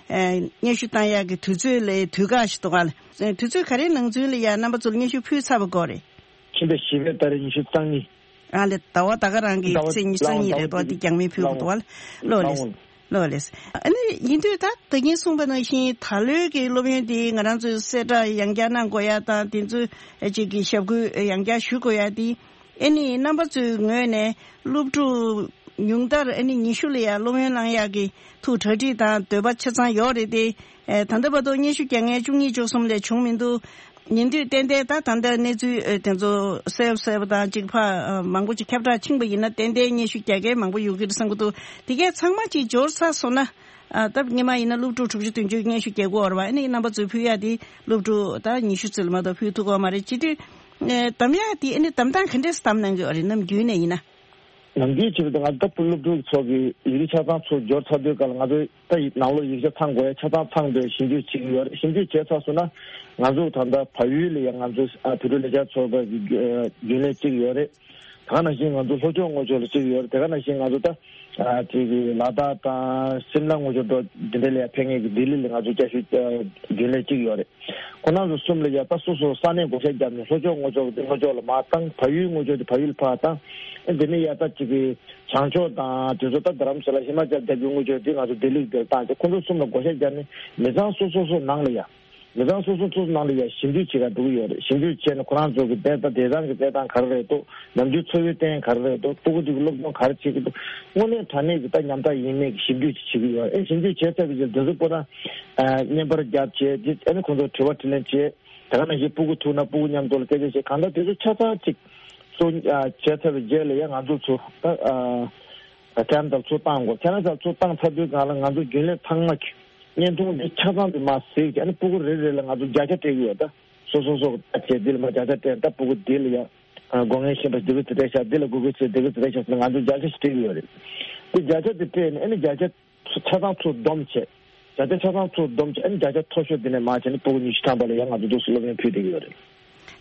ཨ་སྙན་ཞུ་བཏང་ཡག་གི་དུས་ཚོད་ལ་དུས་བཀག་ཞིག་འདུག་ག་ལགས། དུས་ཚོད་ག་རེའི་ནང་ཚུན་ལ་ཡ་རྣམ་པ་ཚོ་ལ་སྙན་ཞུ་ཕུལ་ཚར་བ་དགོས་རེད། ཕྱི་ཟླ་བཞི་པའི་ཟླ་རེ་ཉི་ཤུ་རྩ་གཉིས། ཨ་ལས་ཟླ་བ་ད་ག་རང་གི་ཟླ་བ་ཚེས་ཉི་ཤུ་རྩ་གཉིས་རེད་དོ། ཟླ་བ་དེ་རྒྱང་མིན་ཕུལ་དགོས་འདུག་བ། ལགས་ལགས། ལགས་ལགས། ལགས་ལགས། ཨ་ནི་ཡིན་དུས་ད་ད་གིན་གསུངས་པ་ནང་བཞིན་ད་ལོའི་གི་སློབ་ཡོན་དེ་ང་རང་ཚོས་གསལ་བསྒྲགས་ཡང་བསྐྱར་གནང་དགོས་ཡ་དང་དེ་ཚོ་ཅིག་གི་ཞབས་སྐུལ་ཡང་བསྐྱར་ཞུ་དགོས་ཡ་དེ། ཨ་ནི་རྣམ་པ་ཚོའི་ངོས་ནས་སློབ་ཕྲུག་ཉུང་མཐར་ཨ་ནི་ཉི་ཤུ་ལ་ཡ་སློབ་ཡོན་བླང་ཡག་གི་ཐུགས་གྲ་སྒྲིག་དང་འདོད་པ་ཆ་ཚང་ཡོད་རེད་དེ། ཨེ་ད་ལྟ་བར་དུ་སྙན་ཞུ་རྒྱག་མཁན་བཅུ་གཉིས་བཅུ་གསུམ་ལས་བྱུང་མི་འདུག་ཉིན་དུས་ཏན་ཏན་ད་ད་ལྟ་གནས་ཚུལ་ཨེ་དེ་ཚོ་གསལ་པོ་གསལ་པོ་དང་གཅིག་ཕ་ཨ་མང་པོ་ཅིག་ཁྱབ་བསྒྲགས་ཕྱིན་པ་ཡིན་ན་ཏན་ཏན་སྙན་ཞུ་རྒྱག་མཁན་མང་པོ་ཡོང་གི་རེད་བསམ་གྱི་འདུག་དེ་གས་ཚང་མ་ཅིག་འབྱོར་ཚར་སོང་ན། ཨ་ད་སྔོན་མ་ཡིན་ན་སློབ་ཕྲུག་དྲུག་ཅུ་བདུན་ཅུ་སྙན་ཞུ་རྒྱག་གི་ཡོད་རེད་བ། ཨ་ནི་རྣམ་པ་ཚོས་ཕུལ་ཡག་དེ་སློབ་ཕྲུག་ད་ཉི་ཤུ་ཙམ་ལས་མ་གཏོགས་ཕུལ་ཐུབ་ཀྱི་ཡོད་མ་རེད། བྱེད་དུས་ཨེ་གདམ་ཡག་དེ་ཨ་ནི་གདམ་སྟངས་ག་འདྲས་གདམ་གནང་གི་ཡོད་རེད། ནམ་རྒྱུན་ནས་ཡིན་ན། ནམ་རྒྱུན་བྱས་པ་དང་ང་ཚོ་ད་སློབ་ཕྲུག་ཚོ་གི་ཡིག་རིགས་ཆ་ཚང་ཚུར་འབྱོར་ཚར་དུས་ག་ལ་ང་ཚོ་ད་ཡི་ནང་ལོགས་ཡིག་ཆ་ཚང་དགོས་ཡ་ཆ་ཚང་ཚང་དུས་ཞིབ་འཇུག་བྱེད་ཀྱི་ཡོད་རེད། ཞིབ་འཇུག་བྱས་ཚར་སོང་ན་ང་ཚོ་ད་ལྟ་བལ་ཡུལ་ལ་ཡང་ང་ཚོ་ཨ་བོད་ཕྲུག་ལས་འཆར་ཚོགས་པ་གི་རྒྱུན་ལས་གཅིག་ཡོད་རེད། ད་ག་ནང་བཞིན་ང་ཚོ་ལྷོ་ཕྱོགས་རྔུལ་ཆུ་ལ་གཅིག་ཡོད་རེད། དེ་ག་ནང་བཞིན་ང་ཚོ་ད་ཨ་ཅིག་གི་ལ་དྭགས་དང་སིམ་ལ་རྔུལ་ཆུ་འགྲོ་འདི་འདྲ་ལ་ཡང་ཕེབས་མཁན་གི་ལྡི་ལི་ལ་ང་ཚོ་བསྐྱར་ཞུ་ཨ་རྒྱུན་ལས་གཅིག་ཡོད་རེད། ཁོང་རྣམ་ཚོ་གསུམ་ལ་ཡ་ད་སོ་སོ་ས་གནས་བགོ་བཤའ་བརྒྱབ་ནས་ལྷོ་ཕྱོགས་རྔུལ་ཆུ་དེ་ལྷོ་ཕྱོགས་ལ་མར་བཏང་། བལ་ཡུལ་རྔུལ་ཆུ་དེ་བལ་ཡུལ་ཕར་བཏང་། ཨེ་འདི་ནས་ཡ་ད་ཅིག་གི་བྱང་ཕྱོགས་དང་དེ་ཚོ་ད་རྡ་རམ་ས་ལ་ཧི་མ་ཅལ་རྒྱབ་ཀྱི་རྔུལ་ཆུ་དེ་ང་ཚོ་ལྡི་ལི་དེར་བཏང་སྟེ་ཁོང་ཚོ་གསུམ་ལ་བགོ་བཤའ་བརྒྱབ་ནས་མི་ཚང་སོ་སོ་སོ་ནང་ལ་ཡ། མི་ཚང་སོ་སོ་སོ་སོ་ནང་ལ་ཡ་ཞིབ་འཇུག་བྱེད་ག་འགྲོ་གི་ཡོད་རེད། ཞིབ་འཇུག་བྱས་ནས་ཁོ་རང་ཚོ་གི་དཔེ་ད་བདེ་ཐང་གི་དཔེ་སྟངས་ག་རེ་རེད་འདུག་ནམ་རྒྱུན་འཚོ་བའི་རྟེན་ག་རེ་རེད་འདུག་ཕྲུ་གུ་དེ་གི་སློབ་སྦྱོང་ག་རེ་བྱེད་ཀྱི་འདུག་དངོས་གནས་དྲང་གནས་ཀྱི་ད་ཉམ་ཐག་ཡིན་མིན་གྱི་ཞིབ་འཇུག་ཅིག་བྱེད་ཀྱི་ཡོད་རེད། ཨེ་ཞིབ་འཇུག་བྱས་ཚར་བའི་རྗེས་དེ་ཚོ་པོ་ན་བརྙན་པར་བརྒྱབ་བྱས་དེ་ཨ་ནི་ཁོང་ཚོར་དྲི་བ་དྲིས་ལན་བྱས། དེ་ག་ནང་བཞིན་སྤུ་གུ་ཐུག་ན་སྤུ་གུ་མཉམ་དུ་ལ་སྐད་ཆ་བཤད། གང་ལྟར་དེ་ཚོ་ཆ་ཚང་ཅིག་གཙོ་བྱས་ཚར་བའི་རྗེས་ལ་ཡང་ང་ཚོ་ཚོ་ད་ཨ་ཁྱེད་རང་ཚོར་ཚུར་བཏང་དགོས། ཁྱེད་རང་ཚོར་ཚུར་བཏང་ཚར་དུས་གང་ལ་ང་ཚོ་རྒྱུན་ལས་ཚང་མ་གི་བརྙན་ཐུང་འདི་ཆ་ཚང་དུ་མར་གཟིགས་བྱས་ནས་སྤུ་གུ་རེ་རེ་ལ་ང་ཚོ་བརྒྱ་ཆ་སྤྲད་ཀྱི་ཡོད། ད་སོ་སོ་སོ་ད་བྱས་འདི་ལ་མར་བརྒྱ་ཆ་སྤྲད། ད་སྤུ་གུ་འདི་ལ་ཡ་ཨ་དགོས་ངེས་ཤེས་པ་འདི་གི་ཚེ་སྤྲད་ཤག་འདི་ལ་དགོས་གི་ཚེ་འདི་གི་ཚེ་སྤྲད་ཤག་ཟེར་ནས་ང་ཚོ་བརྒྱ་ཆ་ཞིག་སྤྲད་ཀྱི་ཡོད་རེད། དེ་བརྒྱ་ཆ་དེ་སྤྲད་ནས་ཨ་ནི་བརྒྱ་ཆ་ཆ་ཚང་ཚུར་བསྡོམས་བྱས། བརྒྱ་ཆ་ཆ་ཚང་ཚུར་བསྡོམས་བྱས་ཨ་ནི་བརྒྱ་ཆ་མཐོ་ཤོས་དེ་ནས་མར་བྱས་ནས་སྤུ་གུ་ཉི་ཤུ་ཐམ་པ་ལ་ཡང་ང་ཚོ་འདུག་སེ་སློབ་ཡོན་ཕུལ་བསྡད་ཀྱི་ཡོད་རེད།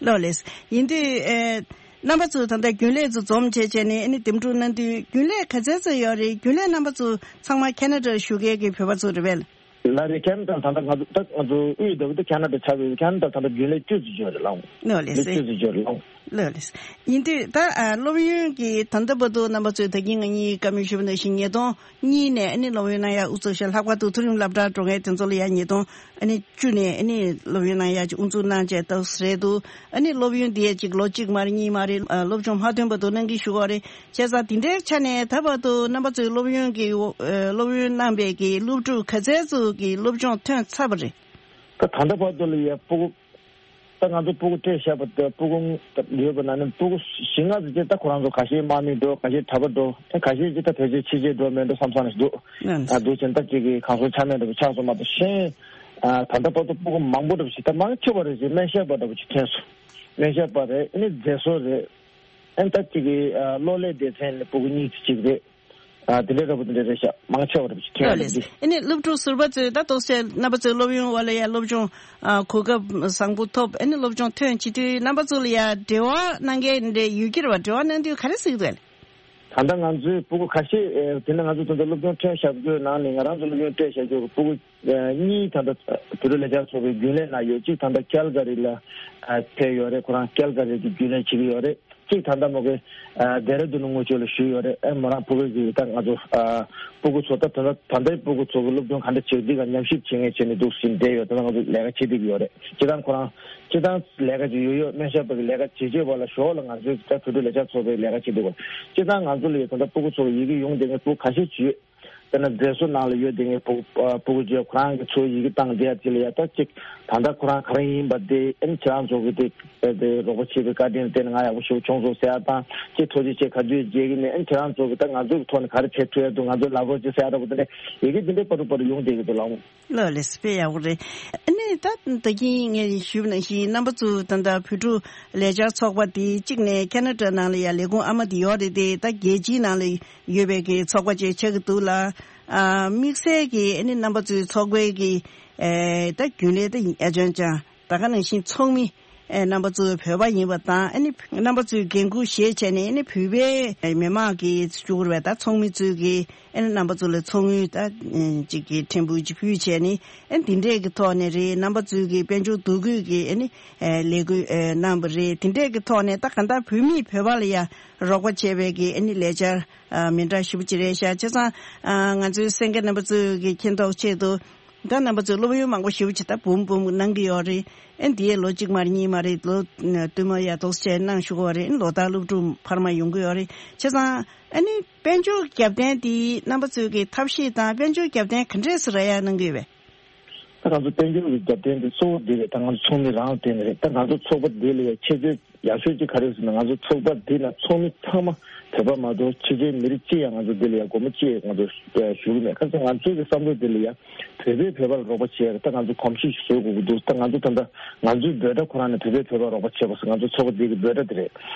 ལགས་ལགས། ཡིན་དུས་ཨེ་རྣམ་པ་ཚོ་ད་ལྟ་རྒྱུན་ལས་ཚོ་འཛོམས་བྱས་བྱས་ནས་ཨ་ནི་འདེམས་སྒྲུག་གནང་དུས་རྒྱུན་ལས་ག་ཚད་ཙམ་ཡོད་རེད། རྒྱུན་ལས་རྣམ་པ་ཚོ་ཚང་མ་ཁེ་ན་ཌ་བཞུགས་མཁན་གྱི་བོད་པ་ཚོ་རེད་པས། ལགས་རེད། ཁེ་ན་ཌ་ད་ལྟ་ང་ཚོ་ད་ང་ཚོ་དབུས་ལྟ་བུ་ད་ཁེ་ན་ཌ་ཆགས་པའི་ཁེ་ན་ཌ་ད་ལྟ་རྒྱུན་ལས་བཅུ་ཙམ་ཡོད་རེད་ལགས། ལགས་ལགས་སེ། བཅུ་ཙམ་ཡོད་རེད་ལགས། ལགས་ལགས། ཡིན་དུས་ད་ཨ་སློབ་ཡོན་གྱི་ད་ལྟ་བར་དུ་རྣམ་པ་ཚོས་ད་གིན་ང་གཉིས་བཀའ་མོལ་ཞུས་པ་ནང་བཞིན་ཉིས་སྟོང་གཉིས་ནས་ཨ་ནི་སློབ་ཡོན་གནང་ཡ་དབུ་ཚུགས་ཤག་ལྷག་པར་དུ་མཐོ་རིམ་སློབ་གྲྭ་འགྲོ་མཁན་དེ་ཚོ་ལ་ཡ་ཉིས་སྟོང་ཨ་ནི་བཅུ་ནས་ཨ་ནི་སློབ་ཡོན་གནང་ཡ་ཅིག་དབུ་འཛུགས་གནང་བྱས་ཏོག་ཙམ་རེད་འདུག་ཨ་ནི་སློབ་ཡོན་དེ་ཡ་ཅིག་ལོ་གཅིག་མ་རེད་གཉིས་མ་རེད་ཨ་སློབ་སྦྱོང་མ་ཐོན་བར་དུ་གནང་གི་ཞུ་གི་ཡོད་རེད། བྱས་ཙང་དེ་འདྲའི་ཆ་ནས་ད་བར་དུ་རྣམ་པ་ཚོས་སློབ་ཡོན་གྱི་ཨ་སློབ་ཡོན་གནང་པའི་གི་སློབ་ཕྲུག་ག་ཚད་ཙམ་གྱི་སློབ་སྦྱོང་ཐོན་ཚར་བ་རེད། ད་ད་ལྟ་བར་དུ་ལ་ཡ་སྤུ་གུ། ད་ང་ཚོ་སྤུ་གུ་སྤྲད་བཞག་པ་དེ་སྤུ་གུ་ཡོད་པ་ན་ནི་སྤུ་གུ་བཞི་ལྔ་ཙམ་ཅིག་ད་ཁོ་རང་ཚོ་ཁ་ཤས་དམག་མི་འགྲོ། ཁ་ཤས་གྲྭ་པ་འགྲོ། ཨེ་ཁ་ཤས་ཅིག་ད་ཕལ་ཆེར་ཕྱི་རྒྱལ་འགྲོ་མེད་འགྲོ་བསམ་བསམ་ཞིག་འདུག་ཨ་འདུག་ཅིང་ད་ཅིག་གི་གང་སོ་ཆ་མེད་འགྲོ་བ་ཆགས་སོང་མ་གཏོགས་གཞན། ཨ་ད་ལྟ་བར་དུ་སྤུ་གུ་མང་པོ་འདྲ་པོ་ཞིག་ད་མང་ཆེ་བ་རེད་ཅིག་སྨན་ཞབས་པ་འདྲ་པོ་ཅིག་ཐོན་སོང་། སྨན་ཞབས་པ་རེད། ཨེ་ནི་མཛེས་བཟོ་རེད། ཨེ་ད་ཅིག་གི་ཨ་གློག་ཀླད་སྡེ་ཚན་ནས་སྤུ་གུ་གཉིས་ཅིག་རེད། ཨ་དེ་འདྲའི་འདྲ་པོ་དེ་འདྲ་རེད་ཤག་མང་ཆེ་བ་འདྲ་པོ་ཅིག་ཐོན་ཡོད་རེད་ལགས་ལགས། ཅིག་ཨ་ནི་སློབ་ཕྲུག་ཟུར་པ་ཚོས་ད་ཏོག་ཙམ་རྣམ་པ་ཚོའི་སློབ་ཡོན་འོག་ལ་ཡ་སློབ་སྦྱོང་ཨ་གོ་སྐབས་བཟང་པོ་ཐོབ། ཨ་ནི་སློབ་སྦྱོང་ཐོན་བྱེད་དུས་རྣམ་པ་ཚོ་ལ་ཡ་འབྲེལ་བ་གནང་མཁན་འདྲ་ཡོད་ཀྱི་རེད་བ། འབྲེལ་བ་གནང་དུས་ག་རེ་གཟིགས་འདུག་ཨ་ལེ། ད་ལྟ་ང་ཚོའི་སྤུ་གུ་ཁ་ཤས་ཨེ་དེ་ནས་ང་ཚོ་ད་ལྟ་སློབ་སྦྱོང་ཐོན་བཞག་རྒྱུའི་ནང་ནས་ང་རང་ཚོ་སློབ་ཡོན་སྤྲད་བཞག་རྒྱུ་སྤུ་གུ་ཨེ་གཉིས་ད་ལྟ་བོད་རིགས་ལས་བྱེད་ཚོགས་པའི་རྒྱུན་ལས་ནང་ཡོད། གཅིག་ད་ལྟ་ཀལ་ག་རི་ལ་ཨ་ཕེབས་ཡོད་རེད། ཁོ་རང་ཀལ་ག་རི་གི་རྒྱུན་ལས་བྱེད་ཀྱི་ཡོད་རེད། གཅིག་ད་ལྟ་མོ་གི་ཨ་ལྡེ་ར་ལྡུན་དངུལ་ཆུ་ལ་ཞུགས་ཡོད་རེད། ཨེ་མོ་རང་ཕྲུ་གུ་གི་ད་ང་ཚོ་ཨ་སྤུ་གུ་ཚོ་ད་ད་ལྟ་ད་ལྟའི་སྤུ་གུ་ཚོ་གི་སློབ་སྦྱོང་ག་འདྲ་བྱེད་འདི་ག་ཉམས་ཞིབ་བྱེད་མཁན་བྱས་ནས་འདུག་ཟིན་བསྡད་ཡོད། ད་ལྟ་ང་ཚོ་ལས་ཀ་བྱེད་བསྡད་ཀྱི་ཡོད་རེད། སྤྱིར་བཏང་ཁོ་རང་སྤྱིར་བཏང་ལས་ཀ་ཅིག་ཡོད་ཡོད་སྨན་ཞབས་པ་གི་ལས་ཀ་བྱེད་བྱེད་པ་ལ་ཞོར་ལ་ང་ཚོའི་ད་བོད་ཕྲུག་ལས་བྱེད་ཚོགས་པའི་ལས་ཀ་བྱེད་བསྡད་ཡོད། སྤྱིར་བཏང་ང་ཚོ་ལ་ཡོད་ད་ལྟ་སྤུ་གུ་ཚོ་གི་ཡི་གེ་ཡོང་བསྡད་མཁན་སྤུ་གུ་ཁ་ཤས་ཅིག་ཡོད། དཔེར་ན་མཛེས་བཟོ་ནང་ལ་ཡོད་དེ་ངའི་ཕྲུ་ཕྲུ་གུ་ཅིག་ཁོ་རང་གི་ཚོ་ཡི་གེ་བཏང་བསྡད་ཡ་ཅིག་ལ་ཡ་ད་ཅིག་ད་ལྟ་ཁོ་རང་ག་རེ་ཡིན་པ་དེ་ཨེམ་ཁྱེད་རང་ཚོ་གི་དེ་དེ་རོགས་པ་བྱེད་པའི་བཀའ་དྲིན་བརྟེན་ང་ཡག་པོ་ཞིག་བྱུང་སོང་ཟེར་ཡ་དང་ཅིག་ཐུགས་རྗེ་ཆེ་ག་དུས་མཇལ་གི་མེད། ཨེམ་ཁྱེད་རང་ཚོ་གི་ད་ང་ཚོ་གི་ཐོག་ནས་ག་རེ་བྱེད་ཐུབ་ཡ་འདུག་ང་ཚོ་ལབ་རོགས་ཅིག་ཟེར་ཡ་འདྲ་པོ་དེ་འདྲ་ཡི་གེ་དེ་འདྲའི་པར་རུ་པར་རུ་ཡོང་བསྡད་ཀྱི་འདུག་ལགས། ལགས་ལགས་དཔེ་ཡག་པོ་རེད། ཨ་ནི་ད་ད་གིན་ངས་ཞུས་པ་ནང་བཞིན་རྣམ་པ་ཚོ་ད་ལྟ་བོད་ཕྲུག་ལས་འཆར་ཚོགས་པ་དེ་གཅིག་ནས་ཁེ་ན་ཌ་ནང་ལ་ཡ་ལས་ཁུངས་ཨ་མ་དེ་ཡོད་རེད་དེ་ད་རྒྱལ་སྤྱིའི་ནང་ལ་ཡོད་པའི་གི་ཚོགས་པ་ཅིག་ཆགས་ཀྱི་འདུག་ལ། ཨ་དམིགས་བསལ་གྱི་ཨ་ནི་རྣམ་པ་ཚོའི་ཚོགས་པའི་གི་ཨེ་ད་རྒྱུན་ལས་ད་ཡིན་ཨ་ཅང་ཅང་ད་ག་ནང་བཞིན་ཚོགས་མི་ཨེ་རྣམ་པ་ཚོ་བོད་པ་ཡིན་པ་དང་ཨ་ནི་རྣམ་པ་ཚོའི་འགན་ཁུར་བཞེས་བྱས་ནས་ཨ་ནི་བོད་པའི་མི་མང་གི་བཅུག་རེད་པ། ད་ཚོགས་མི་ཚོའི་གི་ཨ་ནི་རྣམ་པ་ཚོ་ལ་ཚོགས་དངུལ་ད་ཅིག་གི་ཕྲན་བུ་ཅིག་ཕུལ་བྱས་ནས་ཨ་ནི་འདི་འདྲས་ཀྱི་ཐོག་ནས་རེད། རྣམ་པ་ཚོའི་གི་དཔལ་འབྱོར་འདུ་འགོད་ཀྱི་ཨ་ནི་ལས་འགུལ་གནང་བ་རེད། འདི་འདྲས་ཀྱི་ཐོག་ནས་ད་གང་ལྟར་བོད་མིས་བོད་པ་ལ་ཡ་རོགས་པ་བྱས་པའི་གི་ཨ་ནི་ལས་འཆར་མི་འདྲ་ཞེ་པོ་ཅིག་རེད་ཤག་བྱས་ཙང་ང་ཚོའི་གསན་མཁན་རྣམ་པ་ཚོས་གི་མཁྱེན་རྟོགས་ཆེད་དུ་ད་རྣམ་པ་ཚོས་སློབ་ཡོན་མང་པོ་ཞེ་པོ་ཅིག་ད་འབུམ་འབུམ་གནང་གི་ཡོད་རེད། ཨ་ནི་དེའི་ལོ་གཅིག་མ་རེད་གཉིས་མ་རེད་ལོ་བསྟུད་མར་ཡ་ཏོག་ཙམ་གནང་ཞུ་གི་ཡོད་རེད། ཨ་ནི་ལོ་ལྟར་སློབ་ཕྲུག་འཕར་མ་ཡོང་གི་ཡོད་རེད། བྱས་ཙང་ཨ་ནི་དཔལ་འབྱོར་རྒྱབ་རྟེན་དེ་རྣམ་པ་ཚོས་ཀྱི་ཐབས་ཤེས་དང་དཔལ་འབྱོར་རྒྱབ་རྟེན་ག་འདྲས་སེ་རག་ཡ་གནང་གི་ཡོད་པས། ད་ང་ཚོ་དཔལ་འབྱོར་གྱི་རྒྱབ་རྟེན་དེ་གཙོ་བོ་དེ་རེད། ད་ང་ཚོ་ཚོགས་མི་རང་ལ་བརྟེན་ནས་རེད། ད་ང་ཚོ་ཚོགས་པ་འདི་ལ་ཡ་ཁྱད་ཆོས་ཡག་ཤོས་ཅིག་ག་རེ་ཟེར་ན་ང་ཚོ་ཚོགས་པ་འདི་ན་ཚོགས་མི་ཚང་མ་བོད་པ་མ་གཏོགས་ཕྱི་རྒྱལ་མི་རིགས་གཅིག་ཡང་ང་ཚོ་འདི་ལ་ཡ་སྒོར་མོ་གཅིག་ང་ཚོ་ཞུ་གི་མེད། ཁ་སང་ང་ཚོའི་གི་བསམ་བློ་འདི་ལ་ཡ་བོད་པས་བོད་པ་ལ་རོགས་པ་བྱེད་ཡ་ད་ང་ཚོ་གོམས་གཤིས་ཤིག་བཟོ་དགོས་ཀྱི་འདུག་ད་ང་ཚོ་ད་ལྟ་ང་ཚོའི་འབོད་སྒྲ་ཁོ་རང་ནས་བོད་པས་བོད་པ་རོགས་པ་བྱེད་པ་ཟེར་ང་ཚོ་ཚོགས་པ་འདི་གི་འབོད་སྒྲ་འདི་རེད།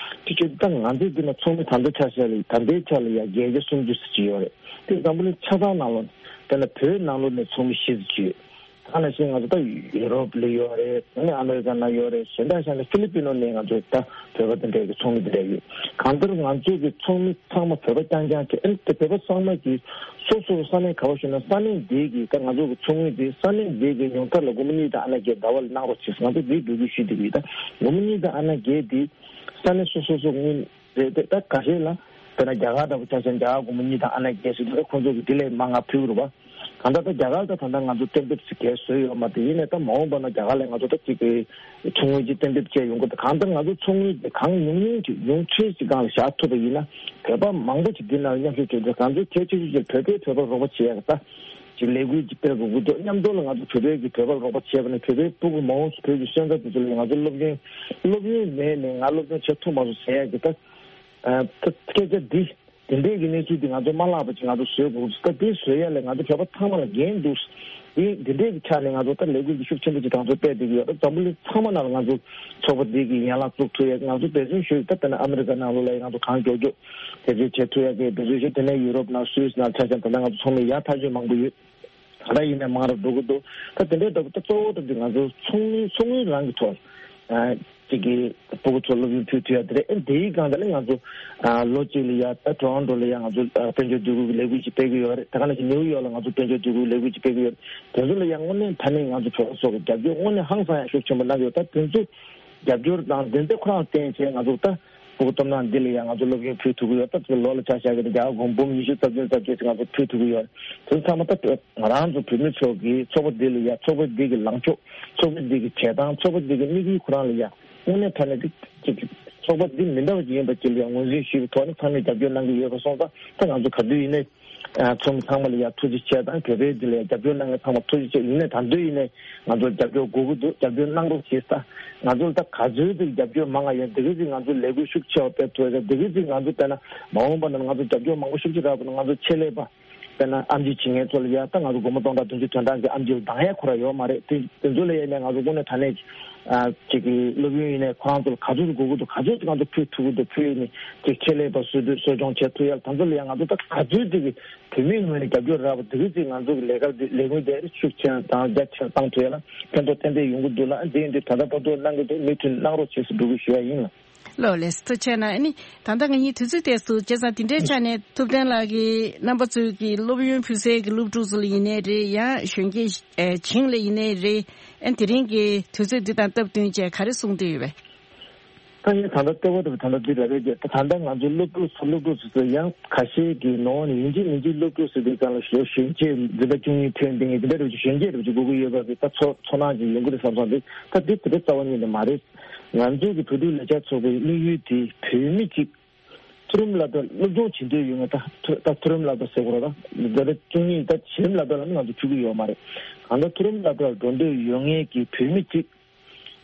དེ་ཁྱོད་ད་ང་ཚོའི་འདི་ན་ཚོགས་མི་ད་ལྟ་ཆ་བཞག་ལ་ད་ལྟའི་ཆ་ལ་ཡ་བརྒྱད་བརྒྱ་སུམ་ཅུ་ཙམ་ཅིག་ཡོད་རེད། དེ་འཛམ་བུ་གླིང་ཆ་ཚང་ནང་ལོགས་དཔེར་ན་བོད་ནང་ལོགས་ནས་ཚོགས་མི་བཞི་ཙམ་ཅིག་ཡོད། ད་ནང་བཞིན་ང་ཚོ་ད་ཡུ་རོབ་ལ་ཡོད་རེད། ཨ་ནི་ཨ་མེ་རི་ཀ་ནང་ཡོད་རེད། གཞན་དག་གཞན་དག་ཧྥི་ལི་པི་ནོ་ནས་ང་ཚོ་ད་བོད་པ་དེ་འདྲའི་གི་ཚོགས་མི་དེ་འདྲ་ཡོད། གང་ལྟར་ང་ཚོ་གི་ཚོགས་མི་ཚང་མ་བོད་པ་རྐྱང་རྐྱང་བྱས། ཨ་ནི་དེ་བོད་པ་ཚང་མ་གིས་སོ་སོ་ས་གནས་ག་བ་བཞུགས་ན་ས་གནས་དེའི་གི་ད་ང་ཚོ་གི་ཚོགས་མི་དེ་ས་གནས་དེའི་གི་ཉུང་མཐར་ལ་སྒོར་མོ་གཉིས་དང་ཨ་ན་བརྒྱད་ཟླ་བ་ལ་གནང་རོགས་བྱེད། ང་ཚོ་དེའི་འབོད་སྐུལ་ཞུས་བསྡད་ཀྱི་ཡོད། ད་སྒོར་མོ་གཉིས་དང་ཨ་ན་བརྒྱད་དེ་ས་གནས་སོ་སོ་སོ་དངུལ་རེད་དེ། ད་ཁ་ཤས་ལ་དཔེར་ན་རྒྱ་གར་འདྲ་པོ་ཆ་བཞག་ན་རྒྱ་གར་སྒོར་མོ་གཉིས་དང་ཨ་ན་བརྒྱད་ཟེར་དུས་ད་ཁོང་ཚོ་གིས་དེ་ལས་མང་ང་ཕུལ་གི་རེད་པ། གང་ལྟར་ད་རྒྱ་གར་ད་ད་ལྟ་ང་ཚོ་གཏན་འབེབས་ཟེར་གས་བཟོས་ཡོད་མ་རེད། ཡིན་ནའི་ད་མ་འོངས་པ་ན་རྒྱ་གར་ལ་ང་ཚོ་ད་ཅིག་གི་ཚོགས་དངུལ་ཅིག་གཏན་འབེབས་བྱས་ཡོང་གི་འདུག་གང་ལྟར་ང་ཚོ་ཚོགས་དངུལ་དེ་གང་ཉུང་ཉུང་ཅིག་ཉུང་ཤས་ཅིག་སྒང་ལ་བཞག་ཐུབ་པ་ཡིན་ན་བོད་པ་མང་པོ་ཅིག་འདི་ནང་ལ་མཉམ་ཞུགས་བྱས་ཏེ་ང་ཚོའི་གལ་ཆེ་ཤོས་ཅིག་བོད་པས་བོད་པར་རོགས་པ་བྱེད་ཡག་ད་ཅིག་ལས་འགུལ་ཅིག་སྤེལ་དགོས་ཀྱི་འདུག་མཉམ་དུ་ལ་ང་ཚོ་བོད་པའི་གི་བོད་པར་རོགས་པ་བྱས་པ་ནི་བོད་པའི་སྤུ་གུ་མང་པོ་བོད་ཀྱི་སོན་རྩ་དེ་ཚོ་ལ་ང་ཚོ་སློབ་ཡོན་སློབ་ཡོན་མེད་ནས་ང་སློབ་སྦྱོང་བྱེད་ཐུབ་མ་སོང་ཟེར་ཡག་གི་ད་ཨ་ད་སྐད་ཆ་འདི། དེ་འདྲའི་གི་གནས་ཚུལ་འདི་ང་ཚོ་མ་བརླག་པ་ཅིག་ང་ཚོ་བཟོ་དགོས། ད་དེ་བཟོ་ཡ་ལ་ང་ཚོ་བོད་པ་ཚང་མ་ལ་འགན་འདུག་དེ་དེ་འདྲའི་གི་ཆ་ནས་ང་ཚོ་ད་ལས་འགུལ་འདི་ཤུགས་ཆེན་པོ་ཅིག་དང་ཚོ་སྤེལ་བསྡད་ཀྱི་ཡོད། ད་འཛམ་བུ་གླིང་ཚང་མ་ནང་ལ་ང་ཚོ་ཚོགས་པ་འདི་གི་ཡན་ལག་བཙུགས་ཐུབ་ཡ་ང་ཚོ་འབད་བརྩོན་ཞུ་ཡི། ད་དཔེར་ན་ཨ་མི་རི་ཀ་ནང་ལོགས་ལ་ཡ་ང་ཚོ་གང་མགྱོགས་མགྱོགས་དེ་འདྲའི་བྱེད་ཐུབ་ཡ་གི་འབད་བརྩོན་ཞུ། དེ་ནས་ཡུ་རོབ་ནང་སུད་སི་ནང་ཆ་བཞག་ད་ལྟ་ང་ཚོ་ཚོགས་མི་ཡར་ཐག་ཆོད་མང་པོ་ཡོད། ད་ལྟ་ཡིན་ནའི་མང་རུ་འགྲོ་གི་འདུག་ད་དེ་འདྲའི་འདྲ་པོ་ད་གཙོ་བོ་འདྲ་པོ་དེ་ང་ཚོ་ཚོགས་མི་ཚོགས་མི་རང་གི་ཐོག་ཨ་ཅིག་གི་སྤུ་གུ་ཚོ་སློབ་ཡོན་ཕུལ་ཐུབ་ཡ་དེ་རེད། ཨེ་དེའི་སྒང་དེ་ལ་ང་ཚོ་ཨ་ལོ་གཅིག་ལ་ཡ་ད་ཊོ་རོན་ཊོ་ལ་ཡ་ང་ཚོ་ཨ་དཔལ་འབྱོར་འདུ་འགོད་ཀྱི་ལས་འགུལ་ཅིག་སྤེལ་གྱི་ཡོད་རེད། ད་ག་ནང་བཞིན་ནིའུ་ཡོག་ལ་ང་ཚོ་དཔལ་འབྱོར་འདུ་འགོད་ཀྱི་ལས་འགུལ་ཅིག་སྤེལ་གྱི་ཡོད་རེད། དེ་ཚོ་ལ་ཡ་དངོས་གནས་ད་ནི་ང་ཚོ་བོད་པ་ཚོ་གི་རྒྱབ་སྐྱོར་དངོས་གནས་ཧང་སང་ཡ་ཤུགས་ཆེན་པོ་གནང་གི་ཡོད། ད་དེ་ཚོ་ རྒྱབ་སྐྱོར་དང་དེ་འདྲ་ཁོ་རང་བརྟེན་བྱས་ང་ཚོ་ད་ཕྲུ་གུ་སྟོབས་ན་འདི་ལ་ཡང་ང་ཚོ་སློབ་ཡོན་ཕུལ་ཐུབ་ཀྱི་ཡོད། ད་ལོ་ལ་ཆ་བཞག་གི་ན་རྒྱ་གར་སྒོར་འབུམ་ཉི་ཤུ་རྩ་བདུན་རྩ་བརྒྱད་ཅིག་ང་ཚོ་ཕུལ་ཐུབ་ཀྱི་ཡོད། དེ་ཚང་མ་ད་ང་རང་ཚོ་བོད་མི་ཚོ་གི་ཚོགས་པ་འདི་ལ་ཡང་ཚོགས་པ་འདི་གི་ལངས་ཕྱོགས། ཚོགས་པ་འདི་གི་བྱེད་སྟངས། ཚོགས་པ་འདི་གི་དམིགས་ཡུལ་ཁོ་རང་ལ་ཡང་དངོས་གནས་དྲང་གནས་འདི་ཅིག་ཚོགས་པ་འདི་མི་འདྲ་བ་ཅིག་ཡིན་པ་ཅིག་ལ་ཡང་ངོས་འཛིན་ཞུས་པའི་ཐོག་ནས་ཚང་མས་རྒྱབ་སྐྱོར་གནང་གི་ཡོད་པ་སོང་ཙང་ད་ང་ཚོ་ག་དུས་ཡིན་ནའི། ཨ། ཚོགས་མི་ཚང་མ་ལ་ཡང་ཐུགས་རྗེ་ཆེ་དང་། བོད་པའི་འདི་ལ་ཡང་རྒྱབ་སྐྱོར་གནང་མཁན་ཚང་མ་ཐུགས་རྗེ་ཆེ། ཡིན་ནའི་ད་དུང་ཡིན་ནའི་ང་ཚོར་རྒྱབ་སྐྱོར་དགོས་ཀྱི་འདུག་རྒྱབ་སྐྱོར་གནང་རོགས་ཞེས། ད་ང་ཚོར་ད་ག་ཚོད་ཅིག་རྒྱབ་སྐྱོར་མང་ང་ཡོད། དེ་ག་ཚོད་ང་ཚོ་ལས་འགུལ་ཤུགས་ཆེ་བ་སྤེལ་ཐུབ་ཡོད། དེ་ག་ཚོད་ང་ཚོ་དཔེར་ན་མ་འོངས་པ་ན་ང་ཚོ་རྒྱབ་སྐྱོར་མང་པོ་ཤུགས་ཆེ་རག་པ་ན། ང་ཚོ་ཆེད་ལས་པ་དཔེར་ན་ཨེམ་ཆི་བྱེད་མཁན་ཚོ་ལ་ཡང་ད་ང་ཚོ་སྒོར་མོ་སྟོང་ཕྲག་བདུན་ཅུ་དོན་གྲངས་ཀྱི་ཨེམ་ཆི་ལ་འདང་ཡ་ཁོ་རང་ཡོད་མ་རེད། དེ་དེ་ཚོ་ལ་ཡིན་ནའི་ང་ཚོ་དངོས་གནས་དྲང་གནས་ཀྱི། ཨ། ཅིག་གི་སློབ་ཡོན་ཡིན་ནའི་ཁོ་རང་ཚོ་ལ་ག་ཚོད་དགོས་ཀྱི་འདུག་ག་ཚོད་ང་ཚོ་ཕུལ་ཐུབ་ཀྱི་འདུག་ཕུལ་ནས་ཅིག་ཆེད་ལས་པ་གསོ་སྡུད་གསོ་སྐྱོང་བྱེད་ཐུབ་ཡ་ལ། ད་ཚོ་ལ་ཡང་ང་ཚོ་ད་ག་ཚོད་ཅིག་གི་བོད་མིའི་ངོས་ནས་རྒྱབ་སྐྱོར་རག་པ་དེ་ག་ཚོད་ང་ཚོ་གི་ལས་ཀ་འདི་ལས་འགུལ་དེ་ཤུགས་ཆེ་དང་རྒྱ་ཆེར་བཏང་ཐུབ་ཡ་ལ་ཕན་ཐོགས་ཏན་ཏན་ཡོང་གི་འདུག་ལ། འདི་ཡིན་དུས་ད་ལྟ་བར་དུ་གནང་གི་འདུག་མུ་མཐུད་གནང་རོགས་བྱེད་ཟེར་འབོད་སྐུལ་ཞུ་ཡ་ཡིན་ལ། ལགས་ལགས་སོ། ཐུགས་རྗེ་ཆེ་གནང་། ཨ་ནི་ད་ལྟ་ང་གཉིས་དུས་ཚོད་ཏོག་ཙམ་བྱས་ཙང་དེ་འདྲའི་ཆ་ནས་ཐུབ་བསྟན་ལགས་ཀྱིས་རྣམ་པ་ཚོའི་གི་སློབ་ཡོན་ཕུལ་སའི་གི་སློབ་ཕྲུག་ཚོ་ལ་ཡིན་ནའི་རེད། ཡང་གཞོན་སྐྱེས་ཨེ་བྱིངས་ལ་ཡིན་ནའི་རེད། ཨ། དེ་རིང་གི་དུས་ཚོད་འདི་དང་སྟབས་བསྟུན་བྱས་ག་རེ་གསུང་འདོད་ཡོད་པས། ད་ངས་ད་ལྟ་ལྟེ་བ་དུ་ད་ལྟ་འདི་རེད་རེད་ཀྱི་ད་ད་ལྟ་ང་ཚོའི་སློབ་ཕྲུག་ཚོ་སློབ་ཕྲུག་ཚོ་ཚོ་ཡང་ཁ་ཤས་ཀྱི་ནང་ནས་ཡིན་གཅིག་མིན་གཅིག་སློབ་ཕྲུག་ཟེར་དུས་ཙམ་ལ་གཞོན་གཞོན་སྐྱེས་འཛིན་གྲྭ་བཅུ་གཉིས་ཐོན་ཏེ་ངས་འདི་འདྲ་རེད་ཀྱི་གཞོན་སྐྱེས་རེད་ཀྱི་དགོས་ཀྱི་ཡོད་པ་གི་ད་ཚོ་ཚོར་སྣང་ཅིག་ཡོང་གི་རེད་བསམ་བསམ་འདུག་ད་འདི་དེ་འདྲ་རྩ་བ་ཉིད་ནས་མ་རེད། ང་ཚོའི་གི་བོད་ཕྲུག་ལས་འཆར་ཚོགས་པའི་དམིགས་ཡུལ་དེ་བོད་མི་གཅིག་མཐོ་རིམ་སློབ་གྲྭ་སློབ་སྦྱོང་བྱེད་འདོད་ཡོད་ངེས། ད་མཐོ་ད་མཐོ་རིམ་སློབ་གྲྭ་ཟེར་དགོས་རེད། ད་འཛིན་གྲྭ་བཅུ་གཉིས་ད་གཞི་རིམ་སློབ་གྲྭ་ལ་ནི་ང་ཚོ་ཕུལ་གྱི་ཡོད་མ་རེད། གང་ལྟར་མཐོ་རིམ་སློབ་གྲྭར་འགྲོ་འདོད་ཡོད་ངེས་ཀྱི་བོད་མི་གཅིག་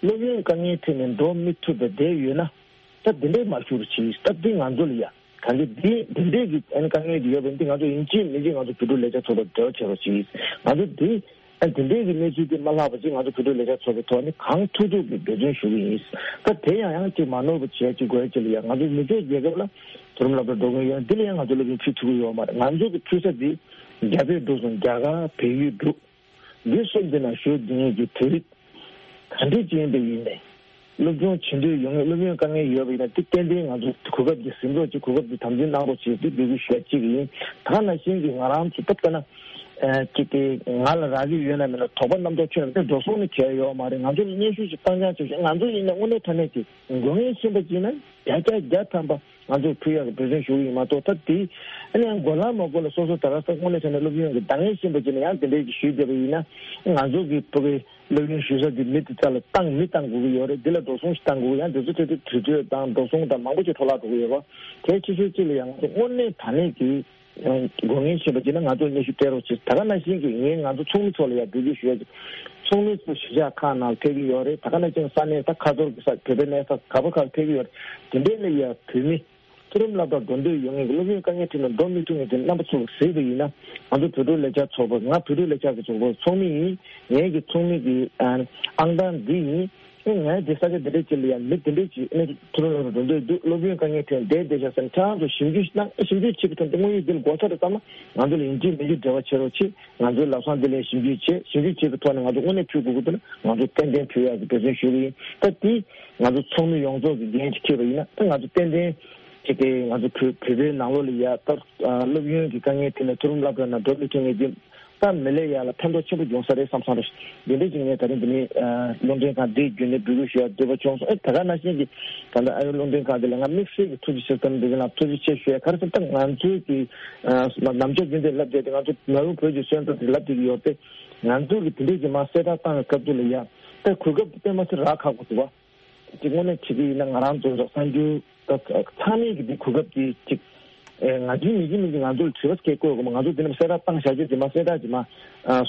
སློབ་ཡོན་དཀའ་ངལ་འཕྲད་ནས་འགྲོ་མི་ཐུབ་པའི་བསྡད་ཡོད་ན། ད་འདི་འདྲའི་མ་ཞུ་རུ་ཆེ། ད་འདི་ང་ཚོ་ལ་ཡ་གང་གི་འདི་འདི་འདྲའི་གི་ཨན་དཀའ་ངལ་འདི་ཡོད་པ་འདི་ང་ཚོ་ཡིན་གཅིག་མིན་གཅིག་ང་ཚོ་བོད་ཕྲུག་ལས་འཆར་ཚོགས་པ་འབྲེལ་བ་བྱེད་རོགས་གྱིས། ང་ཚོ་འདི་ཨན་འདི་འདྲའི་གི་གནས་ཚུལ་འདི་མ་ལྷག་པ་ཅིག་ང་ཚོ་བོད་ཕྲུག་ལས་འཆར་ཚོགས་པའི་ཐོག་ནས་གང་ཐུབ་ཐུབ་ཀྱི་འབད་བརྩོན་ཞུ་གི་ཡིན། ད་དེ་ཡང་ཡང་ཅིག་མ་ནོར་བ་བྱས་ཅིག་དགོས་ཅིག་ལ་ཡ་ང་ཚོ་མི་ཚོགས་རྒྱལ་ཁབ་ལ་མཐོ་རིམ་སློབ་གྲྭ་འགྲོ་གི་ཡོད། འདི་ལ་ཡང་ང་ཚོ་སློབ་ཡོན་ཕུལ་ཐུབ་ཀྱི་ཡོད་མ་རེད། ང་ཚོ་གི་ཕུལ་ས་འདི་རྒྱ་བལ་འབྲུག་གསུམ་རྒྱ་གར་བལ་ཡུལ་འབྲུག་འདི་གསུམ་འདི་ན་བཞུགས་འདི་ངེད་ཀྱི་བོད་རིགས་ག་འདྲ་ཅིག་ཡིན་པ་ཡིན་ནས། སློབ་སྦྱོང་བྱེད་འདོད་ཡོད་ངེས། སློབ་ཡོན་དཀའ་ངལ་ཡོད་པ་ཡིན་ན་དེ་ཏན་ཏན་ང་ཚོ་གོ་སྐབས་འདི་ཟིན་རོགས་གྱིས། གོ་སྐབས་འདི་དམ་འཛིན་གནང་རོགས་བྱེད་དེ་འབོད་སྐུལ་ཞུ་ཡ་གཅིག་ཡིན། ད་ག་ནང་བཞིན་གྱི་ང་རང་ཚོ་སྟབས་ཀ་ན་ཅིག་གི་ང་ལ་རག་གི་ཡོད་ན་མེད་ན་དོགས་པ་རྣམ་རྟོག་ཁྱོན་ནས་འགྲོ་སོང་ནི་གལ་ཡོད་མ་རེད། ང་ཚོ་ལ་སྙན་ཞུ་ཞིག་བཏང་རྐྱང་བྱེད་ཤོག་ང་ཚོ་ཡིན་ན་དངོས་གནས་དྲང་གནས་ཀྱི་དགོས་ངེས་ཤེས་པ་ཅིག་ན་བརྒྱ་ཆ་བརྒྱ་ཐམ་པ། ང་ཚོས་ཕུལ་ཡག་གི་འབད་བརྩོན་ཞུ་གི་ཡིན་མ་གཏོགས། ད་དེ་ཨ་ནི་ཡང་དགོས་ལ་མ་དགོས་ལ་སོ་སོ་ད་ག་ས་དངོས་གནས་བྱས་ན་སློབ་ཡོན་གྱི་འདང་ངེས་ཤེས་པ་ཅིག་ན་ཡང་དེ་འདྲའི་གི་ཞུས་བསྡད་པ་ཡིན་ན། ང་ཚོ་གི་ཕྲུ་གུའི་སློབ་ཡོན་ཞུ་ས་དེ་མི་དེ་རྩ་ལ་བཏང་མི་བཏང་དགོས་ཀྱི་ཡོད་རེད། འདི་ལ་འགྲོ་སོང་ཞིག་བཏང་དགོས་ཀྱི། ཡང་དེ་ཚོ་ཐད་དུ་དུས་ཚོད་དང་འགྲོ་སོང་དང་མང་པོ་ཞིག་འཕྲོ་བརླག་འགྲོ་གི་ཡོད་པ། དེ་ཕྱི་ཕྱོགས་གཅིག་ལ་ཡང་ང་ཚོ་དངོས་གནས་དྲང་གནས་ཀྱི་དགོས་ངེས་ཤེས་པ་ཅིག་ན་ང་ཚོ་སྙན་ཞུ་སྤྲད་རོགས་བྱེད། ད་ག་ནང་བཞིན་གྱི་ངས་ང་ཚོ་ཚོགས་མི་ཚོ་ལ་ཡང་འབོད་སྐུལ་ཞུ་ཡ་ཅིག་ཚོགས་མི་ཚོ་གཞིས་ཆགས་ཁག་ནང་ཕེབས་ཀྱི་ཡོད་རེད། ད་ག་ནང་བཞིན་ས་གནས་ད་ཁ་ཐོར་གྱི་ས་བོད་པའི་གནས་ས་ག་པ་ཁག་ཕེབས་ཀྱི་ཡོད་རེད། དེ་འདྲའི་ལ་ཡ་བོད་མི་མཐོ་རིམ་སློབ་གྲྭར་འགྲོ་འདོད་ཡོད་མཁན་གྱི་སློབ་ཡོན་དཀའ་ངལ་འཕྲད་ནས་འགྲོ་མི་ཐུབ་མཁན་དེ་རྣམ་པ་ཚོ་གཟིགས་པ་ཡིན་ན། ང་ཚོ་བོད་ཕྲུག་ལས་འཆར་ཚོགས་པ། ང་བོད་ཕྲུག་ལས་འཆར་གྱི་ཚོགས་པའི་ཚོགས་མི་ཡིན། ངེད་ཀྱི་ཚོགས་མི་གི་ཨང་གྲངས་འདི་ཡིན། ངས་འདི་ས་ཆ་འདི་འདྲའི་ཅིག་ལ་ཡང་མི་འདི་འདྲའི་ཅིག་ནི་མཐོ་རིམ་སློབ་གྲྭར་འགྲོ་འདོད་འདུག་སློབ་ཡོན་དཀའ་ངལ་འཕྲད་བསྡད་བསྡད་ཤག་ཟེར་ནས་ཁྱེད་རང་ཚོ་ཞིབ་འཇུག་གནང་། ཞིབ་འཇུག་བྱེད་པའི་ཐོག་ནས་དངོས་ཡོད་འདི་ལ་གོ་ཆ་རེ་བརྩམས་ན་ང་ཚོ་ལ་ཡིན་གཅིག་མིན་གཅིག་འབྲེལ་བ་བྱེད་རོགས་བྱེད། ང་ཚོའི་ལམ་སང་འདི་ལ་ཞིབ་འཇུག་བྱེད། ཞིབ་འཇུག་བྱེད་པའི་ཐོག་ནས་ང་ཚོ་དངོས་གནས་ཕུལ་དགོས་ཀྱི་འདུག་ན་ང་ཚོ་ཏན་ཏན་ཕུལ་ཡག་གི་འབད་བརྩོན་ཞུ་གི་ཡིན། ད་འདི་ང་ཚོ་ཚོགས་མི་ཡོངས་རྫོགས་ཀྱི་འགན་ཅིག་འཁྱེར་བ་ཡིན་ན། ད་ང་ཚོ་ཏན་ཏན་ཅིག་གི་ང་ཚོ་བོད་བོད་པའི་ནང་ལོགས་ལ་ཡ་ད་སློབ་ཡོན་གྱི་དཀའ་ངལ་འཕྲད་ནས་མཐོ་རིམ་སློབ་གྲྭ་ནང་འགྲོ་མི་ཐུབ་མཁན་འདི། ད་མི་ལས་ཡར་ལ་ཕན་ཐོགས་ཆེན་པོ་འབྱུང་ས་རེད་བསམ་བསམ་རེད། འདི་འདྲ་ཅིག་ངས་ད་རིང་འདི་ནས་ཨ་རླུང་འཕྲིན་ཁང་འདིའི་བརྒྱུད་ནས་འབོད་སྐུལ་ཞུ་ཡ་འདོད་པ་བྱུང་སོང་། ཨེ་ད་ག་ནང་བཞིན་གྱི་ད་ལྟ་ཨ་རིའི་རླུང་འཕྲིན་ཁང་འདི་ལ་ང་དམིགས་བསལ་གྱི་ཐུགས་རྗེ་ཆེ་བསམ། འདི་ལ་ཐུགས་རྗེ་ཆེ་ཞུ་ཡ་ག་རེ་ཟེར་ན། ད་ང་ཚོའི་གི་ཨ་ནམ་ཞག་རྒྱུན་དུ་ལབ་བསྡད་དེ། ང་ཚོ་ནཱ་རོ་བོད་ཀྱི་སོན་རྩ་དེ་ལབ་བསྡད་ཀྱི་ཡོད་དེ། ང་ཚོ་གི་དེ་འདྲ་ཅིག་མར་གསལ་བསྒྲགས་བཏང་བའི་སྐབས་དུས་ལ་ཡ་ད་གོ་སྐབས་དེ་དཔེ་མ་སྲིད་རག་ཁག་པོ་འདུག་བ། ཅིག་དངོས་གནས་བྱེད་ཀྱི་ཡིན་ན་ང་རང་ཚོ་གསར་འགྱུར་ད་ཚང་མས་ཀྱི་འདི་གོ་སྐབས་དེ་ཅིག་ཨེ་ང་ཚོའི་མི་གི་མི་གི་ང་ཚོ་ལ་དྲི་བ་སྐད་བཀོད་དགོས་མ། ང་ཚོ་འདི་ནས་གསལ་བསྒྲགས་བཏང་བཞག་རྒྱུ་དེ་མ་གསལ་བསྒྲགས་ཀྱི་མ་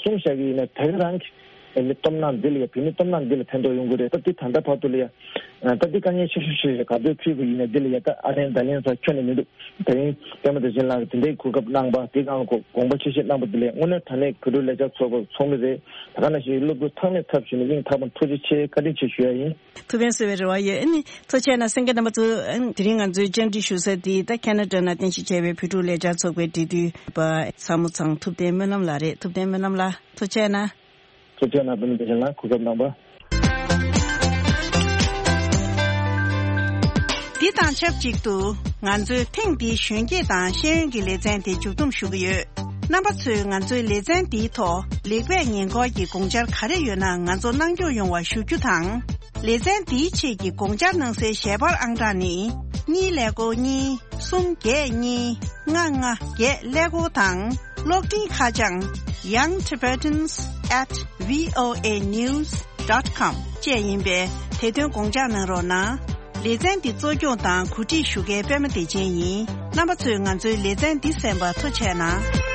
གསུངས་བཞག་གི་ཡིན་ན་དེ་ག་རང་གི་ཨེ་མི་སྟོབས་ན་འདི་ལ་ཡ་བོད་མི་སྟོབས་ན་འདི་ལ་ཕན་ཐོགས་ཡོང་གི་རེད། ད་འདི་ད་ལྟ་བར་དུ་ལ་ཡ་ད་འདི་དཀའ་ངལ་ཆེ་ཤོས་ཤིག་རེད། ག་དུས་ཕུལ་དགོས་ཡིན་ན་འདི་ལ་ཡ་ད་ཨ་ལན་ད་ལན་ས་ཁྱོན་ནས་མི་འདུག་ད་རིང་པད་མ་བདེ་ཆེན་ལགས་ཀྱིས་དེ་འདྲའི་གོ་སྐབས་གནང་པ་དེ་གང་དགོངས་པ་ཆེ་བཞེས་གནང་པ་དེ་ལ་དངོས་གནས་དྲང་གནས་བོད་ཕྲུག་ལས་འཆར་ཚོགས་པའི་ཚོགས་མི་རེད། ད་ག་ནང་བཞིན་སློབ་ཕྲུག་ཚང་མས་ཚབ་ཞུས་ནས་སྙིང་ཐག་པ་ནས་ཐུགས་རྗེ་ཆེ་བཀའ་དྲིན་ཆེ་ཞུ་ཡ་ཡིན། ཐུགས་ཕན་གསོས་པའི་རེ་བ་ཡོད། ཨ་ནི་ཐུགས་རྗེ་ཆེ་གནང་། གསན་མཁན་རྣམ་པ་ཚོ། ཨ་ནི་དེ་རིང་ང་ཚོའི་བཅར་འདྲི་ཞུ་ས་དེ་ད་ཁེ་ན་ཌ་ནང་རྟེན་གཞི་བྱས་པའི་བོད་ཕྲུག་ལས་འཆར་ཚོགས་པའི་འབྲེལ་མཐུད་པ་ཚ་མོ་ཚང་ཐུབ་བསྟན་སྨོན་ལམ་ལགས་རེད། ཐུབ་བསྟན་སྨོན་ལམ་ལགས་ཐུགས་རྗེ་ཆེ་གནང་། ཐུགས་རྗེ་ཆེ་གནང་། བུ་མོ་བདེ་ཆེན་ལགས་གོ་སྐབས་གནང་བ། འདི་དང་ཆབས་ཅིག་ཏུ་ང་ཚོའི་ཐེངས་འདིའི་གཞོན་སྐྱེས་དང་ཤེས་ཡོན་གྱི་ལེ་ཚན་དེ་མཇུག་བསྡོམས་ཞུ་གི་ཡོད། རྣམ་པ་ཚོས་ང་ཚོའི་ལེ་ཚན་འདིའི་ཐོག་ལེགས་སྤེལ་ཉེན་འཁོར་གྱི་དགོངས་འཆར་ག་རེ་ཡོད་ན་ང་ཚོར་གནང་སྐྱོང་ཡོང་བ་ཞུ་རྒྱུ་དང་། ལེ་ཚན་འདིའི་ཆེད་ཀྱི་དགོངས་འཆར་གནང་སའི་ཞལ་པར་ཨང་གྲངས་ནི། གཉིས་ཀླད་ཀོར་གཉིས། གསུམ་བརྒྱད་གཉིས། ལྔ་ལྔ་བརྒྱད་ཀླད་ཀོར་དང་། གློག་འཕྲིན་ཁ་བྱང་young tibetans at voa news dot com བཅས་ཡིན་པས། དེ་དོན་དགོངས་འཇགས་གནང་རོགས་གནང་། ལེ་ཚན་འདི་གཙོ་སྐྱོང་དང་གོ་སྒྲིག་ཞུ་མཁན་པད་མ་བདེ་ཆེན་ཡིན། རྣམ་པ་ཚོས་ང་ཚོའི་ལེ་ཚན་འདི་གསན་པར་ཐུགས་རྗེ་གནང་།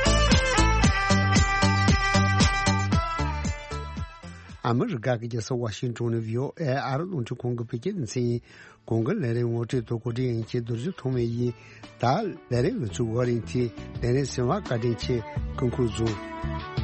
ཨ་མི་རི་ཀ་གི་རྒྱལ་ས་ཝ་ཤིང་ཊོན་ནས་བྷི་ཨོ་ཨེ་ཨ་རི་རླུང་འཕྲིན་ཁང་གི་བོད་སྐད་སྡེ་ཚན་ཡིན། གོང་གི་ལས་རིམ་ངོ་སྤྲོད་དང་གོ་སྒྲིག་ཡིན་གྱི་རྡོ་རྗེ་ཐོགས་མེད་ཡིན། ད་ལས་རིམ་ལ་ཚུར་འགོད་རིང་དེ་ལས་རིམ་གསན་པར་བཀའ་དྲིན་ཆེ། སྐུ་ཁམས་བཟང་།